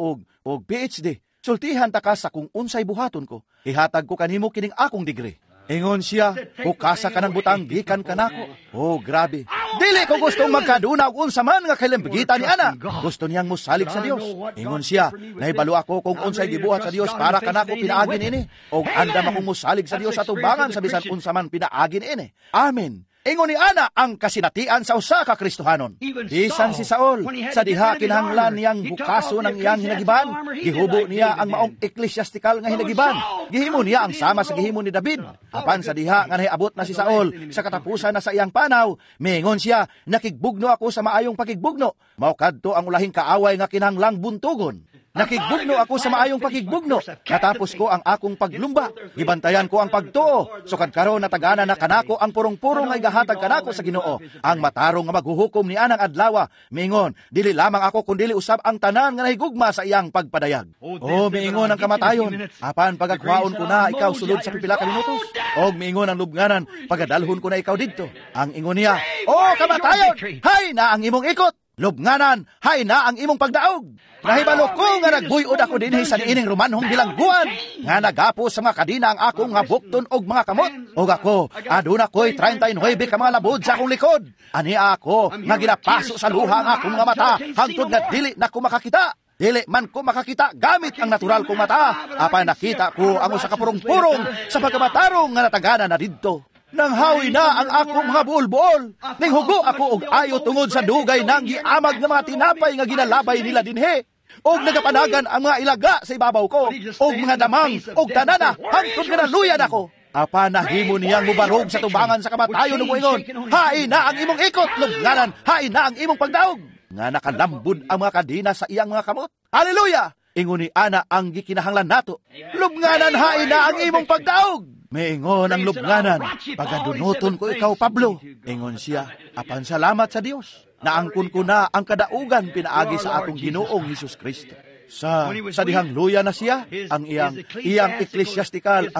og PhD. Sultihan ta ka sa kung unsay buhaton ko. Ihatag ko kanimo kining akong degree." Ingon siya, "Hukasa ka ng butang gikan kanako." Oh, grabe. Dili ko gustong magkaduna og unsa man nga kalimbigitan ni ana. Gusto niyang mosalig sa Dios. Ingon siya, "Nahibalo ako kung unsay gibuhat sa Dios para kanako pinaagi niini. Og andam akong mosalig sa Dios sa tubangan sa bisan unsa man pinaagi niini." Amen. Ingon ni ana ang kasinatian sa usa ka Kristohanon. Bisan si Saul, sa diha kinahanglan niyang hukason ang iyang hinagiban, gihubo niya ang maong eklesiastikal nga hinagiban. Gihimo niya ang sama sa gihimo ni David. Apan sa diha nga nahiabot na si Saul sa katapusan na sa iyang panaw, mingon siya, "Nakigbugno ako sa maayong pakigbugno." Mao kadto ang ulahing kaaway nga kinahanglang buntugon. "Nakigbugno ako sa maayong pakigbugno. Natapos ko ang akong paglumba. Gibantayan ko ang pagtuo. Sukad karon natagana na kanako ang purong-purong nga igahatag kanako sa Ginoo, ang matarong nga maghuhukom ni anang adlawa." Mingon, "Dili lamang ako kundili usab ang tanan nga nahigugma sa iyang pagpadayag." Oh, miingon ang kamatayon, "Apan pagagwaon ko na ikaw sulod sa pipila ka minutos." Og miingon ang lubnganan, "Pagadalhon ko na ikaw didto." Ang ingon niya, "Oh kamatayon, hay na ang imong ikot! Lubnganan, hay na ang imong pagdaog! Nahibalo ko nga nagbuyod ako dinhi sa niining Romanhong bilangguan, nga nagapo sa mga kadina ang akong nga bukton og mga kamot. Og ako, aduna ko'y 39 ka mga labod sa akong likod. Ani ako nga ginapaso sa luha ang akong mga mata, hangtod nga dili na ko makakita. Dili man ko makakita gamit ang natural kong mata, apan nakita ko ang usa ka purong-purong sa pagkamatarong nga natagana na didto. Nanghawi na ang akong mga buol-buol. Ninghugo ako og ayo tungod sa dugay nang giamag nga mga tinapay nga ginalabay nila dinhi. Og nagapanagan ang mga ilaga sa ibabaw ko, og mga damang, og tanana, hangtod nga naluyan ako." Apan nahimo niyang mubarog sa tubangan sa kamatayon ug moingon, "Hain na ang imong ikot, lubnganan, hain na ang imong pagdaog." Nga nakalambod ang mga kadena sa iyang mga kamot. Hallelujah! Ingon ni ana ang gikinahanglan nato. Lubnganan hain na ang imong pagdaog. Miingon ang lubnganan, pagadunuton ko ikaw, Pablo. Ingon siya, apan salamat sa Dios. Naangkon ko na ang kadaugan pinaagi sa atong Ginoong Hesus Kristo. Sa dihang luya na siya, ang iyang iyang eklesiastikal,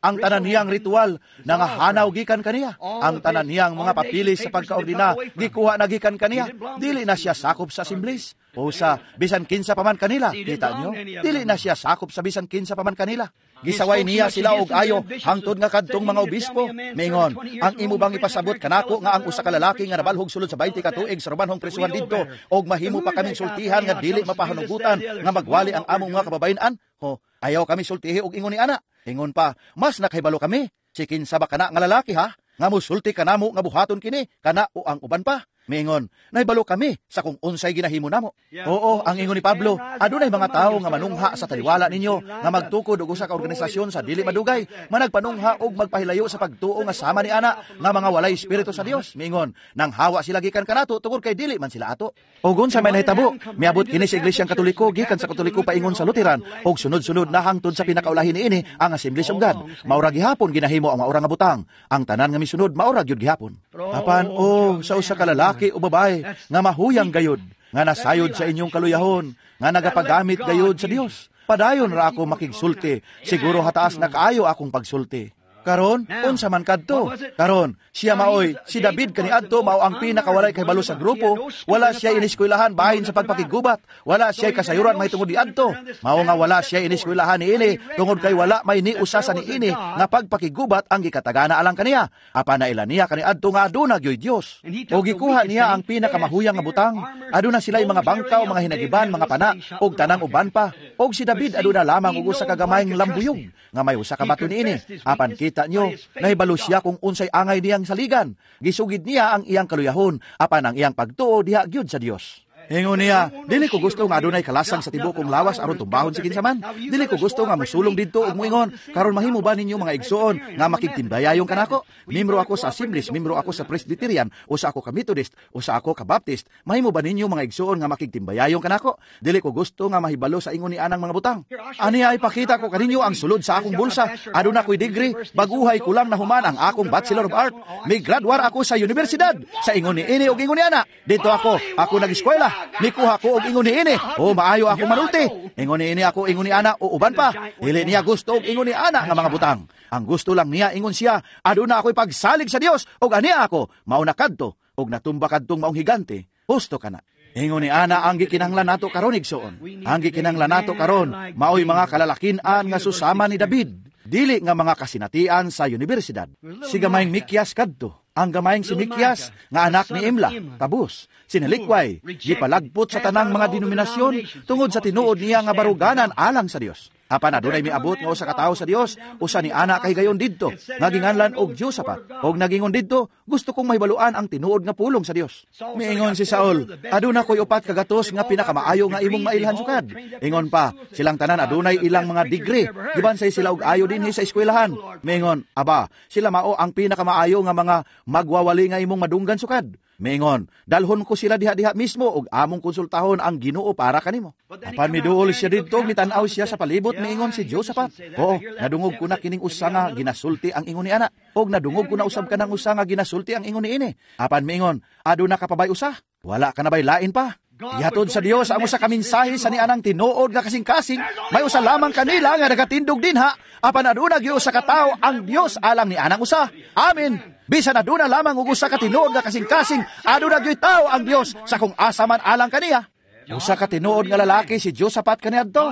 ang tanan niyang ritual, nangahanaw gikan kaniya. Ang tanan niyang mga papilis sa pagkaordina, gikuha na gikan kaniya. Dili na siya sakop sa Assemblies o sa bisan kinsa pa man kanila. Kita nyo? Dili na siya sakop sa bisan kinsa pa man kanila. Gisaway niya sila og ayo hangtod nga kadtong mga obispo. Mingon, ang imo bang ipasabot kanako nga ang usa ka lalaki nga nabalhog sulod sa 20 ka tuig sa Romanhong presuhan didto og mahimo pa kaming sultihan nga dili mapahanugutan nga magwali ang among mga kababayen-an? Ho, ayaw kami sultihi og ingon ni ana. Ingon pa, mas nakahibalo kami. Si kinsa ba kana nga lalaki ha? Nga musulti kanamo nga buhaton kini kana o ang uban pa. Miingon, nahibalo kami sa kung unsay ginahimo namo. Oo, ang ingon ni Pablo, adunay mga tawo nga manungha sa taliwala ninyo, nga magtukod og usa ka organisasyon sa dili madugay, managpanungha og magpahilayo sa pagtuo nga sama ni ana, nga mga walay espiritu sa Dios. Miingon, nang hawa sila gikan kanato tungod kay dili man sila ato. Og unsa may nahitabo, miabot kini sa Iglesyang Katoliko gikan sa Katoliko paingon sa Lutheran, og sunod-sunod na hangtod sa pinakaulahin niini ang Assemblies of God. Maura gihapon ginahimo ang maura nga butang. Ang tanan nga misunod maura gyud gihapon. Apan o sa usa ka lalaki o babae nga mahuyang gayod, nga nasayod sa inyong kaluyahon, nga nagapagamit gayod sa Dios. Padayon ra ako makigsulti, siguro hataas na kaayo akong pagsulti. Karon, unsa man kadto? Karon, siya maoy, si David kaniadto mao ang pinakawalay kahibalo sa grupo, wala siya iniskwelahan bahin sa pagpakigubat, wala siya kasayuran mahitungod niadto. Mao nga wala siya iniskwelahan niini tungod kay wala may niusa sa niini nga pagpakigubat ang gikatagana alang kaniya. Apan naila niya kaniadto nga aduna gyoy Dios. O gikuha niya ang pinakamahuyang nga butang. Aduna sila'y mga bangkaw, mga hinagiban, mga pana, og tanang uban pa. Og si David aduna lamang og usa ka gamayng lambuyog nga may usa ka bato niini. Apan kita nyo, nahibalo siya kung unsay angay niyang saligan. Gisugid niya ang iyang kaluyahon, apan ang iyang pagtuo diha gyud sa Dios. Ingon niya, dili ko gusto nga adunay kalasang sa tibuok kong lawas aron tumbahon si kinsa man. Dili ko gusto nga mosulong didto ug moingon, karon mahimo ba ninyo mga igsoon nga makigtimbayayong kanako? Membro ako sa Assemblies, membro ako sa Presbyterian, usa ako ka Methodist, usa ako ka Baptist. Mahimo ba ninyo mga igsoon nga makigtimbayayong kanako? Dili ko gusto nga mahibalo sa ingon ni anang mga butang. Aniya ipakita ko kaninyo ang sulod sa akong bulsa. Aduna ko'y degree, baguhay ko lang nahuman ang akong Bachelor of Art. Migraduar ako sa universidad. Sa ingon ni ini ug ingon ni ana. Dito ako, ako nag-eskwela. Nikuha ko og ingon ni ini. O maayo ako manulti. Ingon ni ini ako ingon ni ana o uban pa. Dili niya gusto og ingon ni ana nga mga butang. Ang gusto lang niya ingon siya, aduna ako'y pagsalig sa Dios og aniya ako mauna kadto og natumba kadtong maong higante. Husto kana. Ingon ni ana ang gikinahanglan nato karon igsoon. Ang gikinahanglan nato karon maoy mga kalalakin-an nga susama ni David. Dili nga mga kasinatian sa universidad. Si gamayng Mikyas kadto. Ang gamayng si Mikyas nga anak ni Imla, tabus, sinalikway, gipalagpot sa tanang mga denominasyon tungod sa tinuod niya nga baruganan alang sa Dios. Apan adunay miabot nga usa ka tawo sa Dios, usa ni ana kay gayon didto, nga ginganlan og Josaphat. Og nagingon didto, gusto kong mahibaluan ang tinuod nga pulong sa Dios. Miingon si Saul, aduna koy 4 ka gatos nga pinakamaayo nga imong mailhan sukad. Ingon pa, silang tanan adunay ilang mga degree, gibansay sila og ayo dinhi sa eskwelahan. Miingon, aba, sila mao ang pinakamaayo nga mga magwawali nga imong madunggan sukad. Miingon, dalhon ko sila diha-diha mismo og among konsultahon ang Ginoo para kanimo. Apan miduol siya didto, mitan-aw siya sa palibot, miingon si Josaphat. Oo, nadungog ko na kining usa nga ginasulti ang ingon ni ana. Og nadungog ko na usab kanang usa nga ginasulti ang ingon niini. Apan miingon, aduna ka pa bay usa? Wala ka na bay lain pa? Ihatod sa Dios ang usa ka mensahe sa nianang tinuod nga kasing-kasing. May usa lamang kanila nga nagatindog dinha, apan aduna gyud usa ka tawo ang Dios alang ni anang usa. Amen. Bisan aduna lamang og usa ka tinuod nga kasing-kasing, aduna gyud tawo ang Dios sa kung asa man alang kaniya. Usa ka tinuod nga lalaki si Josaphat kaniadto.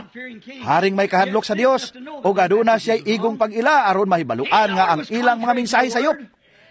Haring may kahadlok sa Dios ug aduna siya'y igong pag-ila aron mahibaluan nga ang ilang mga mensahe sayop.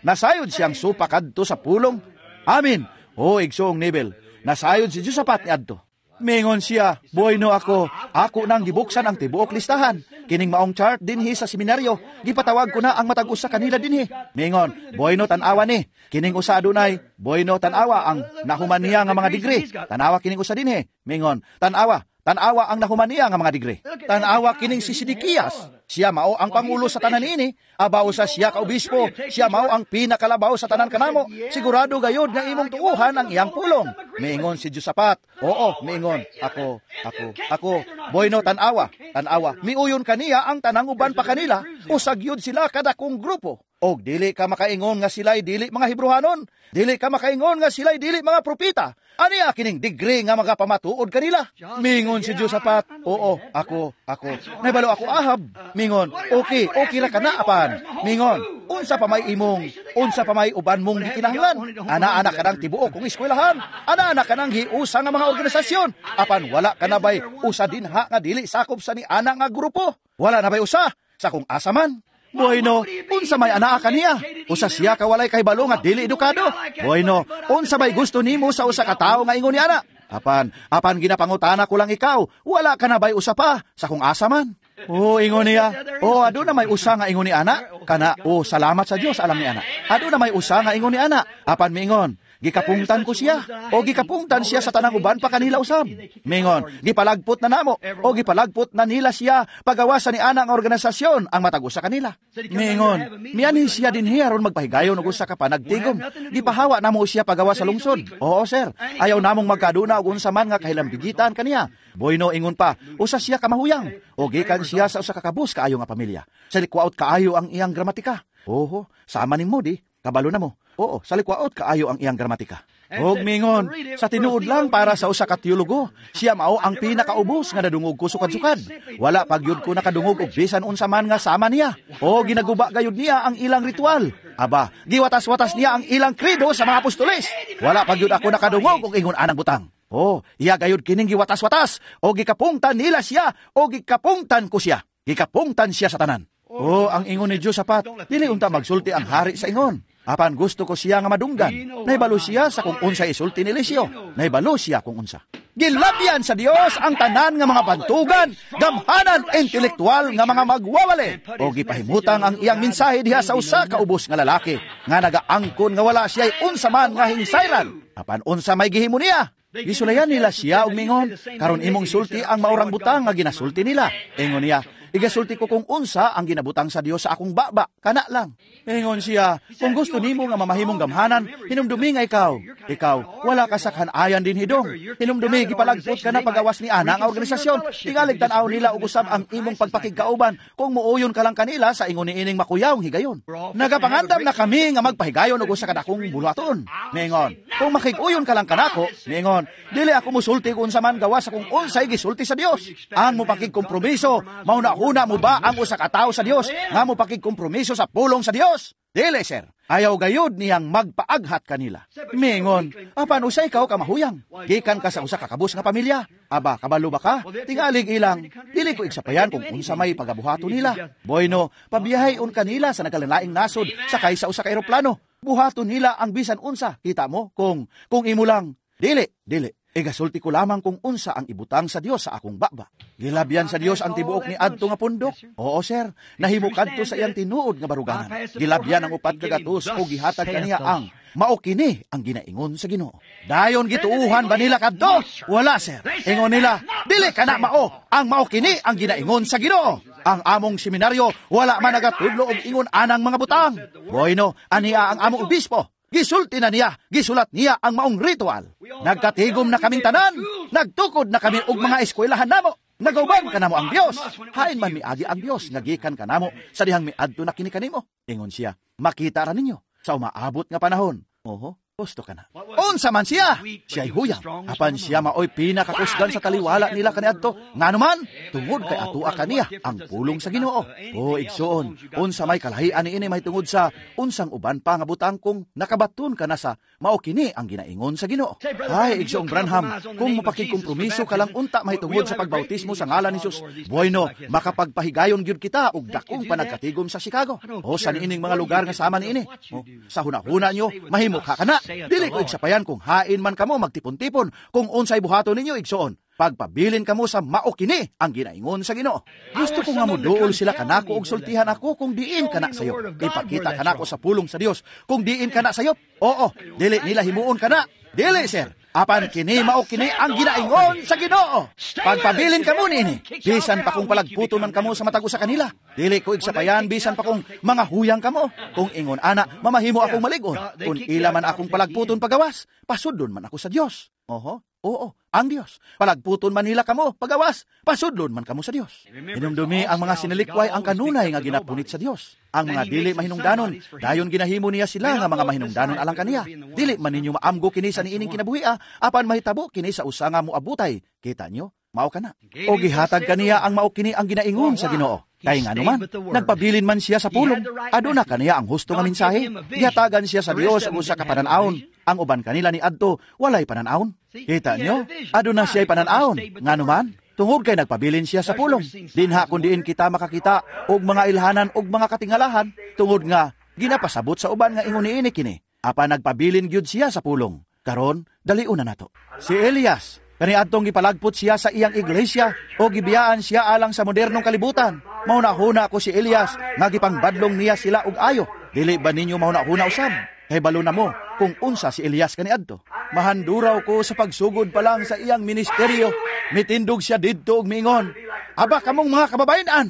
Nasayod siyang supa kadto sa pulong. Amen. O igsoong Nebel, nasayod si Josaphat niadto. Mingon siya, buhay no ako, ako nang gibuksan ang tibuok listahan. Kining maong chart dinhi sa seminaryo, gipatawag ko na ang matag usa kanila dinhi. Mingon, buhay no tan-awa ni. Kining usa adunay, buhay no tan-awa ang nahuman niya nga mga degree. Tan-awa kining usa dinhi. Mingon, tan-awa, tan-awa ang nahuman niya nga mga degree. Tan-awa kining si Sidikiyas. Siya mao ang pangulo sa tanan niini. Abaw sa siya ka obispo, siya mao ang pinakalabaw sa tanan kanamo. Sigurado gayod nga imong tuuhan ang iyang pulong. Miingon si Josaphat, oo, miingon, ako, ako, ako. Bueno, tanawa, tanawa. Miuyon kaniya ang tanang uban pa kanila, usag yun sila kadakong grupo. Og dili ka makaingon nga sila'y dili mga Hebrohanon, dili ka makaingon nga sila'y dili mga propita. Aniya kining degree nga magapamatuod kanila? Mingon si Josaphat, oo, ako, ako. Naibalo ako Ahab. Mingon, okay, okay ra ka na apan. Mingon, unsa pa may imong, unsa pa may uban mong gikinahanglan? Ana-ana ka nang tibuok kong eskwelahan. Ana-ana ka nang hiusa nga mga organisasyon. Apan wala ka na bay usa dinha nga dili sakop sa ni ana nga grupo. Wala na bay usa sa kung asa man. Bueno, unsa may anaa kaniya? Usa siya ka walay kahibalo nga dili edukado. Bueno, unsa may gusto nimo sa usa ka tawo nga ingon ni ana? Apan, apan ginapangutana ko lang ikaw, wala ka na bay usa pa sa kung asa man? Oh, ingon niya. Oh, aduna may usa nga ingon ni ana? Kana, oh, salamat sa Dios alam ni ana. Aduna may usa nga ingon ni ana. Apan miingon, gikapungtan ko siya, o gikapungtan siya sa tanang uban pa kanila usab. Mingon, gipalagpot na namo, o gipalagpot na nila siya pagawa sa ni ana ang organisasyon ang matag usa kanila. Mingon, mianhi siya dinhi aron magpahigayon og usa ka panagtigom. Gipahawa namo siya pagawa sa lungsod. Oo sir, ayaw namong magkaduna og unsa man nga kahilambigitan kaniya. Bueno, ingon pa, usa siya kamahuyang, o gikan siya sa usa ka kabus kaayo nga pamilya. Sa likwaot kaayo ang iyang gramatika. Oho, sama nimo di, kabalo na mo. Oo, sa likwaot kaayo ang iyang gramatika. Og mingon, sa tinuod lang para sa usa ka teologo, siya mao ang pinakaubos nga nadungog ko sukad-sukad. Wala pagyud ko nakadungog og bisan unsa man nga sama niya. O ginaguba gayud niya ang ilang ritual. Aba, giwatas-watas niya ang ilang credo sa mga apostoles. Wala pagyud ako nakadungog og ingon anang butang. O, iya gayud kining giwatas-watas. O gikapungtan nila siya, o gikapungtan ko siya. Gikapungtan siya sa tanan. O, ang ingon ni Josaphat, dili unta magsulti ang hari sa ingon. Apan gusto ko siya nga madunggan. Naibalo siya sa kung unsa isulti ni Eliseo. Naibalo siya kung unsa. Gilabyan sa Dios ang tanan nga mga bantugan, gamhanan intelektual nga mga magwawali. O gipahimutang ang iyang mensahe diha sa usa ka ubos nga lalaki nga nagaangkon nga wala siya'y unsa man nga hingsayran. Apan unsa may gihimo niya? Gisulayan nila siya og mingon, karon imong sulti ang maurang butang nga ginasulti nila. Ingon niya, igasulti ko kung unsa ang ginabutang sa Dios sa akong baba, kana lang. Ingon siya, kung gusto nimo nga mamahimong gamhanan, hinumdumi nga ikaw. Ikaw, wala ka sa kanayan din hidong. Hinumdumi, gipalagpot ka na pagawas ni ana nga organisasyon. Tingalig tan-aw nila ug usab ang imong pagpakigkauban kung muuyon ka lang kanila sa ingon niining makuyawng higayon. Nagapangandam na kami nga magpahigayon og usa ka dakong buluhaton. Ningon, kung makig-uyon ka lang kanako, ningon, dili ako musulti kung unsa man gawas sa kung unsay gisulti sa Dios. Ang mopakigkompromiso, mauna-una mo ba ang usa ka tawo sa Dios nga mopakigkompromiso sa pulong sa Dios? Dili, sir. Ayaw gayud niyang magpaaghat kanila. Mingon, apan usa ikaw kamahuyang. Gikan ka sa usa ka kabus nga pamilya. Aba, kabalo ba ka? Tingalig ilang. Dili ko igsapayan kung unsa may pagabuhato nila. Bueno, pabiyahe un kanila sa nagkalalaing nasod sakay sa usa ka eroplano. Buhaton nila ang bisan unsa. Kita mo kung imo lang. Dili, dili. Igasulti ko lamang kung unsa ang ibutang sa Dios sa akong baba. Gilabyan sa Dios ang tibuok ni adto nga pundok. Oo sir, nahimo kadto sa iyang tinuod nga baruganan. Gilabyan ang 400 o gihatag kaniya ang mao kini ang ginaingon sa Ginoo. Dayon gituuhan ba nila kadto? Wala sir. Ingon nila, dili kana mao ang mao kini ang ginaingon sa Ginoo. Ang among seminaryo wala man nagatudlo og ingon anang mga butang. Bueno, aniya ang among obispo. Gisulti na niya, gisulat niya ang maong ritual. Nagkatigom na kaming tanan, nagtukod na kami og mga eskwelahan namo. Nagauban ka namo ang Dios. Hain man miagi ang Dios nga gikan kanamo sa dihang miadto na kini kanimo. Ingon siya, makita ra ninyo sa umaabot nga panahon. Oho, gusto ka na. Unsa man siya, siya'y huyang. Apan siya maoy pinakakusgan sa taliwala nila kaniadto. Ngano man, tungod kay atua kaniya ang pulong sa Ginoo. O igsuon, unsa may kalahian niini mahitungod sa unsang uban pa nga butang kung nakabaton ka na sa mao kini ang ginaingon sa Ginoo. Ay, igsuong Branham, kung mapakigkompromiso ka lang unta mahitungod sa pagbautismo sa ngalan ni Jesus, bueno, makapagpahigayon gyud kita og dakong panagkatigom sa Chicago. O sa niining mga lugar nga sama niini. O, sa hunahuna nyo, mahimo ka kana. Dili ko igsapayan kung hain man kamo magtipon-tipon, kung unsay buhaton ninyo igsuon. Pagpabilin kamo sa mao kini ang ginaingon sa Ginoo. Gusto ko nga moduol sila kanako og sultihan ako kung diin kana sayo. Ipakita kanako sa pulong sa Dios kung diin kana sayo. Oo, dili nila himuon kana. Dili sir. Apan kini mao kini ang ginaingon sa Ginoo. Pagpabilin kamo niini, bisan pa kung palagputon man kamo sa matag usa kanila. Dili ko igsapayan bisan pa kung mga huyang kamo. Kung ingon ana, mamahimo akong malig-on. Kung ila man akong palagputon pagawas, pasudlon man ako sa Dios. Oho, oo, ang Dios. Palagputon man nila kamo pagawas, pasudlon man kamo sa Dios. Hinumdumi ang mga sinilikway ang kanunay nga ginapunit sa Dios. Ang mga dili mahinungdanon, dayon ginahimo niya sila nga mga mahinungdanon alang kaniya. Dili man ninyo maamgo kini sa niining kinabuhia, apan mahitabo kini sa usa nga moabutay. Kita nyo, mao kana. O gihatag kaniya ang mao kini ang ginaingon sa Ginoo. Kay ngano man, nagpabilin man siya sa pulong. Aduna kaniya ang husto nga mensahe. Gihatagan siya sa Dios og usa ka panan-awon. Ang uban kanila ni adto walay panan-awon. Kita nyo, aduna siya'y panan-awon. Ngano man, tungod kay nagpabilin siya sa pulong. Dinha kun diin kita makakita og mga ilhanan og mga katingalahan, tungod nga ginapasabot sa uban nga ingon niini kini. Apan nagpabilin gyud siya sa pulong. Karon, dalion na nato. Si Elias, kaniadtong gipalagpot siya sa iyang iglesia o gibiyaan siya alang sa modernong kalibutan. Mahuna-huna ko si Elias nga gipangbadlong niya sila og ayo. Dili ba ninyo mahuna-huna usab? Kay balo na mo kung unsa si Elias kaniadto. Mahanduraw ko sa pagsugod pa lang sa iyang ministeryo. Mitindog siya didto og miingon, "Aba kamong mga kababayen-an,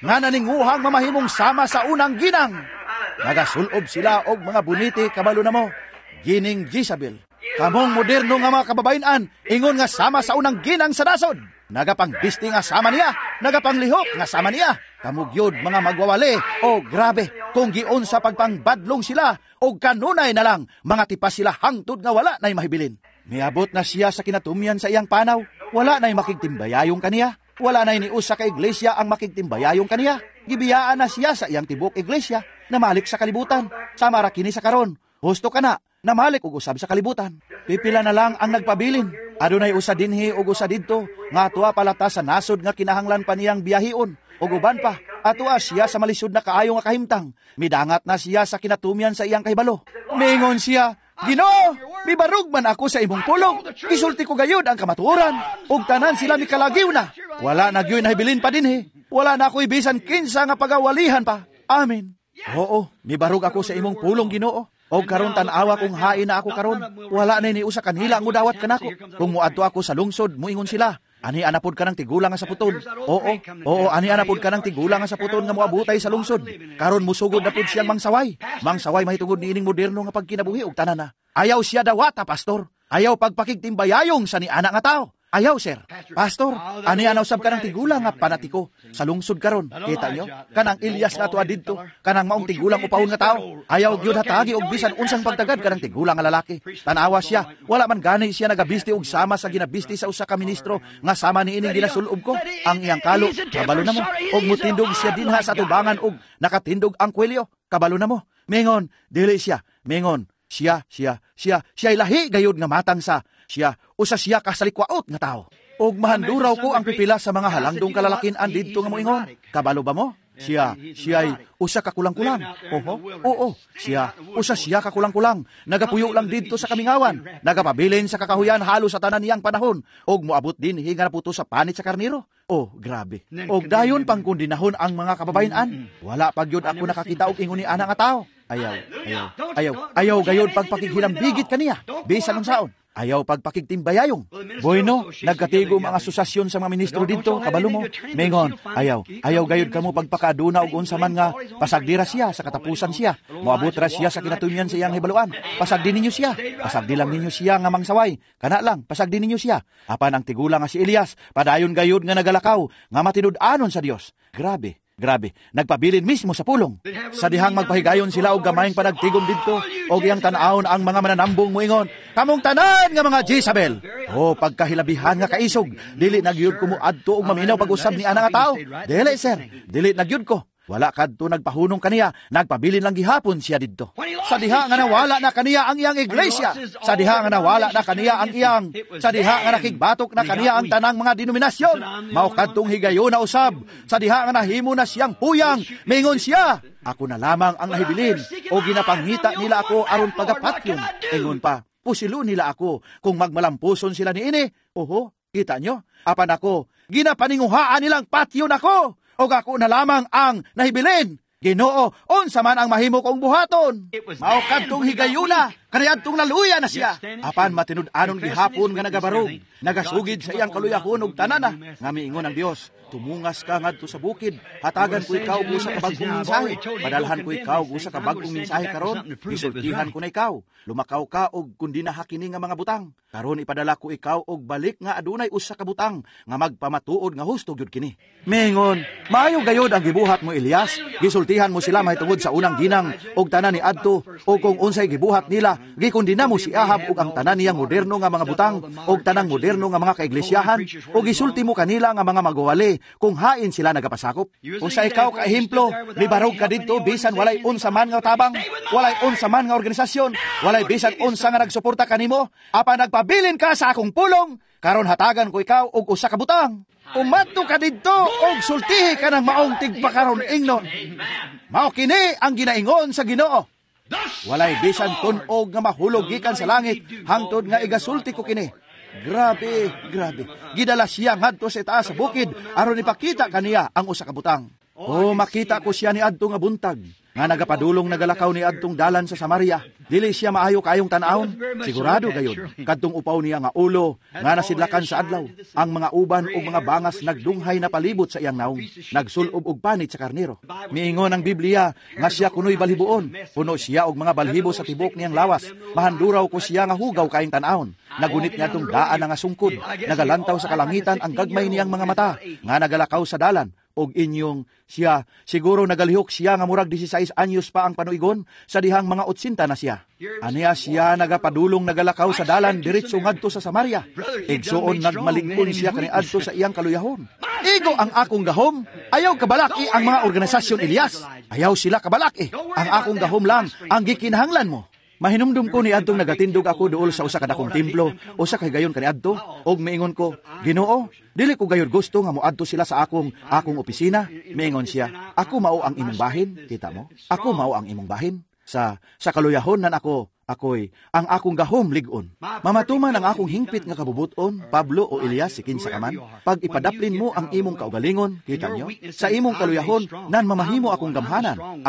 nga naninguhang mamahimong sama sa unang ginang." Nagasulob sila og mga buniti, kabalo na mo, gining Jezabel. Kamong moderno nga mga kababayen-an, ingon nga sama sa unang ginang sa nasod. Nagapangbisti nga sama niya, nagapanglihok nga sama niya. Kamo gyud mga magwawali, o grabe, kung giun sa pagpangbadlong sila, o kanunay na lang, mga tipas sila hangtod nga wala na'y mahibilin. Miabot na siya sa kinatumyan sa iyang panaw, wala na'y makigtimbayayong kaniya, wala na'y niusa ka iglesia ang makigtimbayayong kaniya. Gibiyaan na siya sa iyang tibok iglesia, namalik sa kalibutan, sama ra kini sa karon, husto ka na, namalik og usab sa kalibutan. Pipila na lang ang nagpabilin. Adunay usa dinhi ug usa didto, nga atoa palata sa nasod nga kinahanglan pa niyang biyahion, ug uban pa, atoa siya sa malisod na kaayo nga kahimtang. Midangat na siya sa kinatumyan sa iyang kahibalo. Miingon siya, "Ginoo, mibarog man ako sa imong pulong. Gisulti ko gayud ang kamatuoran, ug tanan sila mikalagiw na. Wala na gyud nahibilin pa dinhi. Wala na ako'y bisan kinsa nga pagawalihan pa. Amen. Oo, mibarog ako sa imong pulong, Ginoo. Og karon tan-awa kung hain na ako karon. Wala na ni usa kanila ang mudawat kanako. Kung muadto ako sa lungsod, muingon sila, ani anapod ka ng tigulang nga sa puton. Oo, oo, ani anapod ka ng tigulang nga sa puton nga moabutay sa lungsod. Karon musugod na pud siyang mangsaway. Mangsaway mahitungod niining moderno nga pagkinabuhi og tanan na. Ayaw siya dawata, pastor. Ayaw pagpakigtimbayayong sa niana nga tao. Ayaw, sir. Pastor, ani anaw sab kanang tigulang nga panatiko sa lungsod karon. Kita nyo? Kanang Elias nga atoa didto, kanang maong tigulang upahon nga tao. Ayaw gyud hatagi og bisan unsang pagtagad kanang tigulang nga lalaki. Tanawa siya, wala man gani siya nagabisti og sama sa ginabisti sa usa ka ministro nga sama niining ginasulob ko. Ang iyang kalo, kabalo na mo. Og mutindog siya dinha sa tubangan og nakatindog ang kwelyo, kabalo na mo. Mingon, dili siya. Mingon, siya, siya, siya, siya lahi gayud nga matang sa siya, usa siya kasalikwaot nga tao. Og mahanduraw ko ang pipila sa mga halangdong kalalakin-an didto nga moingon. Kabalo ba mo? Siya, siya'y usa ka kulang-kulang. Oho, oo, siya, usa siya ka kulang-kulang. Nagapuyo lang didto sa kamingawan. Nagapabilin sa kakahuyan halos sa tanan niyang panahon. Og moabot din hinga na puto sa panit sa karniro. Oh, grabe. Og dayon pangkundinahon ang mga kababayen-an. Wala pa gyud ako nakakita og ingon ni ana nga tao. Ayaw, ayaw, ayaw, ayaw gayud pagpakighilambigit kaniya. Bisan unsaon. Ayaw pagpakigtimbayayong. Bueno, nagkatigom ang asosasyon sa mga ministro didto, kabalo mo. Mengon, ayaw, ayaw gayud kamo pagpakaaduna og unsa man nga pasagdira siya sa katapusan siya. Moabot ra siya sa kinatumyan sa iyang hibaluan. Pasagdi ninyo siya. Pasagdi lang ninyo siya nga mangsaway. Kana lang, pasagdi ninyo siya. Apan ang tigulang nga si Elias, padayon gayud nga nagalakaw, nga matinud-anon sa Dios. Grabe. Grabe, nagpabilin mismo sa pulong. Sa dihang magpahigayon sila og gamayng panagtigom didto, og iyang tan-awon ang mga mananambong moingon, kamong tanan nga mga Jezabel. O pagkahilabihan nga kaisog, dili na gyud ko moadto og maminaw pag-usab ni ana nga tao. Dili, sir, dili na gyud ko. Wala kadto nagpahunong kaniya, nagpabilin lang gihapon siya didto. Sa diha nga nawala na kaniya ang iyang iglesia, sa diha nga nawala na kaniya ang iyang, sa diha nga nakigbatok na kaniya ang tanang mga denominasyon, mao kadtong higayon na usab, sa diha nga nahimo na siyang puyang, mingon siya, ako na lamang ang nahibilin, o ginapangita nila ako aron pagapatyon. Ingon pa, pusilo nila ako, kung magmalampuson sila niini. Oho, kita nyo, apan ako, ginapaninguhaan nilang patyon ako. Og ako na lamang ang nahibilin. Ginoo, unsa man ang mahimo kong buhaton. Mao kadtong higayuna Kaniadtong naluya na siya. Apan matinud-anon gihapon nga nagabarog, nagasugid sa iyang kaluyahon og tanana, nga miingon ang Dios, tumungas ka ngadto sa bukid, hatagan ko ikaw og usa ka bag-ong mensahe, padalhan ko ikaw og usa ka bag-ong mensahe karon, gisultihan ko na ikaw, lumakaw ka og kundinaha kini nga mga butang. Karon ipadala ko ikaw og balik nga adunay usa ka butang nga magpamatuod nga husto gyud kini. Mingon, maayo gayod ang gibuhat mo, Elias, gisultihan mo sila mahitungod sa unang ginang og tanan ni adto, og kung unsay gibuhat nila, gikondena mo si Ahab ug ang tanan niyang moderno nga mga butang og tanang moderno nga mga kaiglesyaan, ug gisulti mo kanila nga mga magwawali kung hain sila nagapasakop. Usa ikaw ka ehemplo, mibarog ka didto bisan walay unsa man nga tabang, walay unsa man nga organisasyon, walay bisan unsa nga nagsuporta kanimo, apan nagpabilin ka sa akong pulong, karon hatagan ko ikaw og usa ka butang. Umadto ka didto og sultihi ka ng maong tigpakaron ingnon. Mao kini ang ginaingon sa Ginoo. Walay bisan tun-og nga mahulog gikan sa langit hangtod nga igasulti ko kini. Grabe, grabe. Gidala siya ngadto sa itaas sa bukid aron ipakita kaniya ang usa ka butang. O makita ko siya ni adto nga buntag nga nagapadulong nagalakaw ni adtong dalan sa Samaria. Dili siya maayo kaayong tan-awon. Sigurado gayud kadtong upaw niya nga ulo nga nasidlakan sa adlaw. Ang mga uban ug mga bangas nagdunghay na palibot sa iyang naong, nagsulob og panit sa karnero. Miingon ang Biblia nga siya kunoy balhiboon. Puno siya og mga balhibo sa tibok niyang lawas. Mahanduraw ko siya nga hugaw kaayong tan-awon. Nagunit niya itong daan nga sungkod. Nagalantaw sa kalangitan ang gagmay niyang mga mata nga nagalakaw sa dalan. Og inyong siya, siguro nagalihok siya nga murag 16 anyos pa ang panuigon sa dihang mga 80 na siya. Aniya siya nagapadulong nagalakaw sa dalan diretso ngadto sa Samaria. Igsuon nagmalig-on siya kaniadto sa iyang kaluyahon. Igo ang akong gahom, ayaw kabalaki ang mga organisasyon, Elias. Ayaw sila kabalaki. Ang akong gahom lang ang gikinahanglan mo. Mahinumdum ko ni adtong nagatindog ako duol sa usa ka dakong templo, usa ka higayon kaniadto, og miingon ko, Ginoo, dili ko gayud gusto nga moadto sila sa akong akong opisina. Miingon siya, ako mao ang imong bahin, kita mo? Ako mao ang imong bahin. Sa kaluyahon nan ako, ako'y ang akong gahom lig-on. Mamatuman ang akong hingpit nga kabubuton, Pablo o Elias, si kinsa ka man, pag ipadaplin mo ang imong kaugalingon, kita nyo, sa imong kaluyahon, nan mamahimo akong gamhanan.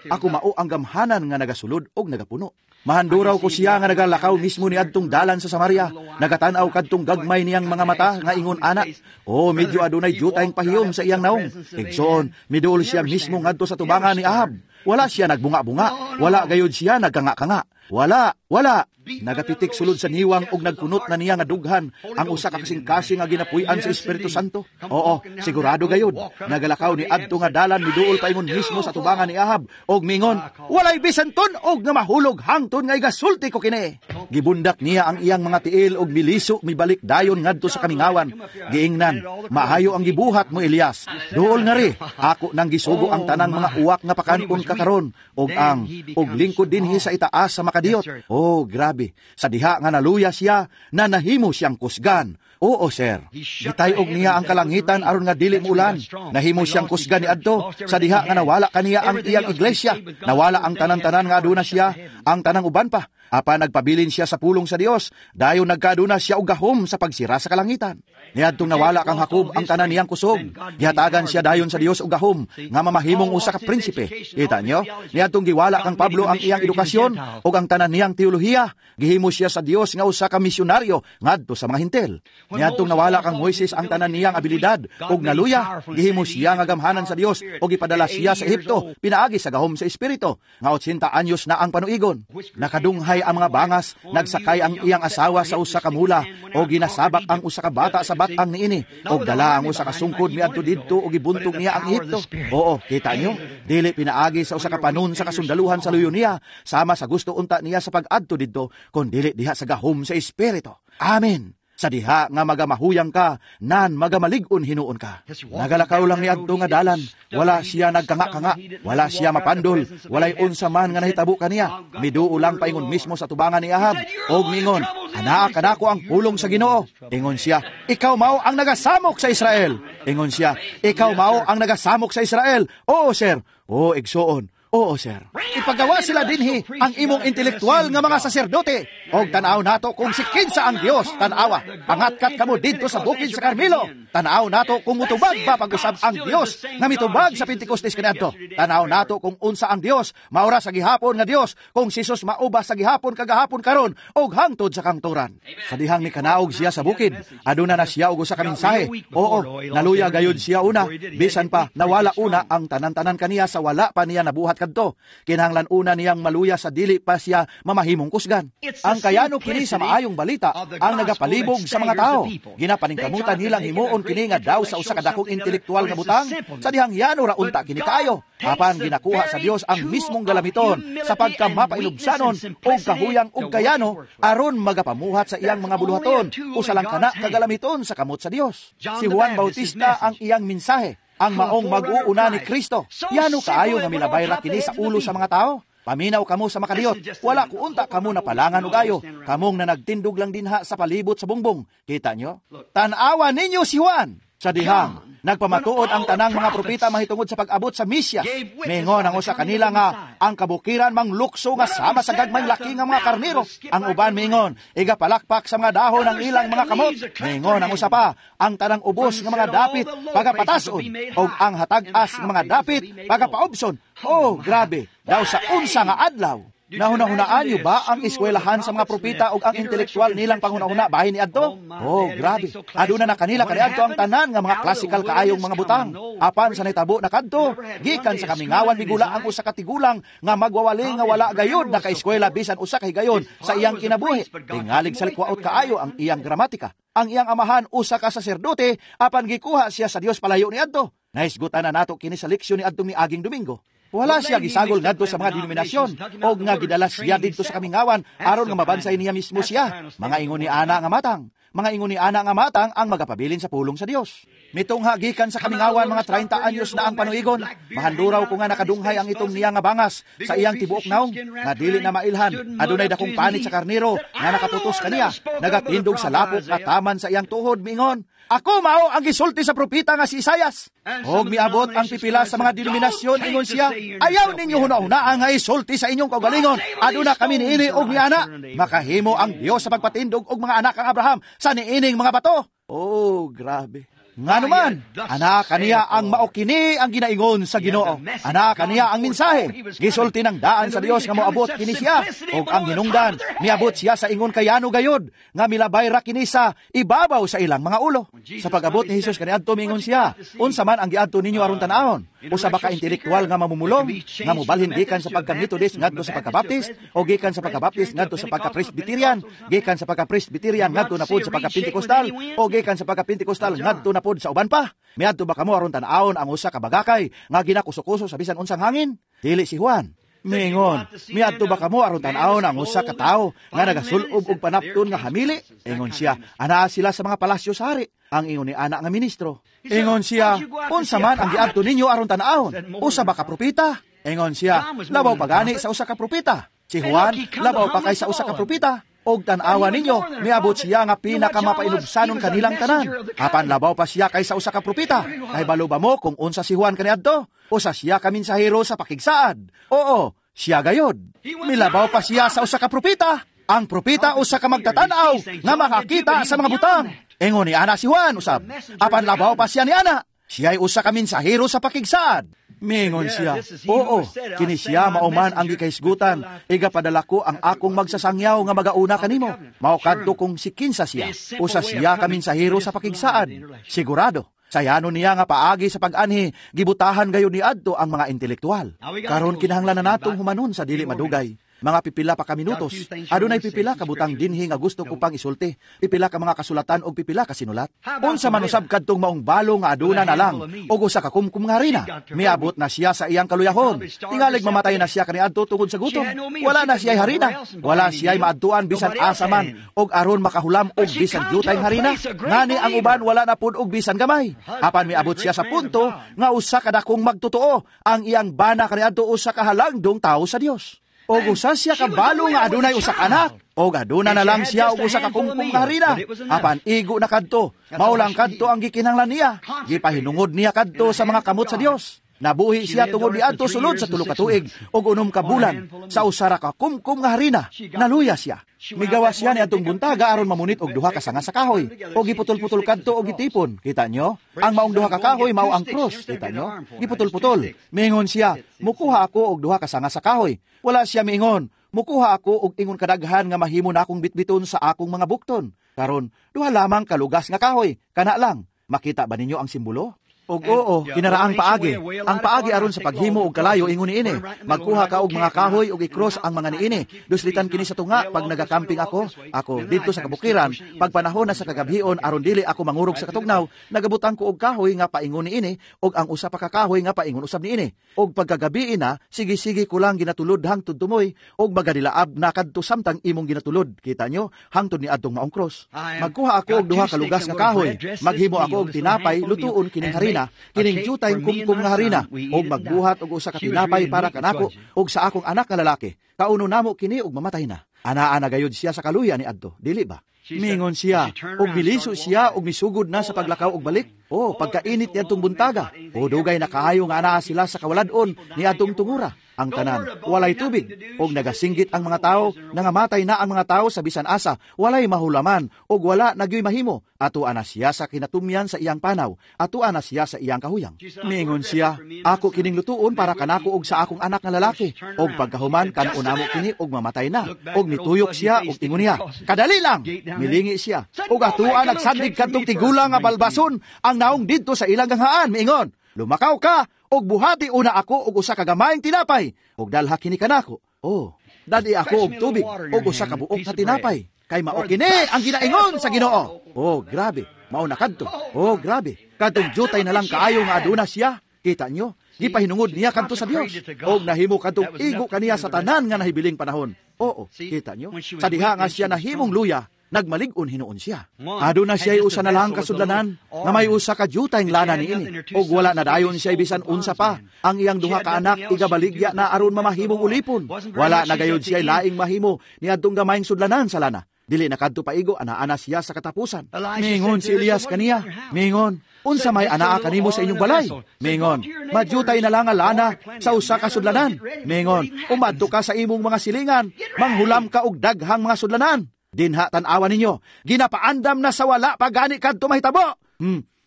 Ako mao ang gamhanan nga nagasulod og nagapuno. Mahanduraw ko siya nga nagalakaw mismo ni adtong dalan sa Samaria, nagatan-aw kadtong gagmay niyang mga mata nga ingon ana. Oh, medyo adunay jutayng pahiyom sa iyang naong. Igsoon, miduol siya mismo ngadto sa tubangan ni Ahab. Wala siya nagbunga-bunga, wala gayud siya nagkanga-kanga. Wala, wala. Nagatitik sulod sa niwang og nagkunot na niya nga dughan ang usa ka kasing-kasing nga ginapuy-an sa Espiritu Santo. Oo, sigurado gayud. Nagalakaw ni adto nga dalan miduol paingon mismo sa tubangan ni Ahab og mingon, walay bisan tun-og nga mahulog hangtod nga igasulti ko kini. Gibundak niya ang iyang mga tiil og miliso mibalik dayon ngadto sa kamingawan. Giingnan, maayo ang gibuhat mo, Elias. Duol nga ri, ako nang gisugo ang tanang mga uwak nga pakanon ka karon og ang og lingkod dinhi sa itaas sa makadiyot. Oh, grabe. Sa diha nga naluya siya, na nahimo siyang kusgan. Oo, sir. Gitayog niya ang kalangitan aron nga dili muulan. Nahimo siyang kusgan ni adto sa diha nga nawala kaniya ang iyang iglesia. Nawala ang tanan-tanan nga aduna siya, ang tanang uban pa. Apan nagpabilin siya sa pulong sa Dios, dayon nagkaaduna siya og gahom sa pagsira sa kalangitan. Niadtong nawala kang Jacob ang tanan niyang kusog, gihatagan siya dayon sa Dios og gahom nga mamahimong usa ka prinsipe. Kita niyo? Niadtong giwala kang Pablo ang iyang edukasyon ug ang tanan niyang teolohiya, gihimo siya sa Dios nga usa ka misyonaryo ngadto sa mga Hintil. Niadtong nawala kang Moises ang tanan niyang abilidad ug naluya, gihimo siya nga gamhanan sa Dios ug gipadala siya sa Ehipto pinaagi sa gahom sa Espiritu nga 80 anyos na ang panuigon. Nakadunghay ang mga bangas, nagsakay ang iyang asawa sa usa ka mula o ginasabak ang usa ka bata sa batang niini og dala ang usa ka sungkod miadto didto og gibuntog niya ang Ehipto. Oo, kita niyo, dili pinaagi sa usa ka panon sa kasundaluhan sa luyo niya, sama sa gusto unta niya sa pag-adto didto, kun dili diha sa gahom sa Espiritu. Amen. Sa diha nga magamahuyang ka, nan magamalig-on hinuon ka. Nagalakaw lang ni adto nga dalan, wala siya nagkanga-kanga, wala siya mapandol, walay unsa man nga nahitabo kaniya. Miduo lang paingon mismo sa tubangan ni Ahab, og mingon, anaa kanako ang pulong sa Ginoo. Ingon siya, ikaw mao ang nagasamok sa Israel. Ingon siya, ikaw mao ang nagasamok sa Israel. Oo, sir. Oo, igsuon. Oo, sir. Ipagawa sila dinhi ang imong intelektual nga mga saserdote. Og tan-aw nato kung si kinsa ang Dios, tan-awa. Pangatkat kamo didto sa bukid sa Carmelo. Tan-aw nato kung mutubag ba pag-usab ang Dios nga mitubag sa Pentecostes kaniadto. Tan-aw nato kung unsa ang Dios, maura sa gihapon nga Dios, kung si Jesus mauba sa gihapon kagahapon karon og hangtod sa kangturan. Sa dihang mikanaog siya sa bukid, aduna na siya og usa ka mensahe. Oo, naluya gayud siya una, bisan pa nawala una ang tanan-tanan kaniya sa wala pa niya nabuhat kadto. Kinahanglan una niyang maluya sa dili pa siya mamahimong kusgan. Ang kayano kini sa maayong balita ang nagapalibog sa mga tao. Ginapaningkamutan nilang himuon kini nga daw sa usa ka dakong intelektual nga butang sa dihang yano ra unta kini kaayo. Apan ginakuha sa Dios ang mismong galamiton sa pagkamapailubsanon og kahuyang og kayano aron magapamuhat sa iyang mga buluhaton. Usa lang kana kagalamiton sa kamot sa Dios. Si Juan Bautista ang iyang mensahe, ang maong mag-uuna ni Kristo. Yano kaayo nga milabay ra kini sa ulo sa mga tao? Paminaw kamo sa makadiyot. Wala ko unta kamo na palangan og ayo. Kamong na nagtindog lang dinha sa palibot sa bungbong. Kita nyo? Tan-awa ninyo si Juan. Sa dihang nagpamatuod ang tanang mga propeta mahitungod sa pag-abot sa Mesiyas. Mingon ang usa kanila nga ang kabukiran manglukso nga sama sa gagmay laki nga mga karnero. Ang uban mingon igapalakpak sa mga dahon ang ilang mga kamot. Mingon ang usa pa, ang tanang ubos nga mga dapit pagapatason og ang hatag-as nga mga dapit pagapaubson. Oh, grabe, daw sa unsa nga adlaw. Nahuna-hunaan niyo ba ang eskwelahan sa mga propeta o ang intelektual nilang panghuna-huna bahin ni adto? Oh, grabe. Aduna na kanila kaniadto ang tanan nga mga classical kaayong mga butang. Apan sa nahitabo na kadto, gikan sa kamingawan migula ang usa ka tigulang nga magwawali nga wala gayud nakaeskwela bisan usa ka higayon sa iyang kinabuhi. Tingalig sa likwaot kaayo ang iyang gramatika. Ang iyang amahan usa ka saserdote apan gikuha siya sa Dios palayo ni adto. Nahisgutan na nato kini sa leksyon ni adtong miaging Domingo. Wala siya gisagol ngadto sa mga denominasyon og nga gidala siya didto sa kamingawan aron nga mabansay niya mismo siya. Mga ingon ni ana nga matang, mga ingon ni ana nga matang ang magapabilin sa pulong sa Dios. Mitungha gikan sa kamingawan mga 30 anyos na ang panuigon. Mahanduraw ko nga nakadunghay ang itong niya nga bangas sa iyang tibuok naong nga dili na mailhan. Adunay dakong panit sa karnero nga nakaputos kaniya, nagatindog sa lapok nga taman sa iyang tuhod miingon, "Ako mao ang gisulti sa propeta nga si Isayas." Og miabot ang pipila sa mga denominasyon, ingon siya, "Ayaw ninyo huna-hunaa nga isulti sa inyong kaugalingon. Aduna kami niini og niana. Makahimo ang Dios sa pagpatindog og mga anak ang Abraham sa niining mga bato." Oh, grabe. Nganuman, anak kaniya ang mao kini ang ginaingon sa Ginoo. Anak kaniya ang mensahe. Gisulti ng daan sa Dios nga moabot kini siya. Og ang hinungdan, miabot siya sa ingon kayano gayod nga milabay ra kini sa ibabaw sa ilang mga ulo. Sa pag-abot ni Hesus kaniadto miingon siya, "Unsa man ang giadto ninyo aron tan-awon? Usa ba ka intelektual nga mamumulong nga mobalhin gikan sa pagka-Methodist ngadto sa pagka-Baptist o gikan sa pagka-Baptist ngadto sa pagka-Presbyterian, gikan sa pagka-Presbyterian ngadto na pod sa pagka-Pentecostal o gikan sa pagka-Pentecostal ngadto na pod sa uban pa? Miadto ba kamo aron tan-awon ang usa ka bagakay nga ginakuso-kuso sa bisan unsang hangin? Dili si Juan." Mingon, "Miadto ba kamo aron tan-awon ang usa ka tawo nga nagasul-ob og panapton nga hamili?" Ingon siya, "Anaa sila sa mga palasyo sa hari." Ang ingon ni ana nga ministro. Ingon siya, "Unsa man ang giadto ninyo aron tan-awon? Usa ba ka propeta?" Ingon siya, "Labaw pagani sa usa ka propeta. Si Juan labaw pa kay sa usa ka propeta. Og tan-awa ninyo, miabot siya nga pinakamapainubanon kanilang tanan. Apan labaw pa siya kaysa usa ka propeta. Kahibalo ba mo kung unsa si Juan kaniadto? Usa siya ka mensahero sa pakigsaad. Oo, siya gayod. Milabaw pa siya sa usa ka propeta. Ang propeta usa ka magtatan-aw nga makakita sa mga butang. Ingon ni ana si Juan usab. Apan labaw pa siya ni ana. Siya'y usa ka mensahero sa pakigsaad." Mingon siya, "Oo, kini siya mauman ang gikahisgutan. Igapadala ko ang akong magsasangyaw nga magauna kanimo. Mao kadto kung si kinsa siya. Usa siya ka mensahero sa pakigsaad." Sigurado. Sayano niya nga paagi sa pag-anhi, gibutahan gayon ni adto ang mga intelektual. Karon kinahanglan na natong humanon sa dili madugay. Mga pipila pa ka minutos. Adunay pipila ka butang dinhi nga gusto ko pang isulti. Pipila ka mga kasulatan og pipila ka sinulat. Unsa man usab kadtong maong balo nga aduna na lang og usa ka kumkum nga harina. Miabot na siya sa iyang kaluyahon. Tingalig mamatay na siya kaniadto tungod sa gutom. Wala na siya'y harina. Wala siya'y maadtuan bisan asa man og aron makahulam og bisan jutay harina. Ngani ang uban wala na pud og bisan gamay. Apan miabot siya sa punto nga usa ka dakong magtotoo ang iyang bana kaniadto usa ka halangdong tawo sa Dios. Og usa siya kabalo nga adunay usa ka anak, og aduna na lang siya og usa ka kumkum nga harina. Apan igo na kadto, mao lang kadto ang gikinahanglan niya. Gipahinungod niya kadto sa mga kamot sa Dios. Nabuhi siya tungod niadto sulod sa 3 ka tuig ug 6 ka bulan sa usa ra ka kumkum nga harina. Naluya siya. Migawas siya niadtong buntaga aron mamunit og 2 ka sanga sa kahoy. Og giputol-putol kadto og gitipon. Kita nyo? Ang maong 2 ka kahoy mao ang krus. Kita nyo? Giputol-putol. Miingon siya, mukuha ako og 2 ka sanga sa kahoy. Wala siya miingon, mukuha ako og ingon kadaghan nga mahimo na akong bitbiton sa akong mga bukton. Karon, 2 lamang kalugas nga kahoy. Kana lang. Makita ba ninyo ang simbolo? Og oo, kinaraang paagi. Ang paagi aron sa paghimo og kalayo ingon niini. Magkuha ka og mga kahoy og i-cross ang mga niini. Duslitan kini sa tunga pag nagakamping ako, ako didto sa kabukiran, pag panahon na sa kagabhion aron dili ako mangurog sa katugnaw, nagabutang ko og kahoy nga paingon niini og ang usa pa ka kahoy nga paingon usab niini. Og pagkagabii na, sige-sige ko lang ginatulod hangtod tumoy og magadilaab na kadto samtang imong ginatulod. Kita nyo, hangtod ni adtong maong cross. Magkuha ako og 2 ka lugas nga kahoy, maghimo ako og tinapay, lutuon kining harina, kining jutay kumkum nga harina, og magbuhat og usa ka tinapay para kanako og sa akong anak nga lalaki. Kauno namo kini og mamatay na. Anaa na gayud siya sa kaluya ni adto, dili ba? Mingon siya, og miliso siya og misugod na sa paglakaw og balik. O, pagkainit niadtong buntaga. O, dugay na kaayo nga anaa sila sa kawalad-on ni adtong tungura. Ang tanan, walay tubig. Og nagasinggit ang mga tao, nangamatay na ang mga tao sa bisan asa, walay mahulaman, og wala nagyoy mahimo. Atoa na siya sa kinatumyan sa iyang panaw, atoa na siya sa iyang kahuyang. Mingon siya, ako kining lutuon para kanako og sa akong anak nga lalaki. Og pagkahuman, kanon namo kini og mamatay na. Og mituyok siya, og ingon niya, kadali lang! Milingi siya. Og atoa nagsandig kadtong tigulang nga balbason ang naong didto sa ilang ganghaan. Miingon, lumakaw ka, og buhati una ako og usa ka gamayng tinapay, og dalha kini kanako. Oh, dadi ako og tubig og usa ka buok nga tinapay. Kay mao kini ang ginaingon sa Ginoo. Oh, grabe, mao na kadto. Oh, grabe. Kadtong jutay na lang kaayo nga aduna siya. Kita nyo, gipahinungod niya kadto sa Dios. Og nahimo kadtong igo kaniya sa tanan nga nahibiling panahon. Oo, kita nyo. Sa diha nga siya nahimong luya, nagmalig-on hinuon siya. Aduna siya usa na lang kasudlanan, nga may usa ka jutayng lana niini, og wala na dayon siya bisan unsa pa. Ang iyang 2 ka anak igabaligya na aron mamahimong ulipon. Wala na gayud siya laing mahimo niadtong gamayng sudlanan sa lana. Dili na kadto paigo, ana-ana siya sa katapusan. Mingon si Elias kaniya, mingon, unsa may anaa kanimo sa inyong balay? Mingon, majutay na lang ang lana sa usa ka sudlanan. Mingon, umadto ka sa imong mga silingan, manghulam ka og daghang mga sudlanan. Dinha tan-awan ninyo, ginapaandam na sa wala pa gani kadto mahitabo.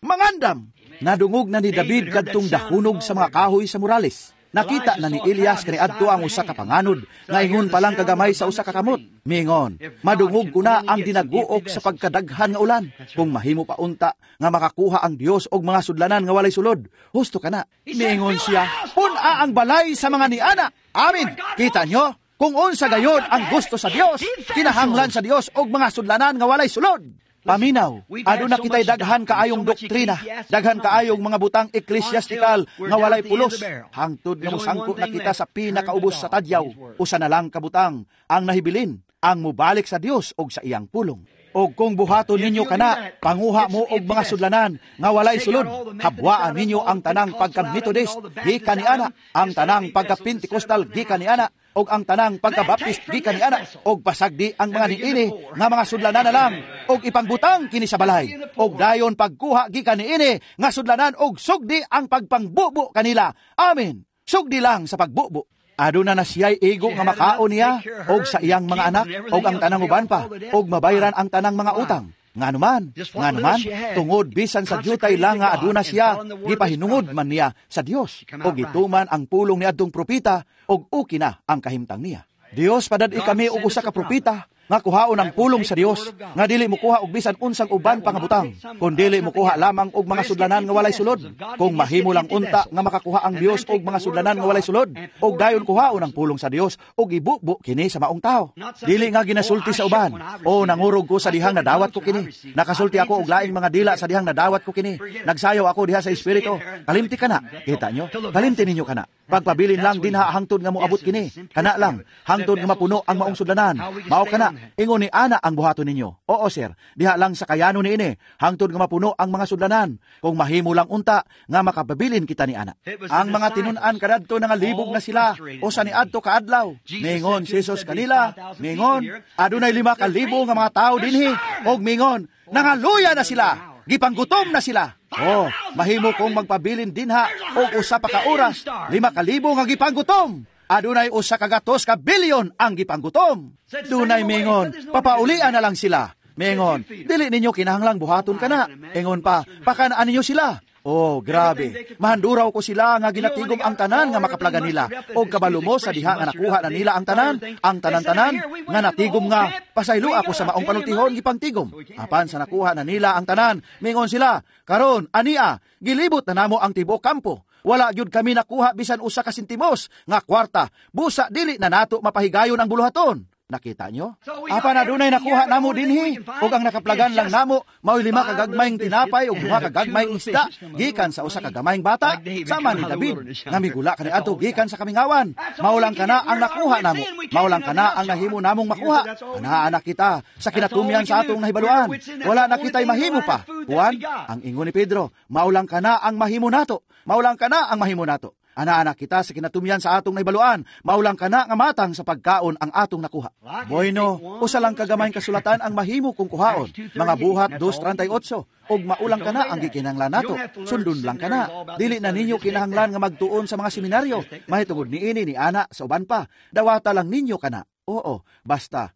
Mangandam. Nadungog na ni David kadtong dahunog sa mga kahoy sa murales. Nakita na ni Elias kaniadto ang usa ka panganod, nga ingon pa lang kagamay sa usa ka kamot. Mingon, madungog ko na ang dinaguok sa pagkadaghan nga ulan. Kung mahimo pa unta nga makakuha ang Dios og mga sudlanan nga walay sulod, husto ka na. Mingon siya, pun-a ang balay sa mga niana. Amin. Kita nyo? Kung unsa gayon ang gusto sa Dios, kinahanglan sa Dios og mga sudlanan nga walay sulod. Paminaw, aduna kita'y daghan kaayong doktrina, daghan kaayong mga butang eklesyastikal nga walay pulos. Hangtod nga mosangko na kita sa pinakaubos sa tadyaw, usa na lang kabutang ang nahibilin, ang mobalik sa Dios og sa iyang pulong. Og kung buhaton ninyo kana, panguha mo og mga sudlanan nga walay sulod. Habwaan ninyo ang tanang pagka-Methodist gikan niana, ang tanang pagka-Pentecostal gikan niana, og ang tanang pagka-Baptist gikan niana, og pasagdi ang mga niini nga mga sudlanan na lang, og ipangbutang kini sa balay. Og dayon pagkuha gikan niini nga sudlanan og sugdi ang pagpangbubo kanila. Amen. Sugdi lang sa pagbubo. Aduna na siya'y igo nga makaon niya, og sa iyang mga anak, og ang tanang uban pa, og mabayran ang tanang mga utang. Nganuman, tungod bisan sa jutay lang nga aduna siya, gipahinungod man niya sa Dios, og gituman ang pulong ni adtong propeta, og uki na ang kahimtang niya. Dios, padad-i kami og usa ka propeta, nga kuhaon ang pulong sa Dios, nga dili mokuha og bisan unsang uban pa nga butang, kun dili mokuha lamang og mga sudlanan nga walay sulod. Kung mahimo lang unta nga makakuha ang Dios og mga sudlanan nga walay sulod, og dayon kuhaon ang pulong sa Dios og ibubo kini sa maong tao. Dili nga ginasulti sa uban, o nangurog ko sa dihang nadawat ko kini. Nakasulti ako og laing mga dila sa dihang nadawat ko kini. Nagsayaw ako diha sa espiritu. Kalimti kana. Kita nyo? Kalimti ninyo kana. Pagpabilin lang dinha hangtod nga moabot kini. Kana lang hangtod nga mapuno ang maong sudlanan. Mao kana. Ingon ni ana ang buhaton ninyo. Oo sir, diha lang sa kayano niini hangtod nga mapuno ang mga sudlanan. Kung mahimo lang unta nga makapabilin kita ni ana. Ang mga tinun-an kadadto nga libog na sila usa ni adto kaadlaw. Mingon si Jesus kanila, mingon adunay 5,000 nga mga tawo dinhi, og mingon nangaluya na sila. Gipanggutom na sila. Oh, mahimo kong magpabilin dinha og usa pa ka oras. 5,000 nga gipanggutom. Adunay 100 ka bilyon ang gipanggutom. Dunay mingon, papaulian na lang sila. Mingon, dili ninyo kinahanglang buhaton kana. Ingon pa, pakanaan ninyo sila. Oh, grabe. Mahanduraw ko sila nga ginatigom ang tanan nga makaplagan nila. Og kabalo mo sa diha nga nakuha na nila ang tanan, ang tanan-tanan nga natigom nga pasaylo ako sa maong panultihon gipangtigom. Apan sa nakuha na nila ang tanan, mingon sila, karon ania, gilibot na namo ang tibuok kampo. Wala gyud kami nakuha bisan usa ka sentimos nga kwarta. Busa dili na nato mapahigayon ang buluhaton. Nakita nyo? Apan adunay nakuha namo dinhi, ug ang nakaplagan lang namo maoy 5 ka gagmayng tinapay ug 2 ka gagmayng isda gikan sa usa ka gamayng bata sama ni David nga migula kaniadto gikan sa kamingawan. Mao lang kana ang nakuha namo. Mao lang kana ang nahimo namong makuha. Anaa na kita sa kinatumyan sa atong nahibaluan. Wala na kita'y mahimo pa. Juan, ang ingon ni Pedro, mao lang kana ang mahimo nato. Mao lang kana ang mahimo nato. Ana-ana kita sa kinatumyan sa atong naibaluan, maulang kana nga matang sa pagkaon ang atong nakuha. Bueno, usa lang kagamayng kasulatan ang mahimo kung kuhaon. Mga Buhat 2:38, og maulang kana ang gikinahanglan nato. Sundon lang kana. Dili na ninyo kinahanglan nga magtuon sa mga seminaryo. Mahitungod niini ni ana sa uban pa. Dawata lang ninyo kana. Oo, basta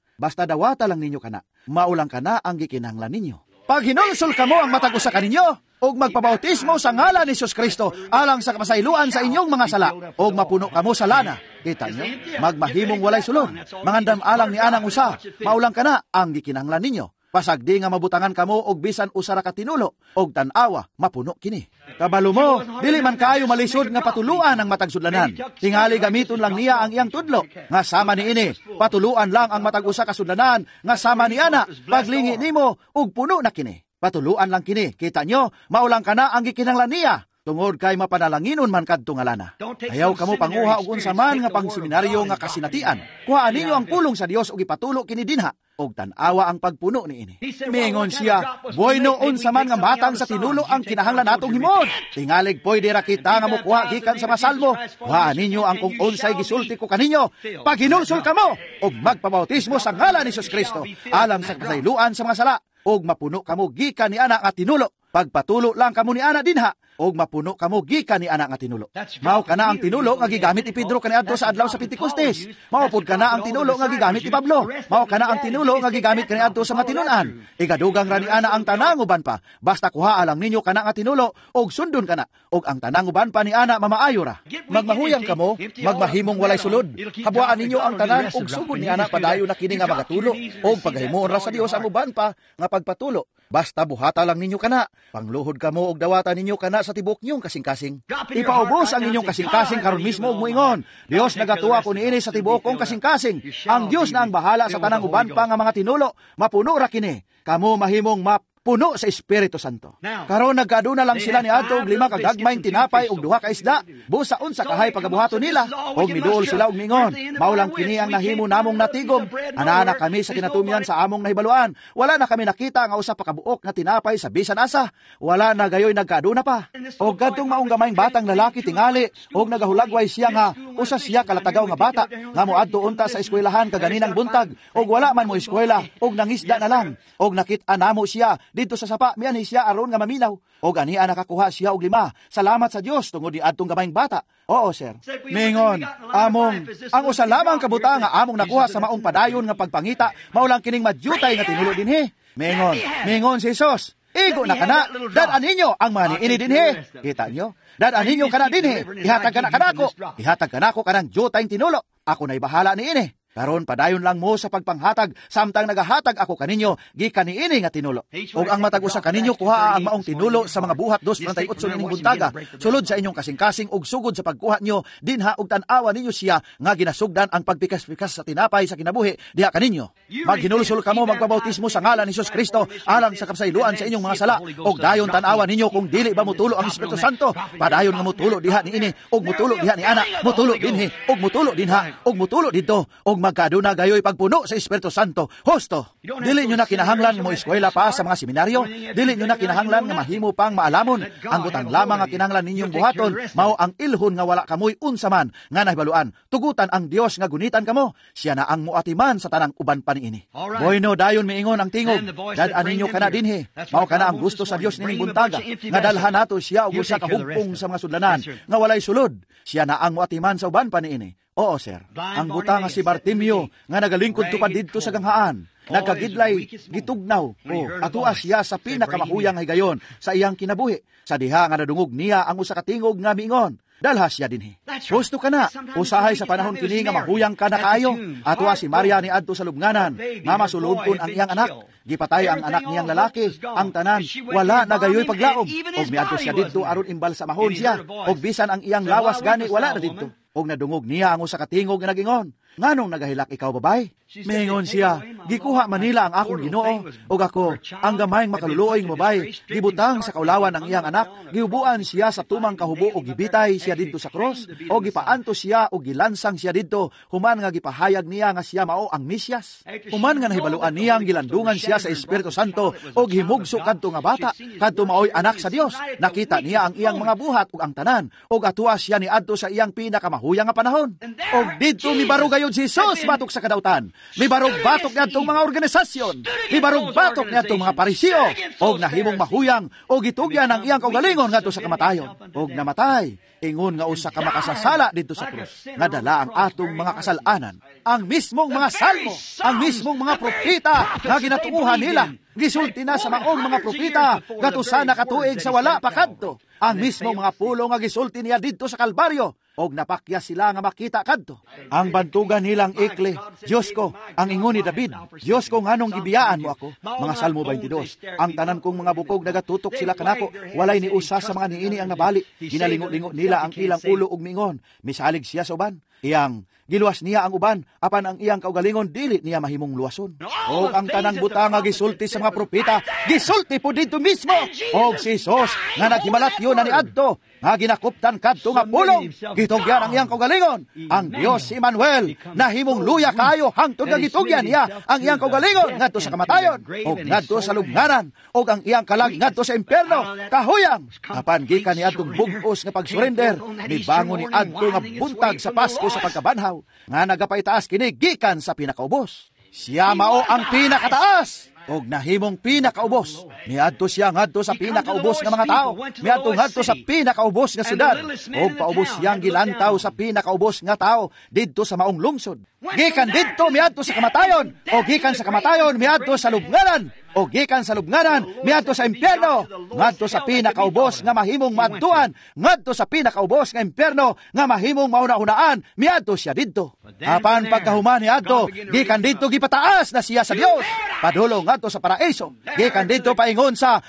dawata lang ninyo kana. Maulang kana ang gikinahanglan ninyo. Pag hinulsol kamo ang matag usa kaninyo, og magpabautismo sa ngalan ni Jesus Kristo alang sa kapasayloan sa inyong mga sala, og mapuno kamo sa lana. Kita nyo? Magmahimong walay sulod. Mangandam alang ni anang usa, maulang kana ang gikinahanglan ninyo. Pasagdi nga mabutangan kamo og bisan usa ra ka tinulo, og tan-awa mapuno kini. Kabalo mo, dili man kaayo malisod nga patuluan ang matag sudlanan. Tingali gamiton lang niya ang iyang tudlo nga sama niini. Patuluan lang ang matag usa ka sudlanan nga sama ni ana. Paglingi nimo og puno na kini. Patuluan lang kini. Kita nyo, maulang kana ang gikinahanglan niya. Tungod kay mapanalanginon man kadto nga lana. Ayaw kamo panguha og unsa man nga pangseminaryo nga kasinatian. Kuhaan ninyo ang pulong sa Dios ug ipatulo kini dinha, og tan-awa ang pagpuno niini. Mingon siya, bueno unsa man nga matang sa tinulo ang kinahanglan natong himon. Tingalig pwede ra kita nga mokuha gikan sa masalmo. Kuhaan ninyo ang kung unsay gisulti ko kaninyo. Paghinulsol kamo og magpabautismo sa ngalan ni Jesus Kristo alang sa kapasayloan sa mga sala, og mapuno kamo gikan ni ana nga tinulo. Pagpatulo lang kamo ni ana dinha, og mapuno kamo gikan ni ana nga tinulo. Mao kana ang tinulo nga gigamit ni Pedro kaniadto sa adlaw sa Pentecostes. Mao pud kana ang tinulo nga gigamit ni Pablo. Mao kana ang tinulo nga gigamit kaniadto sa mga tinun-an. Igadugang ra ni ana ang tanang uban pa. Basta kuhaa lang ninyo kana nga tinulo og sundon kana, og ang tanang uban pa ni ana mamaayo ra. Magmahuyang kamo, magmahimong walay sulod. Habwaan ninyo ang tanan og sugod ni ana padayon na kini nga magatulo, og paghimuon ra sa Dios ang uban pa nga pagpatulo. Basta buhata lang ninyo kana. Pangluhod kamo og dawata ninyo kana sa tibok niyong kasing-kasing. Ipaubos ang inyong kasing-kasing karon mismo og moingon, Dios, nagatuwa ko niini sa tibuok kong kasing-kasing. Ang Dios na ang bahala sa tanang uban pa nga mga tinulo. Mapuno ra kini. Kamo mahimong mapuno sa Espiritu Santo. Karon nagkaduna lang sila ni adto og 5 ka gagmayng tinapay ug 2 ka isda. Busa unsa kahay pagabuhaton nila, og miduol sila og mingon, mao lang kini ang nahimo namong natigom. Ana-ana kami sa kinatumyan sa among nahibaluan. Wala na kami nakita nga usa pa kabuok nga tinapay sa bisan asa. Wala na gayoy nagkaduna pa. Og kadtong maong gamayng batang lalaki tingali og nagahulagway siya nga usa siya kalatagaw nga bata nga moadto unta sa eskwelahan kaganinang buntag, og wala man mo eskwela og nangisda na lang. Og nakit-an namo siya didto sa sapa, mianhi siya aron nga maminaw. Og ania nakakuha siya og 5. Salamat sa Dios tungod ni adtong gamayng bata. Oo, sir. Mingon, among ang usa lamang kabuta nga among nakuha sa maong padayon nga pagpangita, mao lang kining madyutay nga tinulo dinhi. Mingon, mingon si Jesus, igo na kana, dad-an ninyo ang mga niini dinhi. Kita nyo? Dad-an ninyo kana dinhi. Ihatag kana kanako. Ihatag kanako kanang dyutay tinulo. Ako na'y bahala niini. Karon padayon lang mo sa pagpanghatag samtang nagahatag ako kaninyo gikan niini nga tinulo. Og ang matag usa kaninyo kuhaa ang maong tinulo sa mga Buhat 2:38 nining buntaga. Sulod sa inyong kasing-kasing og sugod sa pagkuha nyo dinha og tan-awa ninyo siya nga ginasugdan ang pagpikas-pikas sa tinapay sa kinabuhi diha kaninyo. Maghinulsol kamo magpabautismo sa ngalan ni Jesus Kristo alang sa kapasayloan sa inyong mga sala, og dayon tan-awa ninyo kung dili ba motulo ang Espiritu Santo. Padayon nga motulo diha niini og motulo diha ni ana, motulo dinhi og motulo dinha og motulo didto og magkaduna gayoy pagpuno sa Espiritu Santo. Husto. Dili nyo na kinahanglan nga mo eskwela pa sa mga seminaryo. Dili nyo na kinahanglan nga mahimo pang maalamon. Ang butang lamang nga kinahanglan ninyong buhaton mao ang ilhon nga wala kamoy unsa man nga nahibaluan. Tugutan ang Dios nga gunitan kamo. Siya na ang muatiman sa tanang uban pa niini. Bueno, dayon miingon ang tingog. Dad-an ninyo kana dinhi. Mao kana ang gusto sa Dios nining buntaga nga dalhan nato siya og usa ka hugpong sa mga sudlanan nga walay sulod. Siya na ang muatiman sa uban pa niini. Oo, sir. Ang butang nga si Bartimeo nga nagalingkod tupad didto sa ganghaan, nagkagidlay, gitugnaw, o atua siya sa pinakamakuyang higayon sa iyang kinabuhi. Sa diha nga nadungog niya ang usa ka tingog nga miingon, dalha siya dinhi. Husto ka na, usahay sa panahon kini nga mahuyang ka na kaayo. Atua si Maria ni adto sa lubnganan, nga masulubon ang iyang anak. Gipatay ang anak niyang lalaki, ang tanan, wala na gayoy paglaom. Og miadto siya didto aron imbalsamahon siya, og bisan ang iyang lawas gani wala na didto. Og nadungog niya ang usa ka tingog nga nagingon, nganong nagahilak ikaw, babay? Mingon siya, gikuha manila ang akong Ginoo, og ako, ang gamayng makaluluoy nga babay, gibutang sa kaulawan ang iyang anak, giubuan siya sa tumang kahubo og gibitay siya didto sa cross, og gipaanto siya og gilansang siya didto, human nga gipahayag niya nga siya mao ang Mesiyas. Human nga nahibaluan niya ang gilandungan siya sa Espiritu Santo og himugso kadto nga bata, kadto maoy anak sa Dios. Nakita niya ang iyang mga buhat ug ang tanan, og atua siya niadto sa iyang pinakamahuyang nga panahon. Og didto mibarog gayud si Jesus batok sa kadautan. Mibarog batok niadtong mga organisasyon, mibarog batok niadtong mga Pariseo, og nahimong mahuyang og gitugyan ang iyang kaugalingon ngadto sa kamatayon, og namatay ingon nga usa ka makasasala didto sa krus, nga dala ang atong mga kasalanan. Ang mismong mga salmo, ang mismong mga propeta nga ginatuohan nila, gisulti na sa maong mga propeta ngadto sa nakatuig sa wala pa kadto. Ang mismong mga pulo nga gisulti niya didto sa Kalbaryo, og napakya sila nga makita kadto. Ang bantugan nilang ikli, Diyos ko, ang ingon ni David, Diyos ko, nganong gibiyaan mo ako? Mga Salmo 22, ang tanan kong mga bukog nagatutok sila kanako, walay ni usa sa mga niini ang nabali. Ginalingo-lingo nila ang ilang ulo og miingon, misalig siya sa uban. Iyang giluwas niya ang uban, apan ang iyang kaugalingon dili niya mahimong luwason. Og ang tanang butang nga gisulti sa mga propeta, gisulti po didto mismo. Og si Jesus nga naghimalatyo na niadto, nga ginakuptan kadto nga pulong, gitugyan ang iyang kaugalingon. Ang Dios si Emmanuel nahimong luya kaayo hangtod nga gitugyan niya ang iyang kaugalingon ngadto sa kamatayon og ngadto sa lubnganan, og ang iyang kalag ngadto sa impierno kahuyang. Apan gikan niadtong bug-os nga pagsurrender, mibangon niadto nga buntag sa Pasko sa pagkabanhaw, nga nagapaitaas kini gikan sa pinakaubos. Siya mao ang pinakataas og nahimong pinakaubos. Miadto siya ngadto sa pinakaubos nga mga tao, miadto ngadto sa pinakaubos nga syudad, og paubos siyang gilantaw sa pinakaubos nga tao didto sa maong lungsod. Gikan didto miadto sa kamatayon, og gikan sa kamatayon miadto sa lubnganan, og gikan sa lubnganan miadto sa impyerno, ngadto sa pinakaubos nga mahimong maadtuan, ngadto sa pinakaubos nga impyerno nga mahimong mauna-unaan, miadto siya didto. Apan pagkahuman niadto, gikan didto gipataas na siya sa Dios, padulong ngadto sa paraiso. Gikan didto paingon sa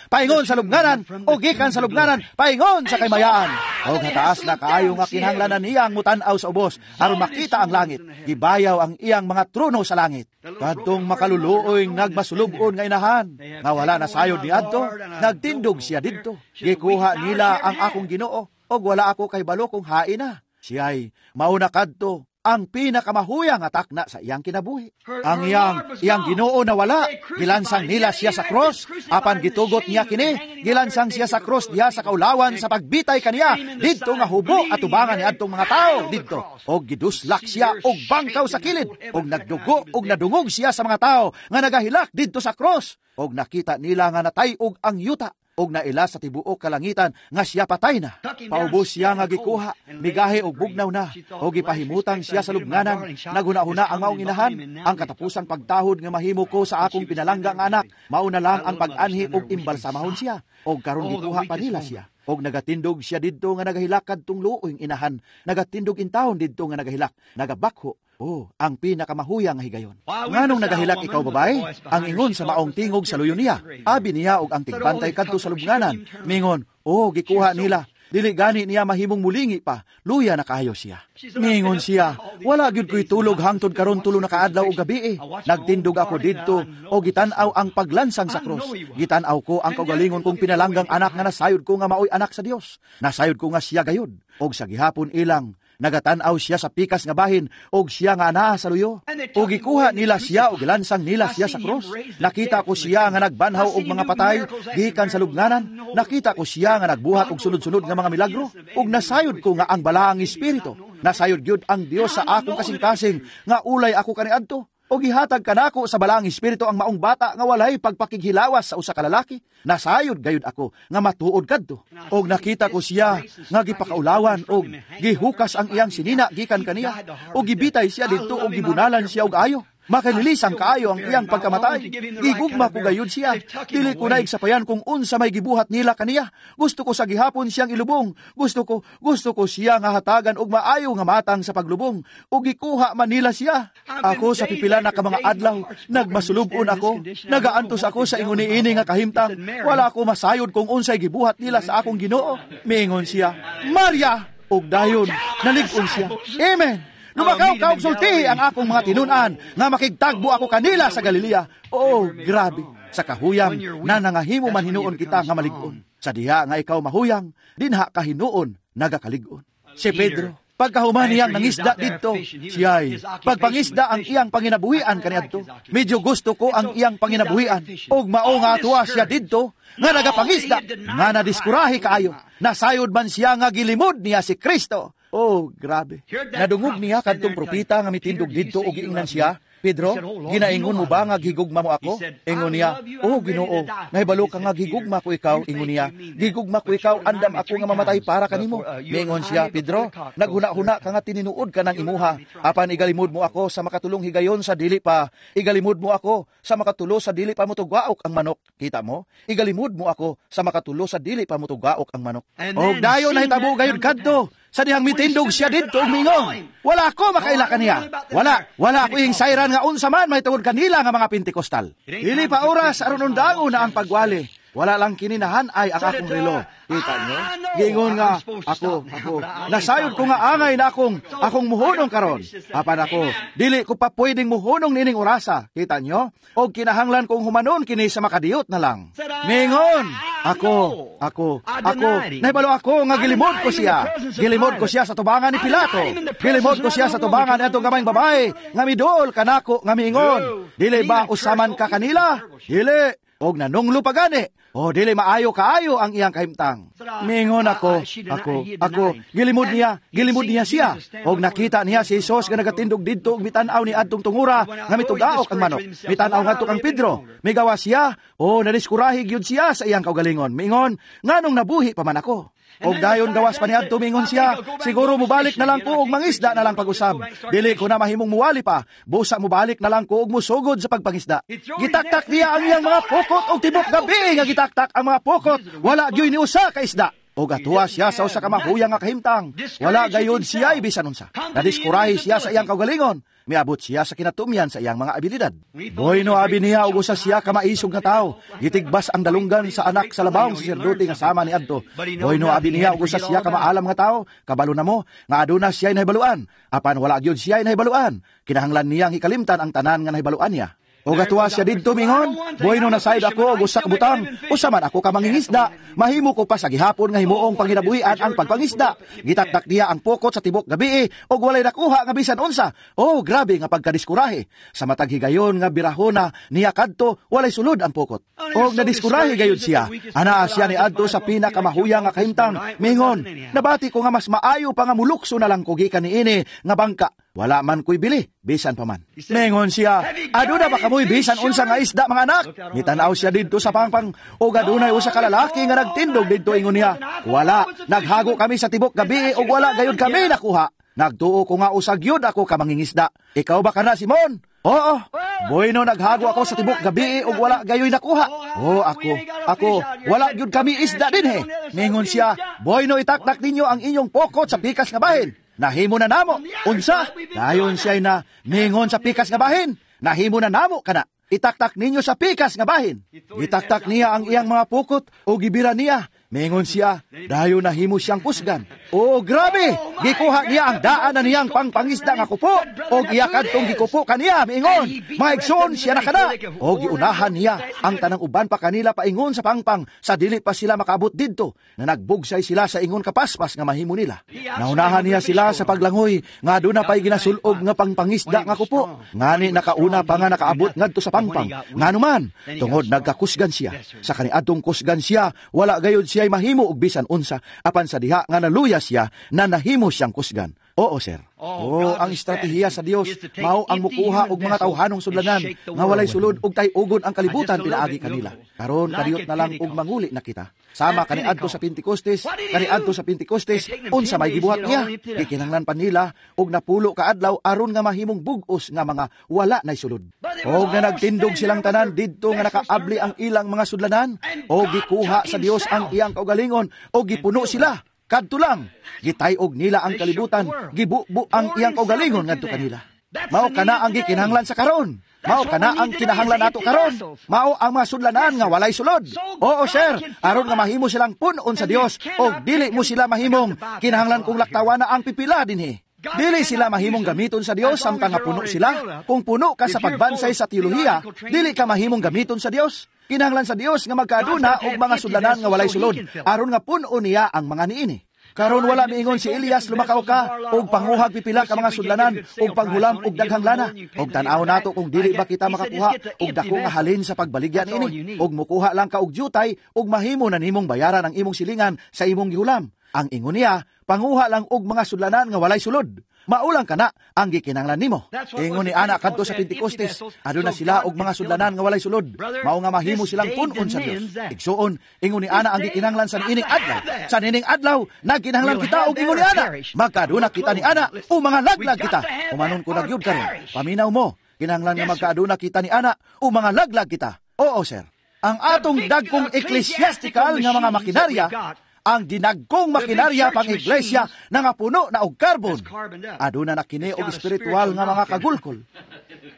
lubnganan, o gikan sa lubnganan paingon sa kaymayaan. Og hataas na kaayo nga kinahanglanan niya ang mutan-aw sa ubos aron makita ang langit. Gibayaw ang iyang mga trono sa langit. Kadtong makaluluoy nagmasulub-on nga inahan, nga wala na sayod niadto, nagtindog siya didto. Gikuha nila ang akong Ginoo, og wala ako kahibalo kung hain na. Siya'y mauna kadto ang pinakamahuyang nga takna sa iyang kinabuhi. Ang iyang Ginoo na wala, gilansang nila siya sa cross, apan gitugot niya kini, gilansang siya sa cross diha sa kaulawan sa pagbitay kaniya, didto nga hubo atubangan ni adtong mga tao didto. Og giduslak siya og bangkaw sa kilid, og nagdugo og nadungog siya sa mga tao nga nagahilak didto sa cross, og nakita nila nga natay-og ang yuta, og naila sa tibuok kalangitan nga siya patay na. Paubos siya nga gikuha, migahi og bugnaw na, og gipahimutang siya sa lubnganan. Naghuna-huna ang maong inahan, ang katapusang pagtahod nga mahimo ko sa akong pinalangga nga anak, mao na lang ang pag-anhi og imbalsamahon siya, og karon gikuha pa nila siya. Og nagatindog siya didto nga nagahilak kadtong luoy inahan, nagatindog intawon didto nga nagahilak, nagabakho. Oh, ang pinakamahuyang nga higayon. Nganong nagahilak ikaw, babae? Ang ingon sa maong tingog sa luyo niya. Abi niya og ang tigbantay kadto sa lubnganan. Mingon, oh, gikuha nila. Dili gani niya mahimong mulingi pa. Luya na kaayo siya. Mingon siya, wala gyud ko'y tulog hangtod karon 3 na kaadlaw og gabi. Nagtindog ako didto o gitan-aw ang paglansang sa krus. Gitan-aw ko ang kaugalingon kong pinalanggang anak nga nasayod ko nga maoy anak sa Dios. Nasayod ko nga siya gayud. Og sa gihapon ilang Nagatan-aw siya sa pikas nga bahin og siya nga anaa sa luyo. Og gikuha nila siya og gilansang nila siya sa krus. Nakita ko siya nga nagbanhaw og mga patay gikan sa lubnganan. Nakita ko siya nga nagbuhat og sunod-sunod nga mga milagro. Og nasayod ko nga ang Balaang Espiritu. Nasayod gyud ang Dios sa akong kasing-kasing nga ulay ako kaniadto. O gihatag kanako sa Balaang Espiritu ang maong bata nga walay pagpakighilawas sa usa ka lalaki. Nasayod gayud ako nga matuod kadto. Og nakita ko siya nga gipakaulawan og gihukas ang iyang sinina gikan kaniya. Og gibitay siya didto og gibunalan siya og ayo. Makalilisang kaayo ang iyang pagkamatay. Gigugma ko gayud siya. Dili ko na igsapayan kung unsa may gibuhat nila kaniya. Gusto ko sa gihapon siyang ilubong. Gusto ko siya nga hatagan og maayo nga matang sa paglubong. Ug gikuha man nila siya. Ako sa pipila na ka mga adlaw, nagmasulub-on ako. Nagaantos ako sa ingon niini nga kahimtang. Wala ako masayod kung unsay gibuhat nila sa akong Ginoo. Miingon siya, Maria! Ug dayon nalig-on siya. Amen. Lumakaw ka og sultihi ang akong mga tinun-an nga makigtagbo ako kanila sa Galilea. Oh, grabe. Sa kahuyang na nangahimo man hinuon kita nga malig-on. Sa diha nga ikaw mahuyang, dinha ka hinuon nagakalig-on. Si Pedro, pagkahuman niyang nangisda didto, siya'y pagpangisda ang iyang panginabuhian kaniadto. Medyo gusto ko ang iyang panginabuhian. Og mao nga atuwa siya didto nga nagapangisda, nga nadiskurahi kaayo. Nasayod man siya nga gilimod niya si Kristo. Oh, grabe. Nadungog niya kadtong propeta nga mitindog didto og giingnan siya, Pedro, ginaingon mo ba nga gigugma mo ako? Ingon niya, oh Ginoo, nahibalo ka nga gigugma ko ikaw. Ingon niya, gigugma ko ikaw, andam ako nga mamatay para kanimo. Miingon siya, Pedro, naghuna-huna ka nga tininuod ka ng imuha, apan igalimod mo ako sa makatulong higayon sa dili pa. Igalimod mo ako sa makatulo sa dili pa motugaok ang manok. Kita mo? Igalimod mo ako sa makatulo sa dili pa motugaok ang manok. Og dayon nahitabo gayud kadto. Sa dihang mitindog siya didto og mingon, wala ko makaila kaniya. Wala ako ing sayran nga unsa man mahitungod kanila nga mga Pentekostal. Dili pa oras aron undangon na ang pagwali. Wala lang kininahan ay ang akong relo. Kita nyo? Giingon nga, ako, nasayod ko nga angay na akong muhunong karon. Apan ako, dili ko pa pwedeng muhunong nining orasa. Kita nyo? O kinahanglan kong humanon kini sa makadiyot na lang. Mingon, ako, nahibalo ako nga gilimod ko siya. Gilimod ko siya sa tubangan ni Pilato. Gilimod ko siya sa tubangan ni atong gamayng babae, nga miduol kanako nga miingon. Dili ba usaman ka kanila? Dili. Og nanunglo pa gani. O dili maayo kaayo ang iyang kahimtang. Mingon ako, gilimod niya siya. Og nakita niya si Jesus nga nagatindog didto og mitan-aw ni adtong tungura nga mitugaok ang manok. Mitan-aw ngadto kang Pedro. Migawa siya, o nadiskurahi gyud siya sa iyang kaugalingon. Mingon, nganong nabuhi pa man ako? Og dayon gawas pa niadto mingon siya, siguro mubalik na lang ko og mangisda na lang pag-usab. Dili ko na mahimong muwali pa, busa mubalik na lang ko og musugod sa pagpangisda. Gitaktak niya ang iyang mga pokot og tibok gabi nga gitaktak ang mga pokot, wala gyud ni usa ka isda. Og atuwa siya sa usa ka mahuyang nga kahimtang, wala gayud siya bisan unsa. Nadiskurahi siya sa iyang kaugalingon. Miabot siya sa kinatumyan sa iyang mga abilidad. Bueno abi niya og usa siya ka maisog nga tawo. Gitigbas ang dalunggan sa anak sa labawong saserdote nga sama ni adto. Bueno abi niya og usa siya ka maalam nga tawo. Kabalo na mo nga aduna siya nahibaluan. Apan wala gyud siya nahibaluan. Kinahanglan niyang hikalimtan ang tanan nga nahibaluan niya. O gatuwa siya didto mingon, bueno na sayod ako og usa ka butang, usa man ako ka mangingisda, mahimo ko pa sa gihapon nga himuong panginabuhian ang pagpangisda. Gitaktak niya ang pokot sa tibok gabi og walay nakuha nga bisan unsa. Oh, grabe nga pagkadiskurahe. Sa matag higayon nga birahona niya kadto, walay sulod ang pokot. Og nadiskurahe gayud siya. Anaa siya ni adto sa pinakamahuyang nga kahimtang. Mingon, nabati ko nga mas maayo pa nga mulukso na lang ko gikan niini nga bangka. Wala man ko'y bili, bisan pa man. Mingon siya, aduna ba kamoy bisan unsa nga isda mga anak? Mitanaw siya didto sa pangpang, og adunay usa ka lalaki nga nagtindog didto. Ingon niya, wala, naghago kami sa tibok gabi og wala gayud kami nakuha. Nagtuo ko nga usag yun ako ka mangingisda. Ikaw ba kana, Simon? Oo. Bueno, naghago ako sa tibok gabi og wala gayoy nakuha. Oo, ako, wala gyud kami isda din he. Mingon siya, bueno, itaktak ninyo ang inyong pokot sa pikas nga bahin. Nahimo na namo. Unsa? Dayon siya na mingon sa pikas nga bahin. Nahimo na namo kana. Itaktak ninyo sa pikas nga bahin. Gitaktak niya ang iyang mga pukot o gibira niya. Mingon siya, dayon nahimo siyang kusgan. Oh, grabe! Gikuha niya ang daan na niyang pangpangisda nga kupo, og iya kadtong gikupo kaniya, miingon, mga igsoon siya na kana. Og giunahan niya ang tanang uban pa kanila paingon sa pangpang, sa dili pa sila makaabot didto, na nagbugsay sila sa ingon kapaspas nga mahimo nila. Naunahan niya sila sa paglangoy, nga aduna pa'y ginasul-ob nga pangpangisda nga kupo. Ngani nakauna pa nga nakaabot ngadto sa pangpang. Nganuman, tungod nagkakusgan siya. Sa kaniadtong kusgan siya, wala gayud siya mahimo og bisan unsa, apan sa diha nga naluya siya na nahimo siyang kusgan. Oo, sir. Oo, ang estratehiya sa Dios mao ang mukuha og mga tawhanong sudlanan nga walay sulod og tay-ugon ang kalibutan pinaagi kanila. Karon kadiyot na lang og manguli na kita. Sama kaniadto sa Pentecostes, kaniadto sa Pentecostes, unsa may gibuhat niya? Gikinahanglan pa nila og napulo ka adlaw aron nga mahimong bug-os nga mga wala nay sulod. Og nga nagtindog silang tanan didto nga nakaabli ang ilang mga sudlanan, og gikuha sa Dios ang iyang kaugalingon og gipuno sila. Kadto lang, gitay-og nila ang kalibutan, gibubo ang iyang kaugalingon ngadto kanila. Mao kana ang gikinahanglan sa karon. Mao kana ang kinahanglan nato karon. Mao ang mga sudlanan nga walay sulod. Oo, sir, aron nga mahimo silang punon sa Dios og dili mo sila mahimong kinahanglan kong laktawan na ang pipila dinhi. Dili sila mahimong gamiton sa Dios samtang nga puno sila. Kung puno ka sa pagbansay sa teolohiya, dili ka mahimong gamiton sa Dios. Kinahanglan sa Dios nga magkaaduna og mga sudlanan nga walay sulod, aron nga puno niya ang mga niini. Karon wala miingon si Elias, lumakaw ka og panguhag pipila ka mga sudlanan og panghulam og daghang lana. Og tan-aw nato kung dili ba kita makakuha og dako nga halin sa pagbaligya niini. Og mukuha lang ka og jutay og mahimo na nimong bayaran ang imong silingan sa imong gihulam. Ang ingon niya, panguha lang og mga sudlanan nga walay sulod. Maulang kana ang gikinahanglan nimo. Ingon ni ana kadto sa Pentecostes, aduna sila og mga sudlanan nga walay sulod. Mao nga mahimo silang punon sa Dios. Igsuon, ingon ni ana ang gikinahanglan sa niining adlaw. Sa niining adlaw, nagkinahanglan kita og ingon ni ana. Magkaaduna kita ni ana o mga laglag kita. Humanon ko na gyud karon. Paminaw mo, kinahanglan nga magkaaduna kita ni ana o mga laglag kita. Oo, sir. Ang atong dagkong ecclesiastical nga mga makinarya, ang dinagkong makinarya pang iglesia na nga puno na og carbon. Aduna na kini og espiritual nga mga kagulkol.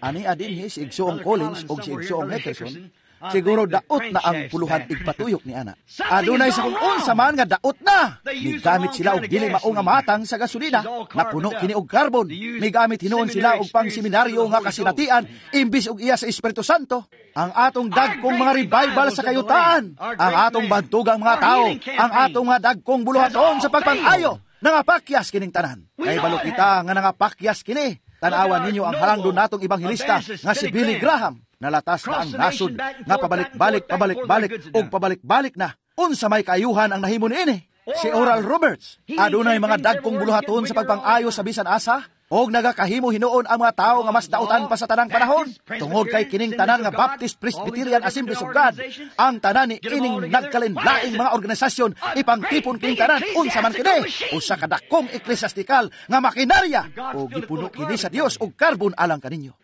Ani adinhi si Igsoong Collins og si Igsoong Heckerson, siguro daot na ang puluhan igpatuyok ni ana. Adunay sa kung unsa man nga daot na. Migamit sila og dili mao nga matang sa gasolina, napuno kini og carbon. Migamit hinuon sila og pang seminaryo nga kasinatian imbis og iya sa Espiritu Santo. Ang atong dagkong mga revival sa kayutaan, ang atong bantugang mga tao, ang atong mga dagkong buluhaton sa pagpang-ayo, nangapakyas kining tanan. Kay balo kita nga nangapakyas kini. Tan-awan ninyo ang halangdon natong ebanghelista nga si Billy Graham. Nalatas na ang nasod nga pabalik-balik, pabalik-balik ug pabalik-balik na. Unsa may kaayuhan ang nahimo niini? Si Oral Roberts, adunay mga dagkong buluhaton sa pagpang-ayo sa bisan asa. Og nagakahimo hinuon ang mga tao nga mas dautan pa sa tanang panahon. Tungod kay kining tanan nga Baptist, Presbyterian, Assemblies of God, ang tanan ni ining nagkalinlaing mga organisasyon, ipangtipon kining tanan, unsa man kini, usa ka dakong eklesiastikal nga makinarya, o gipuno kini sa Dios og karbon alang kaninyo.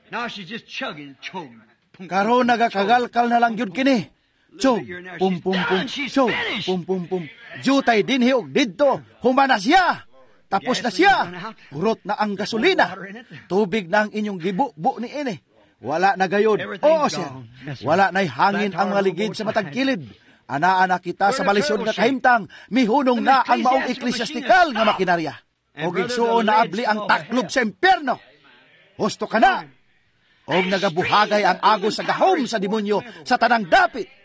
Karon nagakagalkal na lang gyud kini. Chog, pum pum pum, chog, pum pum pum. Jutay dinhi og didto, humana siya. Tapos na siya. Hurot na ang gasolina. Tubig na ang inyong gibubo ni ini. Wala na gayod. Oo, sir. Wala na'y hangin ang mga ligid sa matag kilid. Anaa na kita sa malisod nga kahimtang. Mihunong na ang maong eklesiastikal nga makinarya. O gigsuon na abli ang taklob sa impyerno. Husto ka na. O nagabuhagay ang agos sa gahom sa demonyo sa tanang dapit.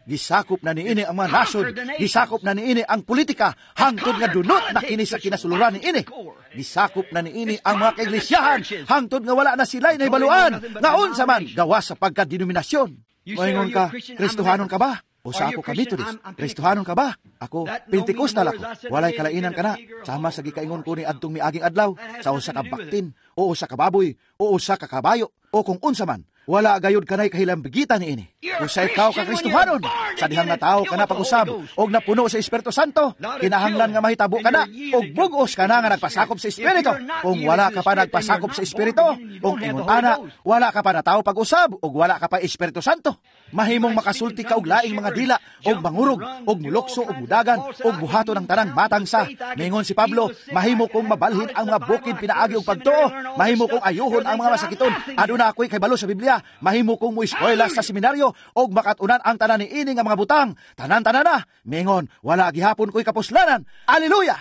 Gisakop na niini ang mga nasod, gisakop na niini ang politika, hangtod nga dunot na kini sa kinasuluran niini. Gisakop na niini ang mga kaiglisyahan, hangtod nga wala na sila'y naibaluan, nga unsa man gawas sa pagkadenominasyon. Moingon ka, Kristohanon ka ba? O sa ako ka Methodist, Kristohanon ka ba? Ako, Pentecostal ako. Walay kalainan ka na. Sama sa gikaingon ko ni adtong miaging adlaw, sa usa ka baktin, o usa ka baboy, o usa ka kabayo, o kung unsa man. Wala gayud kanay kahilambigitan niini. Usa ikaw ka Kristohanon, sa dihang nga tawo ka na pag-usab og napuno sa Espiritu Santo, kinahanglan nga mahitabo ka na og bug-os ka na nga nagpasakop sa Espiritu. Kung wala ka pa nagpasakop sa Espiritu, kung ingon ana, wala ka pa natawo pag-usab og wala ka pa Espiritu Santo. Mahimong makasulti ka og laing mga dila, og mangurog, og mulokso, og mudagan, og buhaton ang tanang matang sa. Mingon si Pablo, mahimo kong mabalhin ang mga bukid pinaagi og pagtuo, mahimo kong ayuhon ang mga masakiton. Aduna ako'y kaybalo sa Biblia, mahimo kong moeskwela sa seminaryo og makatunan ang tanan niini nga mga butang. Tanan-tanan na. Mingon, wala gihapon ko'y kapuslanan. Aleluya!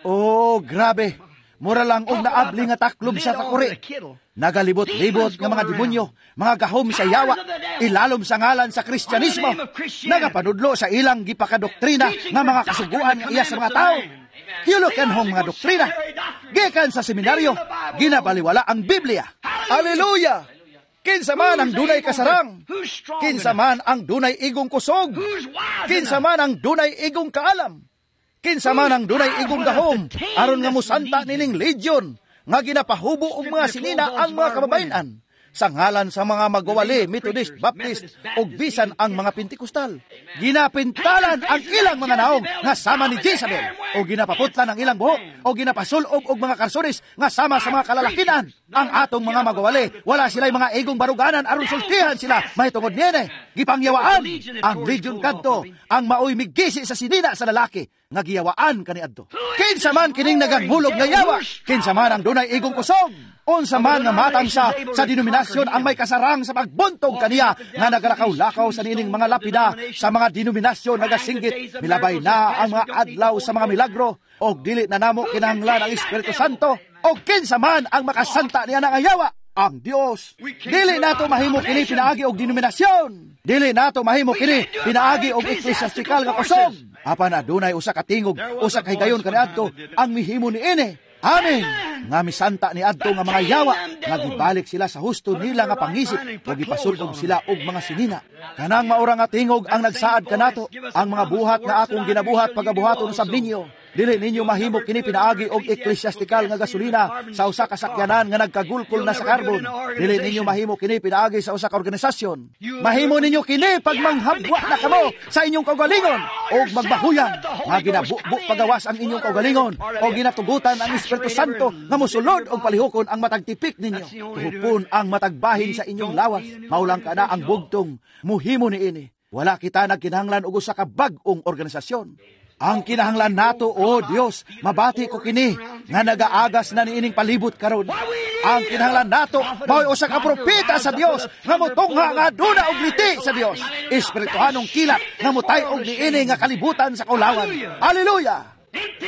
Oh, grabe. Mura lang og naabli nga taklob sa takuri. Nagalibot-libot nga mga demonyo, mga gahom sa yawa, ilalom sa ngalan sa Kristyanismo, nagapanudlo sa ilang gipakadoktrina nga mga kasuguan nga iya sa mga tao. Kilukenhong mga doktrina, gikan sa seminaryo, ginabaliwala ang Biblia. Aleluya! Kinsa man ang dunay kasarang, kinsa man ang dunay igong kusog, kinsa man ang dunay igong kaalam, kinsa man ang dunay igong gahom, aron nga musanta nining legion, nga ginapahubo og mga sinina ang mga kababayen-an, sa ngalan sa mga magwawali, Methodist, Baptist, ug bisan ang mga Pentecostal. Ginapintalan ang ilang mga naong nga sama ni Jezabel, o ginapaputlan ang ilang buhok, o ginapasulob og mga karsones nga sama sa mga kalalakinan. Ang atong mga magwawali, wala sila'y mga igong baruganan aron sultihan sila mahitungod niini. Gipangyawaan ang legion kadto, ang maoy migisi sa sinina sa lalaki nga giyawaan kaniadto. Kinsa man kining naganghulog nga yawa, kinsa man ang dunay igong kusog, unsa man nga matang sa denominasyon ang may kasarang sa pagbuntog kaniya nga nagalakaw-lakaw sa niining mga lapida sa mga denominasyon nagasinggit, milabay na ang mga adlaw sa mga milagro, og dili na namo kinahanglan ang Espiritu Santo, og kinsa man ang makasanta niya nga yawa, ang Dios. Dili nato mahimo kini pinaagi og denominasyon. Dili nato mahimo kini pinaagi og ekklesiastikal nga kusog. Apan adunay usa ka tingog, usa ka higayon kaniadto ang mihimo niini. Amen. Nga misanta ni adto nga mga yawa, nga gibalik sila sa husto nila nga pangisip, o gipasulog sila og mga sinina. Kanang maura nga tingog ang nagsaad kanato, ang mga buhat nga akong ginabuhat pagabuhaton sab ninyo. Dili ninyo mahimo kini pinaagi og ekklesiastikal nga gasolina sa usa ka sakyanan nga nagkagulkol na sa karbon. Dili ninyo mahimo kini pinaagi sa usa ka organisasyon. Mahimo ninyo kini pag manghabwa na kamo sa inyong kaugalingon og magbahuyan nga ginabubo pagawas ang inyong kaugalingon o ginatugutan ang Espiritu Santo nga mosulod og palihukon ang matag tipik ninyo. Tuhupon ang matag bahin sa inyong lawas. Maulang ka na ang bugtong muhimo niini. Wala kita nagkinahanglan og usa ka bag-ong organisasyon. Ang kinahanglan nato, o Dios, mabati ko kini nga nagaagas na niining palibot karon. Ang kinahanglan nato mao'y usa ka propeta sa Dios nga motungha nga aduna og liti sa Dios. Espirituhanong kilat nga motay-og niini nga kalibutan sa kaulawan. Hallelujah!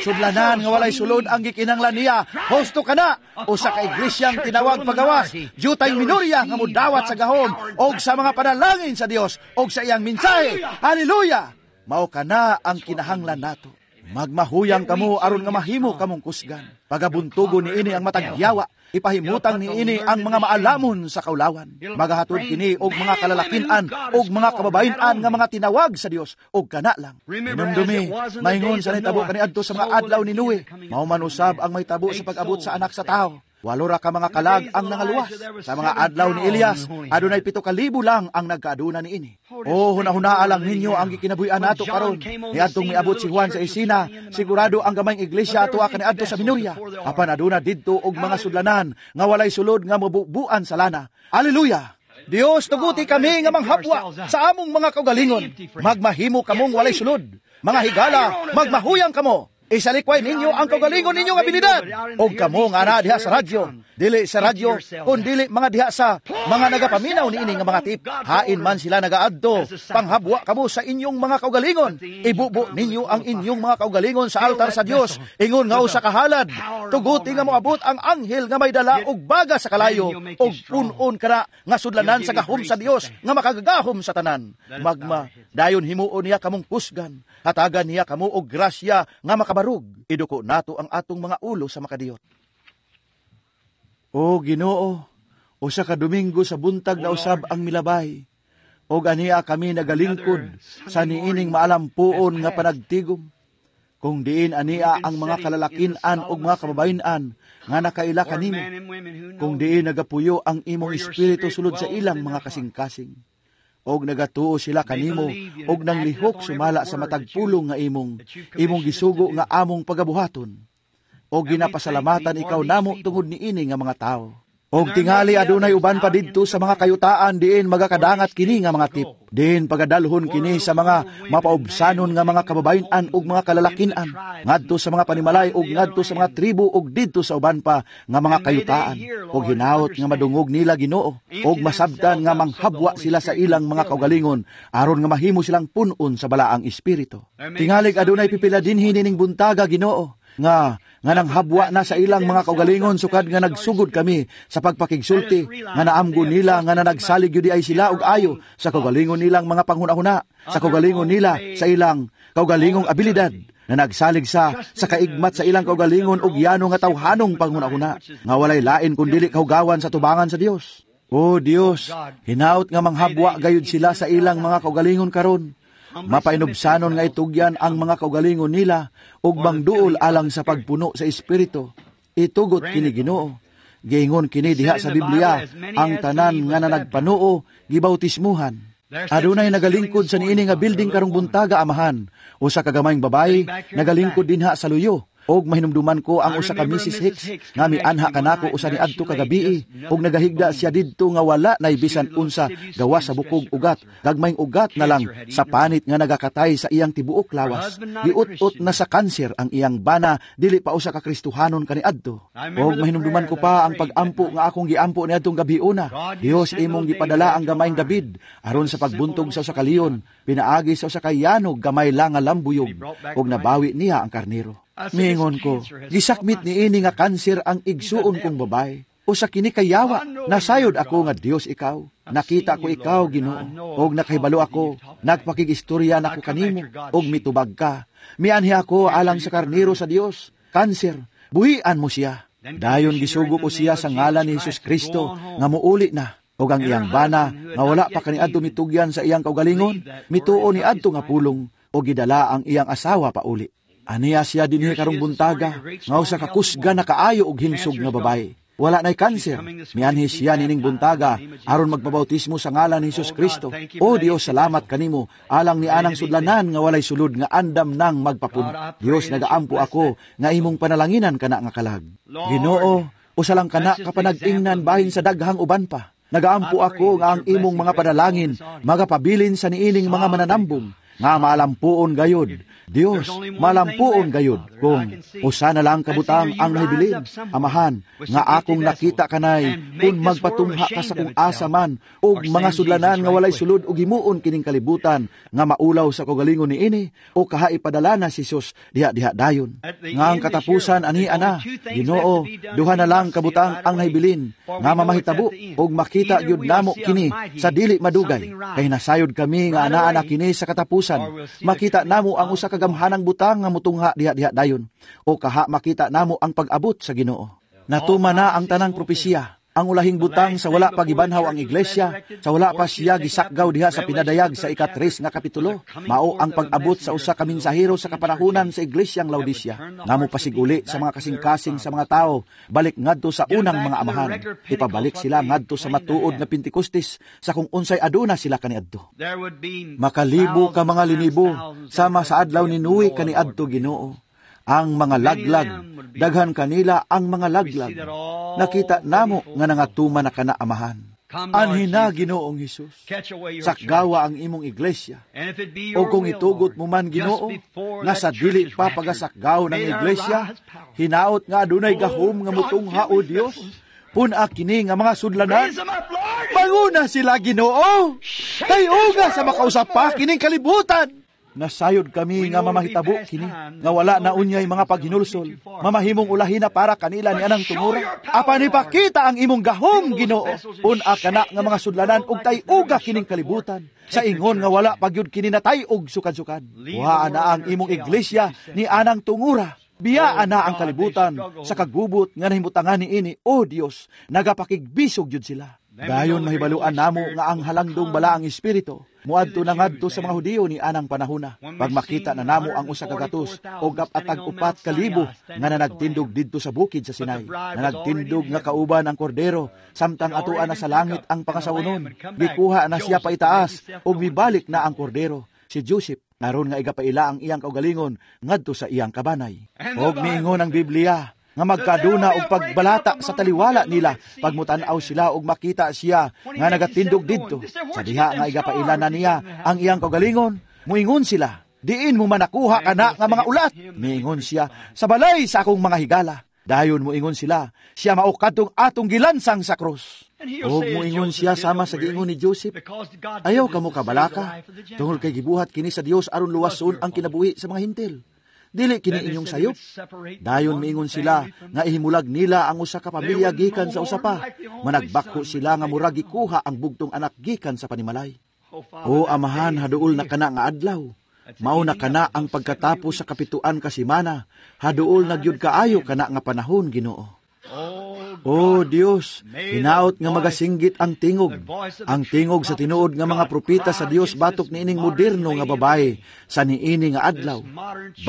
Sudlanan nga walay sulod ang gikinahanglan niya. Husto ka na, usa ka iglesyang tinawag pagawas, jutay minorya nga modawat sa gahom og sa mga panalangin sa Dios og sa iyang mensahe. Hallelujah! Mao kana ang kinahanglan nato. Magmahuyang kamo aron nga mahimo kamong kusgan. Pagabuntugo niini ang matag yawa, ipahimutang niini ang mga maalamon sa kaulawan. Magahatod kini og mga kalalakinan og mga kababayen-an nga mga tinawag sa Dios og kana lang. Hinumdumi, maingon sa nitabo kaniadto sa mga adlaw ni Noe, mao man usab ang mahitabo sa pag-abot sa anak sa tawo. 8 ra ka mga kalag ang nangaluwas. Sa mga adlaw ni Elias, adunay 7,000 lang ang nagkaaduna niini. O hunahunaa lang ninyo ang gikinabuhi-an nato karon. Niadtong miabot si Juan sa isina, sigurado ang gamayng iglesia atua kaniadto sa Minorya. Apan aduna didto og mga sudlanan nga walay sulod nga mobubuan sa lana. Hallelujah! Dios, tuguti kami nga manghabwa sa among mga kaugalingon. Magmahimo kamong walay sulod. Mga higala, magmahuyang kamo. Isalikway ninyo ang kaugalingon ninyong abilidad. Og kamo nga ana diha sa radyo, dili sa radyo, kun dili mga diha sa mga nagapaminaw niini nga mga tip. Hain man sila nagaadto, panghabwa kamo sa inyong mga kaugalingon. Ibubo ninyo ang inyong mga kaugalingon sa altar sa Dios, ingon nga usa ka halad. Tuguti nga moabot ang anghel nga may dala og baga sa kalayo, og pun-on kana nga sudlanan sa gahom sa Dios nga makagagahom sa tanan. Magma, dayon himuon niya kamong kusgan, hatagan niya kamo og grasya nga makabarug. Iduko nato ang atong mga ulo sa makadiyot. O Ginoo, usa ka Domingo sa buntag na usab ang milabay. Og aniya kami nagalingkod sa niining maalampuon nga panagtigom. Kung diin aniya ang mga kalalakinan og mga kababayen-an nga nakaila kanimo, kung diin nagapuyo ang imong espiritu sulod sa ilang mga kasing-kasing. Og nagatuo sila kanimo og nanglihok sumala sa matag pulong nga imong gisugo nga among pagabuhaton. Og ginapasalamatan ikaw namo tungod niini nga mga tawo. Og tingali adunay uban pa didto sa mga kayutaan diin magakadangat kini nga mga tip. Diin pagadalhon kini sa mga mapaubsanon nga mga kababayen-an ug mga kalalakin-an, ngadto sa mga panimalay ug ngadto sa mga tribo ug didto sa uban pa nga mga kayutaan. Og hinaot nga madungog nila, Ginoo, ug masabtan nga manghabwa sila sa ilang mga kaugalingon aron nga mahimo silang pun-on sa Balaang Espiritu. Tingalig adunay pipila dinhi nining buntaga, Ginoo, nga nga nanghabwa na sa ilang mga kaugalingon sukad nga nagsugod kami sa pagpakigsulti, nga naamgo nila nga nanagsalig gyud ay sila og ayo sa kaugalingon nilang mga panghuna-huna, sa kaugalingon nila, sa ilang kaugalingong abilidad, na nagsalig sa kaigmat sa ilang kaugalingon og yano nga tawhanong panghuna-huna nga walay lain kun dili kahugawan sa tubangan sa Dios. O Dios, hinaot nga manghabwa gayud sila sa ilang mga kaugalingon karon. Mapainubsanon nga itugyan ang mga kaugalingon nila ug mangduol alang sa pagpuno sa Espiritu. Itugot kini, Ginoo. Giingon kini diha sa Biblia, ang tanan nga nanagpanuo gibautismuhan. Adunay nagalingkod sa niini nga building karong buntaga, Amahan. Usa ka gamayng babayi nagalingkod dinha sa luyo. Og mahinumduman ko ang usa ka Mrs. Hicks nga mianha kanako usa ni adto kagabii, og nagahigda siya didto nga wala nay bisan unsa gawas sa bukog ugat, gagmayng ugat na lang sa panit nga nagakatay sa iyang tibuok lawas. Giut-ut na sa kanser ang iyang bana, dili pa usa ka Kristohanon kaniadto. Og mahinumduman ko pa ang pag-ampo nga akong giampo niadtong gabiuna. Dios, imong gipadala ang gamayng David aron sa pagbuntog sa usa ka leon pinaagi sa usa ka yanog gamay lang nga lambuyog, og nabawi niya ang karnero. Miingon ko, "Gisakmit ni ini nga kanser ang igsuon kong babae. Usa kini kayawa, nasayod ako nga Dios ikaw. Nakita ko ikaw, Ginoo, og nakahibalo ako, nagpakigistorya nako kanimo, og mitubag ka. Mianhi ako alang sa karnero sa Dios. Kanser, buhian mo siya." Dayon gisugo ko siya sa ngalan ni Jesus Kristo nga muuli na. Og ang iyang bana nga wala pa kaniadto mitugyan sa iyang kaugalingon, mituo ni adto nga pulong og gidala ang iyang asawa pauli. Aniya siya dinhi karong buntaga, nga usa ka kusga na kaayo og himsog nga babae. Wala na'y kanser. Mianhi siya nining buntaga aron magpabautismo sa ngalan ni Jesus Kristo. O Dios, salamat kanimo alang ni anang sudlanan nga walay sulod nga andam nang magpapuno. Dios, nagaampo ako nga imong panalanginan kana nga kalag. Ginoo, usa lang kana ka panag-ingnan bahin sa daghang uban pa. Nagaampo ako nga ang imong mga panalangin magapabilin sa niining mga mananambong nga maalampuon gayod. Dios, malampuon gayod kung usa na lang kabutang ang nahibilin, Amahan, nga akong nakita kanay kung magpatungha ka sa kung asa man og mga sudlanan nga walay sulod og himuon kining kalibutan nga maulaw sa kaugalingon niini o kaha ipadala na si Jesus diha-diha dayon. Nga ang katapusan ani ana, Ginoo, duha na lang kabutang ang nahibilin nga mamahitabo og makita gyud namo kini sa dili madugay. Kay nasayod kami nga anaa na kini sa katapusan. Makita namo ang usa ka gamhanang butang nga mutungha diha-diha dayon o kaha makita namo ang pag-abot sa Ginoo. Natuma na ang tanang propesiya. Ang ulahing butang sa wala pa gibanhaw ang iglesia, sa wala pa siya gisakgaw diha sa Pinadayag sa 3 nga kapitulo, mao ang pag-abot sa usa ka mensahero sa kapanahunan sa iglesyang Laodicea, nga mopasiguli sa mga kasing-kasing sa mga tao, balik ngadto sa unang mga amahan. Ipabalik sila ngadto sa matuod nga Pentecostes sa kung unsay aduna sila kaniadto. Makalibo ka mga linibo sama sa adlaw ni Noe kaniadto, Ginoo. Ang mga laglag, daghan kanila ang mga laglag. Nakita namo nga nangatuman na kana, Amahan. Anhi na, Ginoong Hesus. Sakgawa ang imong iglesia. O kung itugot mo man, Ginoo, nga sa dili pa pagasakgaw ng iglesia, hinaot nga adunay gahom nga mutungha, o Dios. Pun-a kini nga mga sudlanan. Manguna sila, Ginoo. Tayuga sa makausap pa kining kalibutan. Nasayod kami nga mamahitabo kini, nga wala na unyay mga paghinulsol, mamahimong ulahin na para kanila ni anang tungura. Apan ipakita ang imong gahom, Ginoo. Pun-a kana nga mga sudlanan ug tay-uga kining kalibutan. Sa ingon nga wala pagyud kini natay-og sukad-sukad. Kuhaan na ang imong iglesia ni anang tungura. Biyaan na ang kalibutan sa kagubot nga nahimutangan ni ini. O Dios, nagapakigbisog yun sila. Dayon mahibaluan namo nga ang halangdong Balaang Espiritu muadto na ngadto sa mga Hudiyo ni anang panahona. Pag makita na namo ang 104,000 nga nanagtindog didto sa bukid sa Sinai, nanagtindog nga kauban ang kordero, samtang atoa na sa langit ang pangasawonon, gikuha na siya paitaas ug mibalik na ang kordero, si Joseph, aron nga igapaila ang iyang kaugalingon ngadto sa iyang kabanay. Og miingon ang Biblia nga magkaduna og pagbalata sa taliwala nila pagmutan-aw sila og makita siya nga nagatindog didto. Sa diha nga igapaila na niya ang iyang kaugalingon, muingon sila, "Diin mo man nakuha kana nga mga ulat?" Miingon siya, "Sa balay sa akong mga higala." Dayon muingon sila, "Siya mao kadtong atong gilansang sa krus." Og muingon siya sama sa giingon ni Joseph, "Ayaw kamo kabalaka, tungod kay gibuhat kini sa Dios aron luwason ang kinabuhi sa mga Hintil. Dili kini inyong sayop." Dayon miingon sila nga ihimulag nila ang usa ka pamilya gikan sa usa pa. Managbakho sila nga murag gikuha ang bugtong anak gikan sa panimalay. O Amahan, haduol na kana nga adlaw. Mao na kana ang pagkatapos sa 7 ka semana. Haduol na gyud kaayo kana nga panahon, Ginoo. O Dios, hinaot nga magasinggit ang tingog. Ang tingog sa tinuod nga mga propeta sa Dios batok niining moderno nga babae sa niini nga adlaw.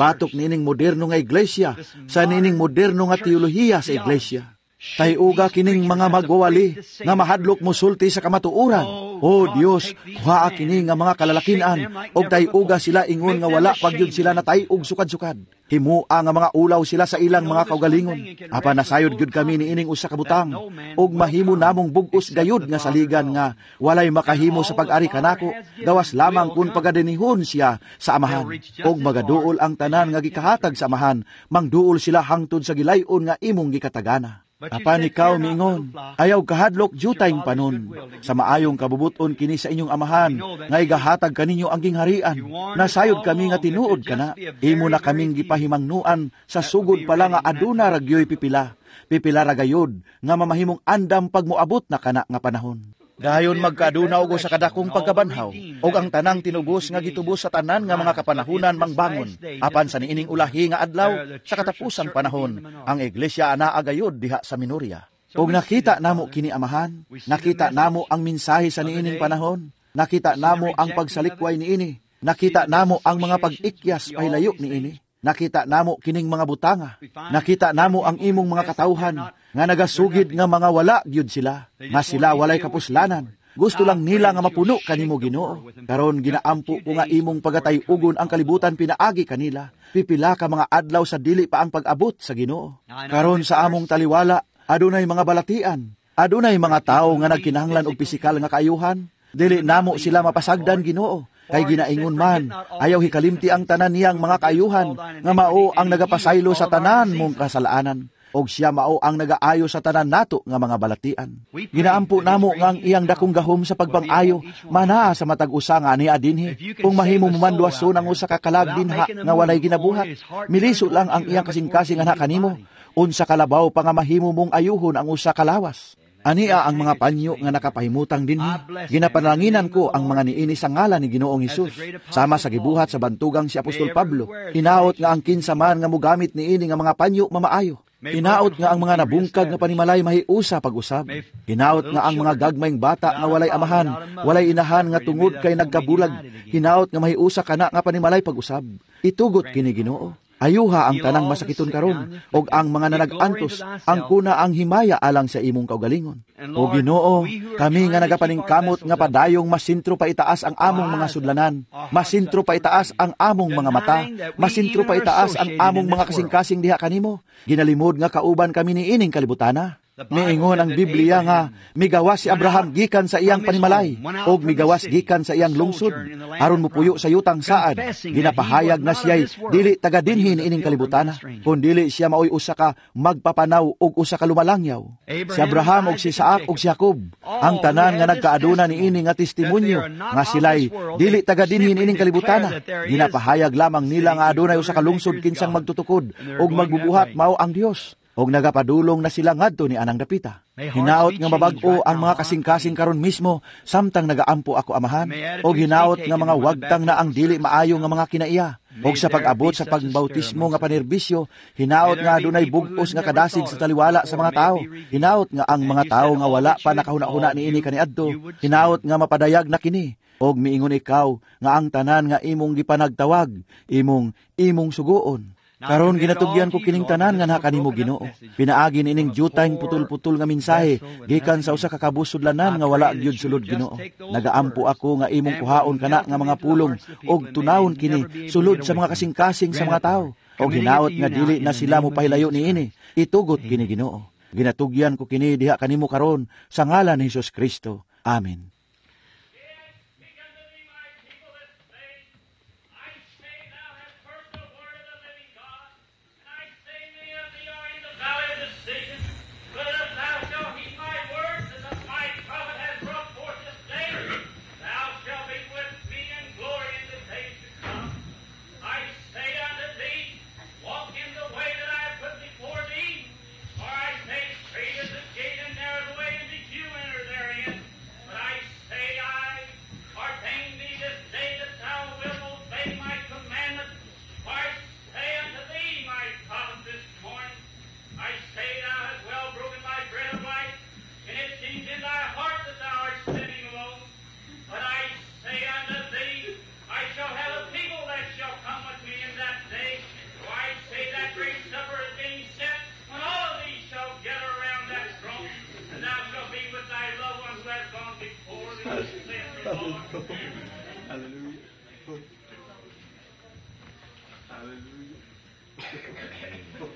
Batok niining moderno nga iglesia sa niining moderno nga teolohiya sa iglesia. Tayuga kining mga magwawali nga mahadlok mosulti sa kamatuoran. O Dios, kuhaa kini nga mga kalalakinan og tayuga sila ingon nga wala pagyud sila natayog sukad-sukad. Himua nga mga ulaw sila sa ilang mga kaugalingon. Apan nasayod gyud kami niining usa ka butang og mahimo namong bug-os gayud nga saligan nga walay makahimo sa pag-ari kanako, gawas lamang kun pagadinihon siya sa Amahan. Og magaduol ang tanan nga gikahatag sa Amahan, mangduol sila hangtod sa gilayon nga imong gikatagana. Apan ikaw miingon, "Ayaw kahadlok, jutayng panon. Sa maayong kabubuton kini sa inyong Amahan, nga igahatag kaninyo ang gingharian." Nasayod kami nga tinuod kana. Imo na kaming gipahimangnuan sa sugod pa lang nga aduna ra gyoy pipila. Pipila ra gayod nga mamahimong andam pag moabot na kana nga panahon. Dayon magkaaduna og sa kadakong pagkabanhaw, og ang tanang tinubos nga gitubos sa tanan nga mga kapanahunan mangbangon. Apan sa niining ulahi nga adlaw, sa katapusang panahon, ang iglesia anaa gayod diha sa Minoria. Og nakita namo kini, Amahan, nakita namo ang mensahe sa niining panahon, nakita namo ang pagsalikway niini, nakita namo ang mga pag-ikyas pahilayo niini. Nakita namo kining mga butanga. Nakita namo ang imong mga katawhan nga nagasugid nga mga wala gyud sila, nga sila walay kapuslanan. Gusto lang nila nga mapuno kanimo, Ginoo. Karon ginaampo ko nga imong pagatay-ugon ang kalibutan pinaagi kanila. Pipila ka mga adlaw sa dili pa ang pag-abot sa Ginoo. Karon sa among taliwala, adunay mga balatian, adunay mga tawo nga nagkinahanglan og pisikal nga kaayuhan. Dili namo sila mapasagdan, Ginoo. Kay ginaingon man, ayaw hikalimti ang tanan niyang mga kaayuhan, nga mao ang nagapasaylo sa tanan mong kasalanan, og siya mao ang nagaayo sa tanan nato nga mga balatian. Ginaampo namo nga ang iyang dakong gahom sa pagpang-ayo, manaa sa matag usa nga ania dinhi. Kung mahimo mo man luwason ang usa ka kalag dinha nga walay ginabuhat, miliso lang ang iyang kasing-kasing ana kanimo. Unsa kalabaw pa nga mahimo mong ayuhon ang usa ka lawas. Ania ang mga panyo nga nakapahimutang dinhi. Ginapanalangin ko ang mga niini sa ngalan ni Ginoong Hesus. Sama sa gibuhat sa bantugang si Apostol Pablo, hinaot nga ang kinsa man nga mogamit niini nga mga panyo mamaayo. Hinaot nga ang mga nabungkag nga panimalay mahiusa pag-usab. Hinaot nga ang mga gagmayng bata nga walay amahan, walay inahan nga tungod kay nagkabulag. Hinaot nga mahiusa kana nga panimalay pag-usab. Itugot kini, Ginoo. Ayuha ang tanang masakiton karon og ang mga nanag-antos, ang kuna ang himaya alang sa imong kaugalingon. O Ginoo, kami nga nagapaningkamot nga padayong masintro pa itaas ang among mga sudlanan, masintro pa itaas ang among mga mata, masintro pa itaas ang among mga kasing-kasing diha kanimo. Ginalimod nga kauban kami niining kalibutana. Niingon ang Biblia nga migawas si Abraham gikan sa iyang panimalay og migawas gikan sa iyang lungsod aron mopuyo sa yutang saad. Ginapahayag na siya'y dili taga dinhi niining kalibutana, kun dili siya maoy usa ka magpapanaw og usa ka lumalangyaw. Si Abraham og si Isaac og si Jacob, ang tanan nga nagkaaduna niini nga testimonyo nga sila'y dili taga dinhi niining kalibutana, ginapahayag lamang nila nga adunay usa ka lungsod kinsang magtutukod og magbubuhat mao ang Dios, og nagapadulong na sila ngadto ni anang dapita. Hinaot nga mabag-o ang mga kasing-kasing karon mismo samtang nagaampo ako, Amahan, og hinaot nga mga wagtang na ang dili maayo nga mga kinaiya. Og sa pag-abot sa pagbautismo nga panerbisyo, hinaot nga adunay bug-os nga kadasig sa taliwala sa mga tao. Hinaot nga ang mga tao nga wala pa nakahuna-huna niini kaniadto, hinaot nga mapadayag na kini. Og miingon ikaw nga ang tanan nga imong gipanagtawag, imong sugoon. Karon ginatugyan ko kining tanan nga naa kanimo, Ginoo. Pinaagi niining jutayng putol-putol nga mensahe gikan sa usa ka kabusudlanan nga wala gyud sulod, Ginoo. Nagaampo ako nga imong kuhaon kana nga mga pulong og tunawon kini sulod sa mga kasing-kasing sa mga tawo. Og hinaot nga dili na sila mopahilayo niini. Itugot kini, Ginoo. Ginatugyan ko kini diha kanimo karon sa ngalan ni Hesus Kristo. Amen.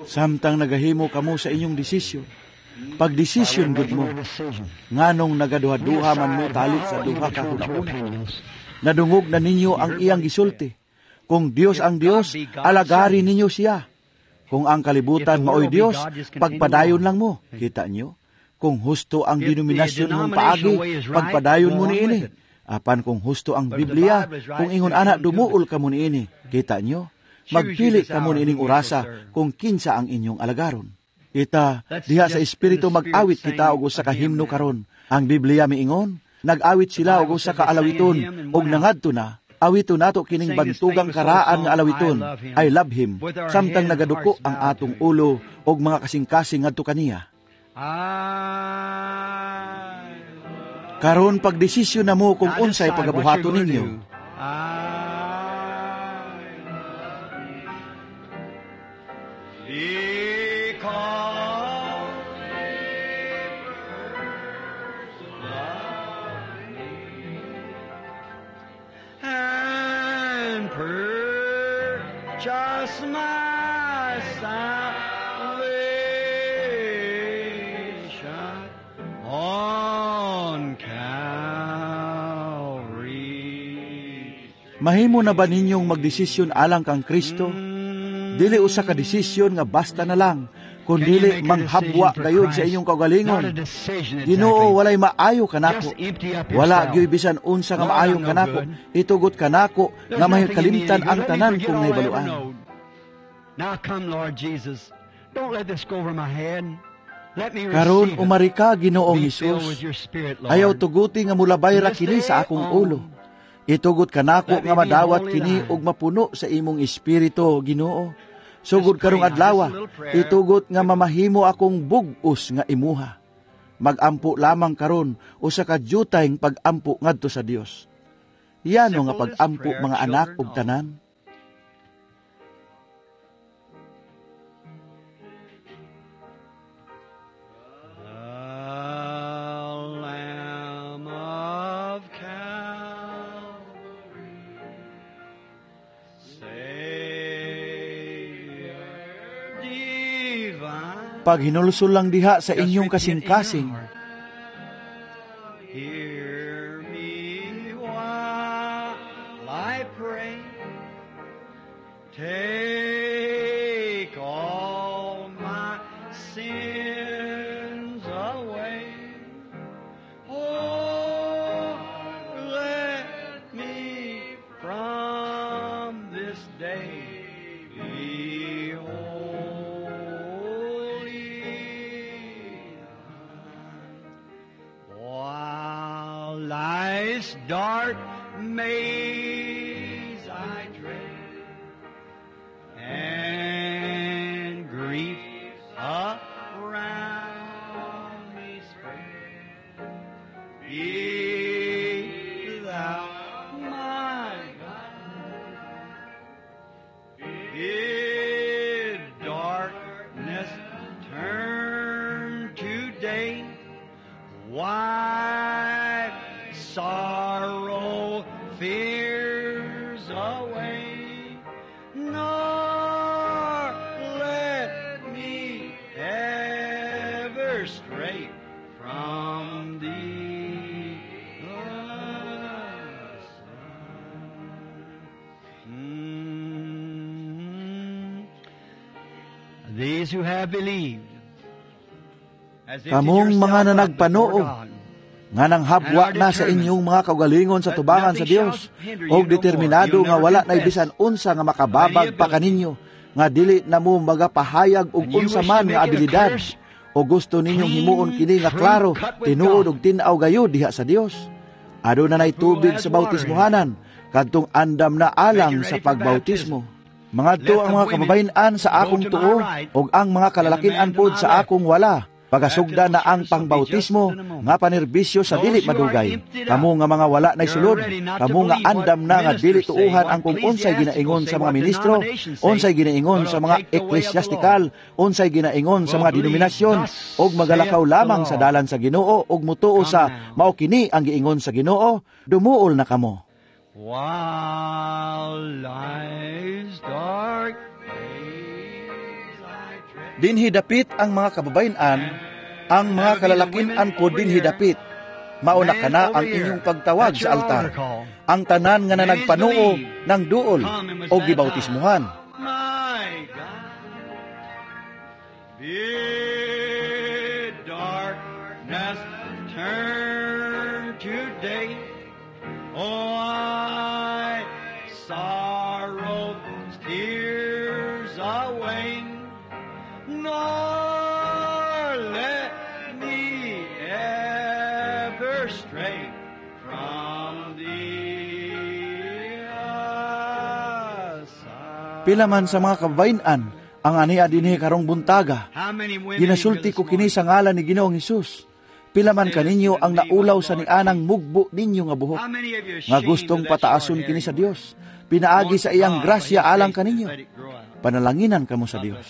Samtang nagahimo kamo sa inyong desisyon, pagdesisyon gud mo, nganong nagaduha-duha man mo talit sa duha ka hunahuna. Nadungog na ninyo ang iyang gisulti. Kung Dios ang Dios, alagari ninyo siya. Kung ang kalibutan maoy Dios, pagpadayon lang mo. Kita nyo? Kung husto ang denominasyon mong paagi, pagpadayon mo niini. Apan kung husto ang Biblia, kung ingon ana, dumuol ka mo niini. Kita nyo? Magpili kamo niining orasa kung kinsa ang inyong alagaron. Kita, diha sa Espiritu mag-awit kita og usa ka himno karon. Ang Biblia miingon, nag-awit sila og usa ka alawiton og nangadto na. Awiton nato kining bantugang karaan nga alawiton, I love him, samtang nagaduko ang atong ulo og mga kasing-kasing ngadto kaniya. Karon pagdesisyon na mo kung unsay pagabuhaton ninyo. Purchase my salvation on Calvary. Mahimo na ba ninyong magdesisyon alang kang Kristo? Dili usa ka desisyon nga basta na lang, kundili manghabwa gayud sa inyong kaugalingon. Ginoo, walay maayo kanako. Wala gyud bisan unsa nga maayo kanako. Itugot kanako nga mahikalimtan ang tanan kong nahibaluan. Karon umari ka, Ginoong Hesus. Ayaw tuguti nga mulabay ra kini sa akong ulo. Itugot kanako nga madawat kini ug mapuno sa imong espiritu, Ginoo. Sugod karong adlaw, itugot nga mamahimo akong bug-os nga imuha. Magampo lamang karon usa ka jutayng pagampo ngadto sa Dios. Yano nga pagampo, mga anak ug tanan. Paghinulsol lang diha sa inyong kasing-kasing. Hear me while I pray. Take all my sins away. Oh, let me from this day be holy. While life's dark maze I tread, and grief around me spread, be thou my guide. Bid darkness turn to day, wipe sorrow, fears away, nor Ever stray from thee aside. These who have believed, has emptied Kamong mga yourself up before nanagpanoo, God, nga nanghabwa na sa inyong mga kaugalingon sa tubangan sa Dios, og determinado nga wala na bisan unsa nga makababag pa kaninyo, nga dili na mo magapahayag og unsa man nga abilidad, o gusto ninyong himuon kini nga klaro, tinuod og tin-aw gayud diha sa Dios. Aduna nay tubig sa bautismohanan, kadtong andam na alang sa pagbautismo. Mangadto ang mga kababayen-an sa akong tuo ug ang mga kalalakin-an pod sa akong wala. Pagasugda na ang pangbautismo nga panerbisyo sa dili madugay. Kamo nga mga wala nay sulod, kamo nga andam na nga dili tuuhan ang kung unsay ginaingon sa mga ministro, unsay ginaingon sa mga eklesyastikal, unsay ginaingon sa mga denominasyon, og magalakaw lamang sa dalan sa Ginoo og mutuo sa mao kini ang giingon sa Ginoo, dumuol na kamo. While life's dark days I tread. Dinhi dapit ang mga kababayen-an, ang mga kalalakin-an po dinhi dapit. Mauna kana ang inyong pagtawag sa altar. Ang tanan nga nanagpanuo ng duol o gibautismuhan. My God, bid darkness turn to day. Oh, I sorrow's tears away, nor let me ever stray from thee aside. Pila man sa mga kababayen-an ang ania dinhi karong buntaga. How many women Ginasulti ko kini sa ngalan ni Ginoong Hesus. Pila man kaninyo ang naulaw sa nianang mugbo ninyo nga buhok, How many of you nga gustong pataason kini sa Dios, pinaagi sa iyang grasya alang kaninyo. Panalanginan kamo sa Dios.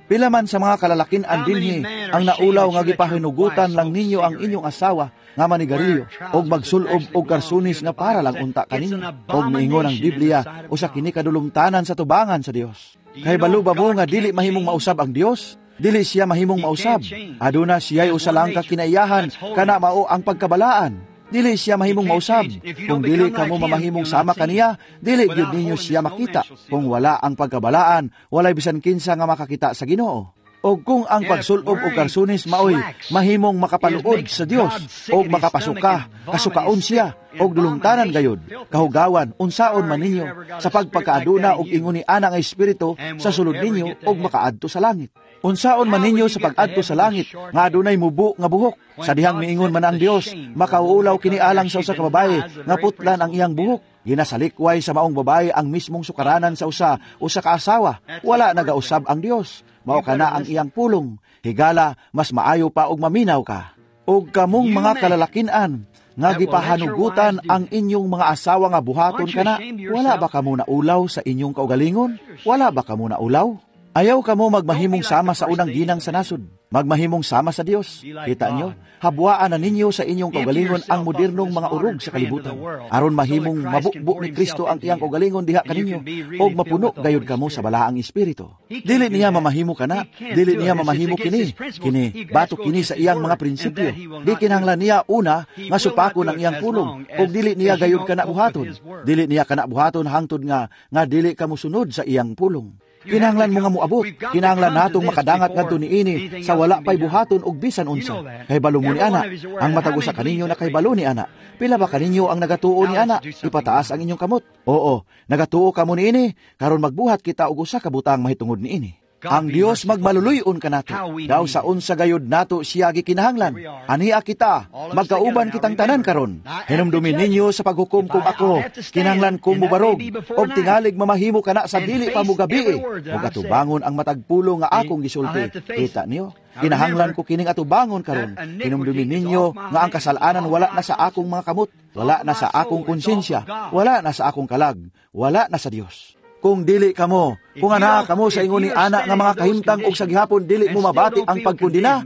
Pila man sa mga kalalakin-an dinhi ang naulaw nga gipahinugutan lang ninyo ang inyong asawa nga manigarilyo og magsulob og karsunis nga para lang unta kaninyo. Og miingon ang Biblia usa kini kadulumtanan sa tubangan sa Dios. Kay balo ba mo nga dili mahimong mausab ang Dios? Dili siya mahimong mausab. Aduna siya'y usa lang ka kinaiyahan, kana mao ang pagkabalaan. Dili siya mahimong mausab. Kung dili kamo mamahimong sama kaniya, dili gyud ninyo siya makita. Kung wala ang pagkabalaan, walay bisan kinsa nga makakita sa Ginoo. O kung ang pagsulob og karsunis maoy mahimong makapaluod sa Dios og makapasuka, kasukaon siya og dulungtanan gayud, kahugawan unsaon man ninyo sa pagpagkaaduna og ingon ni ana nga espiritu sa sulod ninyo og makaadto sa langit. Unsaon man ninyo sa pag-adto sa langit nga adunay mubo nga buhok? Sa dihang miingon man ang Dios, makauulaw kini alang sa usa ka babaye nga putlan ang iyang buhok. Ginasalikway sa maong babaye ang mismong sukaranan sa usa ka asawa. Wala nagausab ang Dios. Mao kana ang iyang pulong. Higala, mas maayo pa og maminaw ka. Og kamong mga kalalakin-an nga gipahanugutan ang inyong mga asawa nga buhaton kana, wala ba kamo naulaw sa inyong kaugalingon? Wala ba kamo naulaw? Ayaw kamo magmahimong sama sa unang ginang sa nasod. Magmahimong sama sa Dios. Kita nyo, habwaan na ninyo sa inyong kaugalingon ang modernong mga urog sa kalibutan. Aron mahimong mabukbo ni Kristo ang iyang kaugalingon diha kaninyo, og mapuno gayud kamo sa balaang espiritu. Dili niya mamahimo kana, dili niya mamahimo kini. Kini, batok kini sa iyang mga prinsipyo. Di kinahanglan niya una nga supakon ang iyang pulong, og dili niya gayud kana buhaton. Dili niya kana buhaton hangtod nga nga dili ka mosunod sa iyang pulong. Kinahanglan mo nga moabot, kinahanglan natong makadangat ngadto niini sa wala pay buhaton og bisan unsa. Kay balo mo ni ana, ang matag usa kaninyo na kay balo ni ana. Pila ba kaninyo ang nagatuo ni ana? Ipataas ang inyong kamot. Oo, nagatuo kamo niini, karon magbuhat kita og usa ka butang mahitungod niini. Ang Dios magmaluluyon kanato. Daw sa unsa gayud nato siya gikinahanglan. Ania kita, magkauban kitang tanan karon. Hinumdumin ninyo sa paghukom kung ako, kinahanglan ko mobarog, og tingalig mamahimo kana sa dili pa mogabi, og atubangon ang matag pulo nga akong gisulti. Kita niyo? Kinahanglan ko kining atubangon karon. Hinumdumin ninyo nga ang kasalanan wala na sa akong mga kamot, wala na sa akong konsensya, wala na sa akong kalag, wala na sa Dios. Kung dili kamo, kung anaa kamo sa ingon ni ana nga mga kahimtang og sa gihapon dili mo mabati ang pagkundina,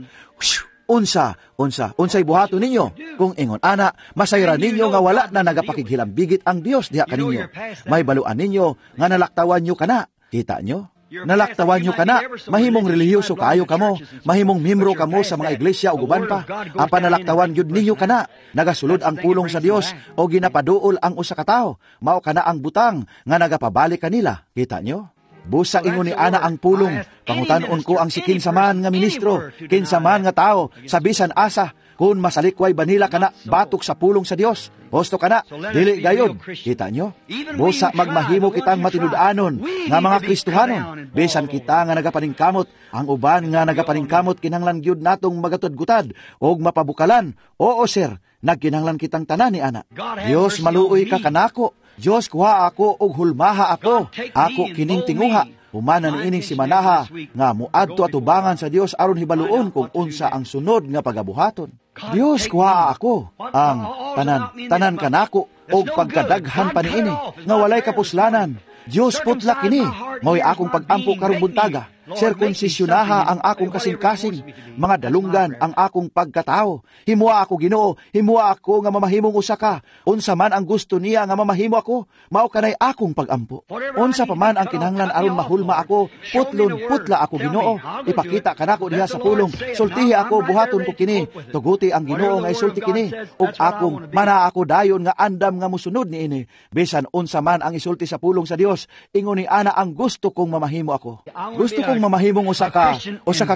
unsa, unsa, unsay buhaton ninyo? Kung ingon ana, masayra ninyo nga wala na nagapakighilambigit ang Dios diha kaninyo. May baluan ninyo nga nalaktawan nyo kana. Kita nyo? Nalaktawan nyo kana, mahimong relihiyoso kaayo kamo, mahimong membro kamo sa mga iglesia ug uban pa. Apan nalaktawan gyud ninyo kana. Nagasulod ang pulong sa Dios o ginapaduol ang usa ka tawo. Mao kana ang butang nga nagapabalik kanila. Kita nyo? Busa ingon ni ana ang pulong, pangutan-on ko ang si kinsa man nga ministro, kinsa man nga tao, sa bisan asa, kung masalikway ba nila kana batok sa pulong sa Dios. Husto kana, dili gayod. Kita nyo? Busa magmahimo kitang matinud-anon nga mga Kristohanon. Bisan kita nga nagapaningkamot, ang uban nga nagapaningkamot kinahanglan gyud natong magatudgutad og mapabukalan. Oo sir, nagkinahanglan kitang tanan ni ana. Dios, maluoy ka kanako. Dios, kuha ako og hulmaha ako. Ako kining tinguha. Humana niining simanaha nga muadto atubangan sa Dios aron hibaluon kung unsa ang sunod nga pagabuhaton. Dios, kuha ako ang tanan, tanan kanako og pagkadaghan pa niini nga walay kapuslanan. Dios, putla kini, mao'y akong pag-ampo karong buntaga. Sirkunsisyunaha ang akong kasing-kasing, mga dalunggan ang akong pagkatao. Himua ako, Ginoo, himua ako nga mamahimong usa ka. Unsa man ang gusto niya nga mamahimo ako, mao kanay akong pag-ampo. Unsa pa man ang kinahanglan aron mahulma ako, putlon putla ako, Ginoo. Ipakita kanako diha sa pulong, sultihi ako, buhaton ko kini. Tuguti ang Ginoo nga isulti kini, ug akong mana ako dayon nga andam nga musunod niini. Bisan unsa man ang isulti sa pulong sa Dios, ingon ni ana ang gusto kong mamahimo ako. Gusto kong mamahimong usa ka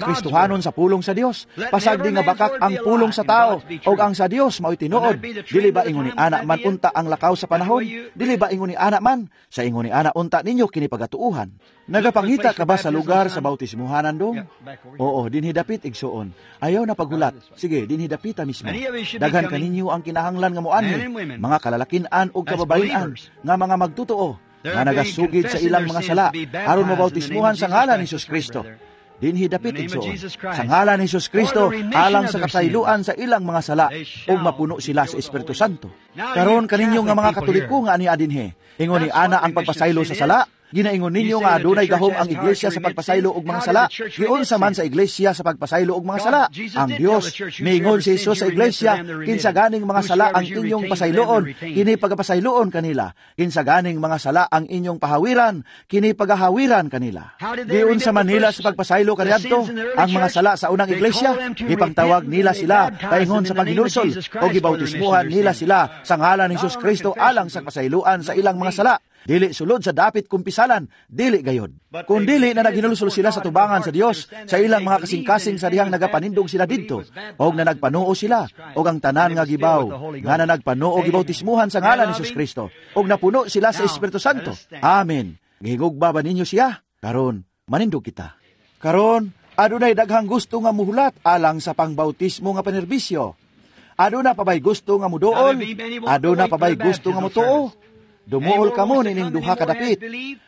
Kristohanon sa pulong sa Dios. Pasagdi nga bakak ang pulong sa tao og ang sa Dios mao'y tinuod. Dili ba ingon ni ana man unta ang lakaw sa panahon? Dili ba ingon ni ana man? Sa ingon ni ana unta ninyo kini pagatuuhan. Nagapangita ka ba sa lugar sa bautismuhanan dong? Oo, dinhi dapit igsuon. Ayaw na paghulat. Sige, dinhi dapita mismo. Daghan kaninyo ang kinahanglan nga moanhi, mga kalalakin-an ug kababayen-an nga mga magtotoo nga nagasugid sa ilang mga sala aron mabautismuhan sa ngalan ni Jesus Kristo. Dinhi dapit igsoon. Sa ngalan ni Jesus Kristo alang sa kapasayloan sa ilang mga sala ug mapuno sila sa Espiritu Santo. Karon kaninyo nga mga Katoliko nga ania dinhi, ingon ni ana ang pagpasaylo sa sala. Ginaingon ninyo nga adunay gahom ang iglesia sa pagpasaylo og mga sala. Giunsa man sa iglesia sa pagpasaylo og mga sala? Ang Dios miingon si Jesus sa iglesia, kinsa ganing mga sala ang inyong pasayloon, kini pagapasayloon kanila. Kinsa ganing mga sala ang inyong pahawiran, kini pagahawiran kanila. Giunsa man nila sa pagpasaylo kaniadto ang mga sala sa unang iglesia, gipangtawag nila sila paingon sa paghinulsol o gibautismuhan nila sila sa ngalan ni Jesus Kristo alang sa pasayloan sa ilang mga sala. Dili sulod sa dapit kumpisalan, dili gayod. Kung dili na naghinulsol sila sa tubangan sa Dios sa ilang mga kasing-kasing sa dihang nagapanindog sila didto, og na nagpanuo sila, og ang tanan nga gibaw, nga na nagpanuo gibautismuhan sa ngalan ni Jesus Kristo, og napuno sila sa Espiritu Santo. Amen. Gihigugba ba ninyo siya? Karon, manindog kita. Karon, adunay daghang gusto nga muhulat alang sa pangbautismo nga panerbisyo. Aduna pa bay gusto nga muduol? Aduna pa bay gusto nga mutuo? Dumuol kamo nining duha ka dapit.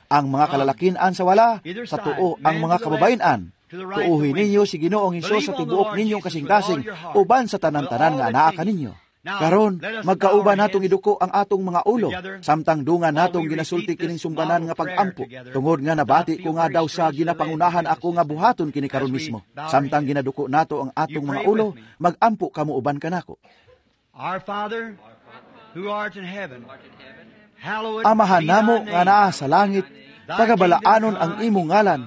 Ang mga kalalakin-an sa wala, sa tuo ang mga kababayen-an. Tuuhin ninyo si Ginoong Hesus sa tibuok ninyong kasing-kasing, uban sa tanan-tanan nga anaa kaninyo. Karon, magkauban natong iduko ang atong mga ulo, samtang dungan natong ginasulti kining sumbanan nga pag-ampo. Tungod nga nabati ko nga daw sa ginapangunahan ako nga buhaton kini karon mismo. Samtang ginaduko nato ang atong mga ulo, mag-ampo kamo uban kanako. Our Father, who art in heaven, Amahan namo nga naa sa langit, pagabalaanon ang imong ngalan,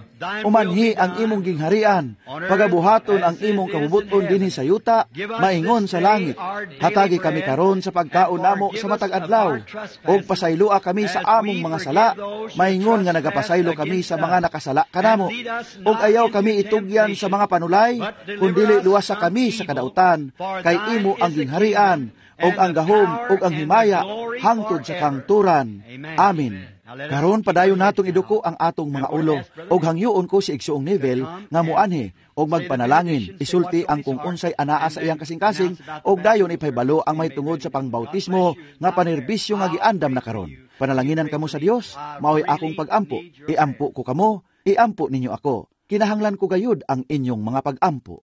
umanhi ang imong gingharian, pagabuhaton ang imong kabubuton dinhi sa yuta, maingon sa langit. Hatagi kami karon sa pagkaon namo sa matag adlaw, ug pasayloa kami sa among mga sala, maingon nga nagapasaylo kami sa mga nakasala kanamo. Ug ayaw kami itugyan sa mga panulay, kundili luwasa kami sa kadautan, kay imo ang gingharian, ug ang gahom ug ang himaya hangtod sa kangturan. Amen. Karon padayon natong iduko ang atong mga ulo, ug hangyoon ko si Igsoong Neville nga muanhi og magpanalangin, isulti ang kung unsay anaa sa iyang kasing-kasing, ug dayon ipahibalo ang mahitungod sa pangbautismo nga panerbisyo nga giandam na karon. Panalanginan kamo sa Dios, mao'y akong pag-ampo. Iampo ko kamo, iampo ninyo ako. Kinahanglan ko gayud ang inyong mga pag-ampo.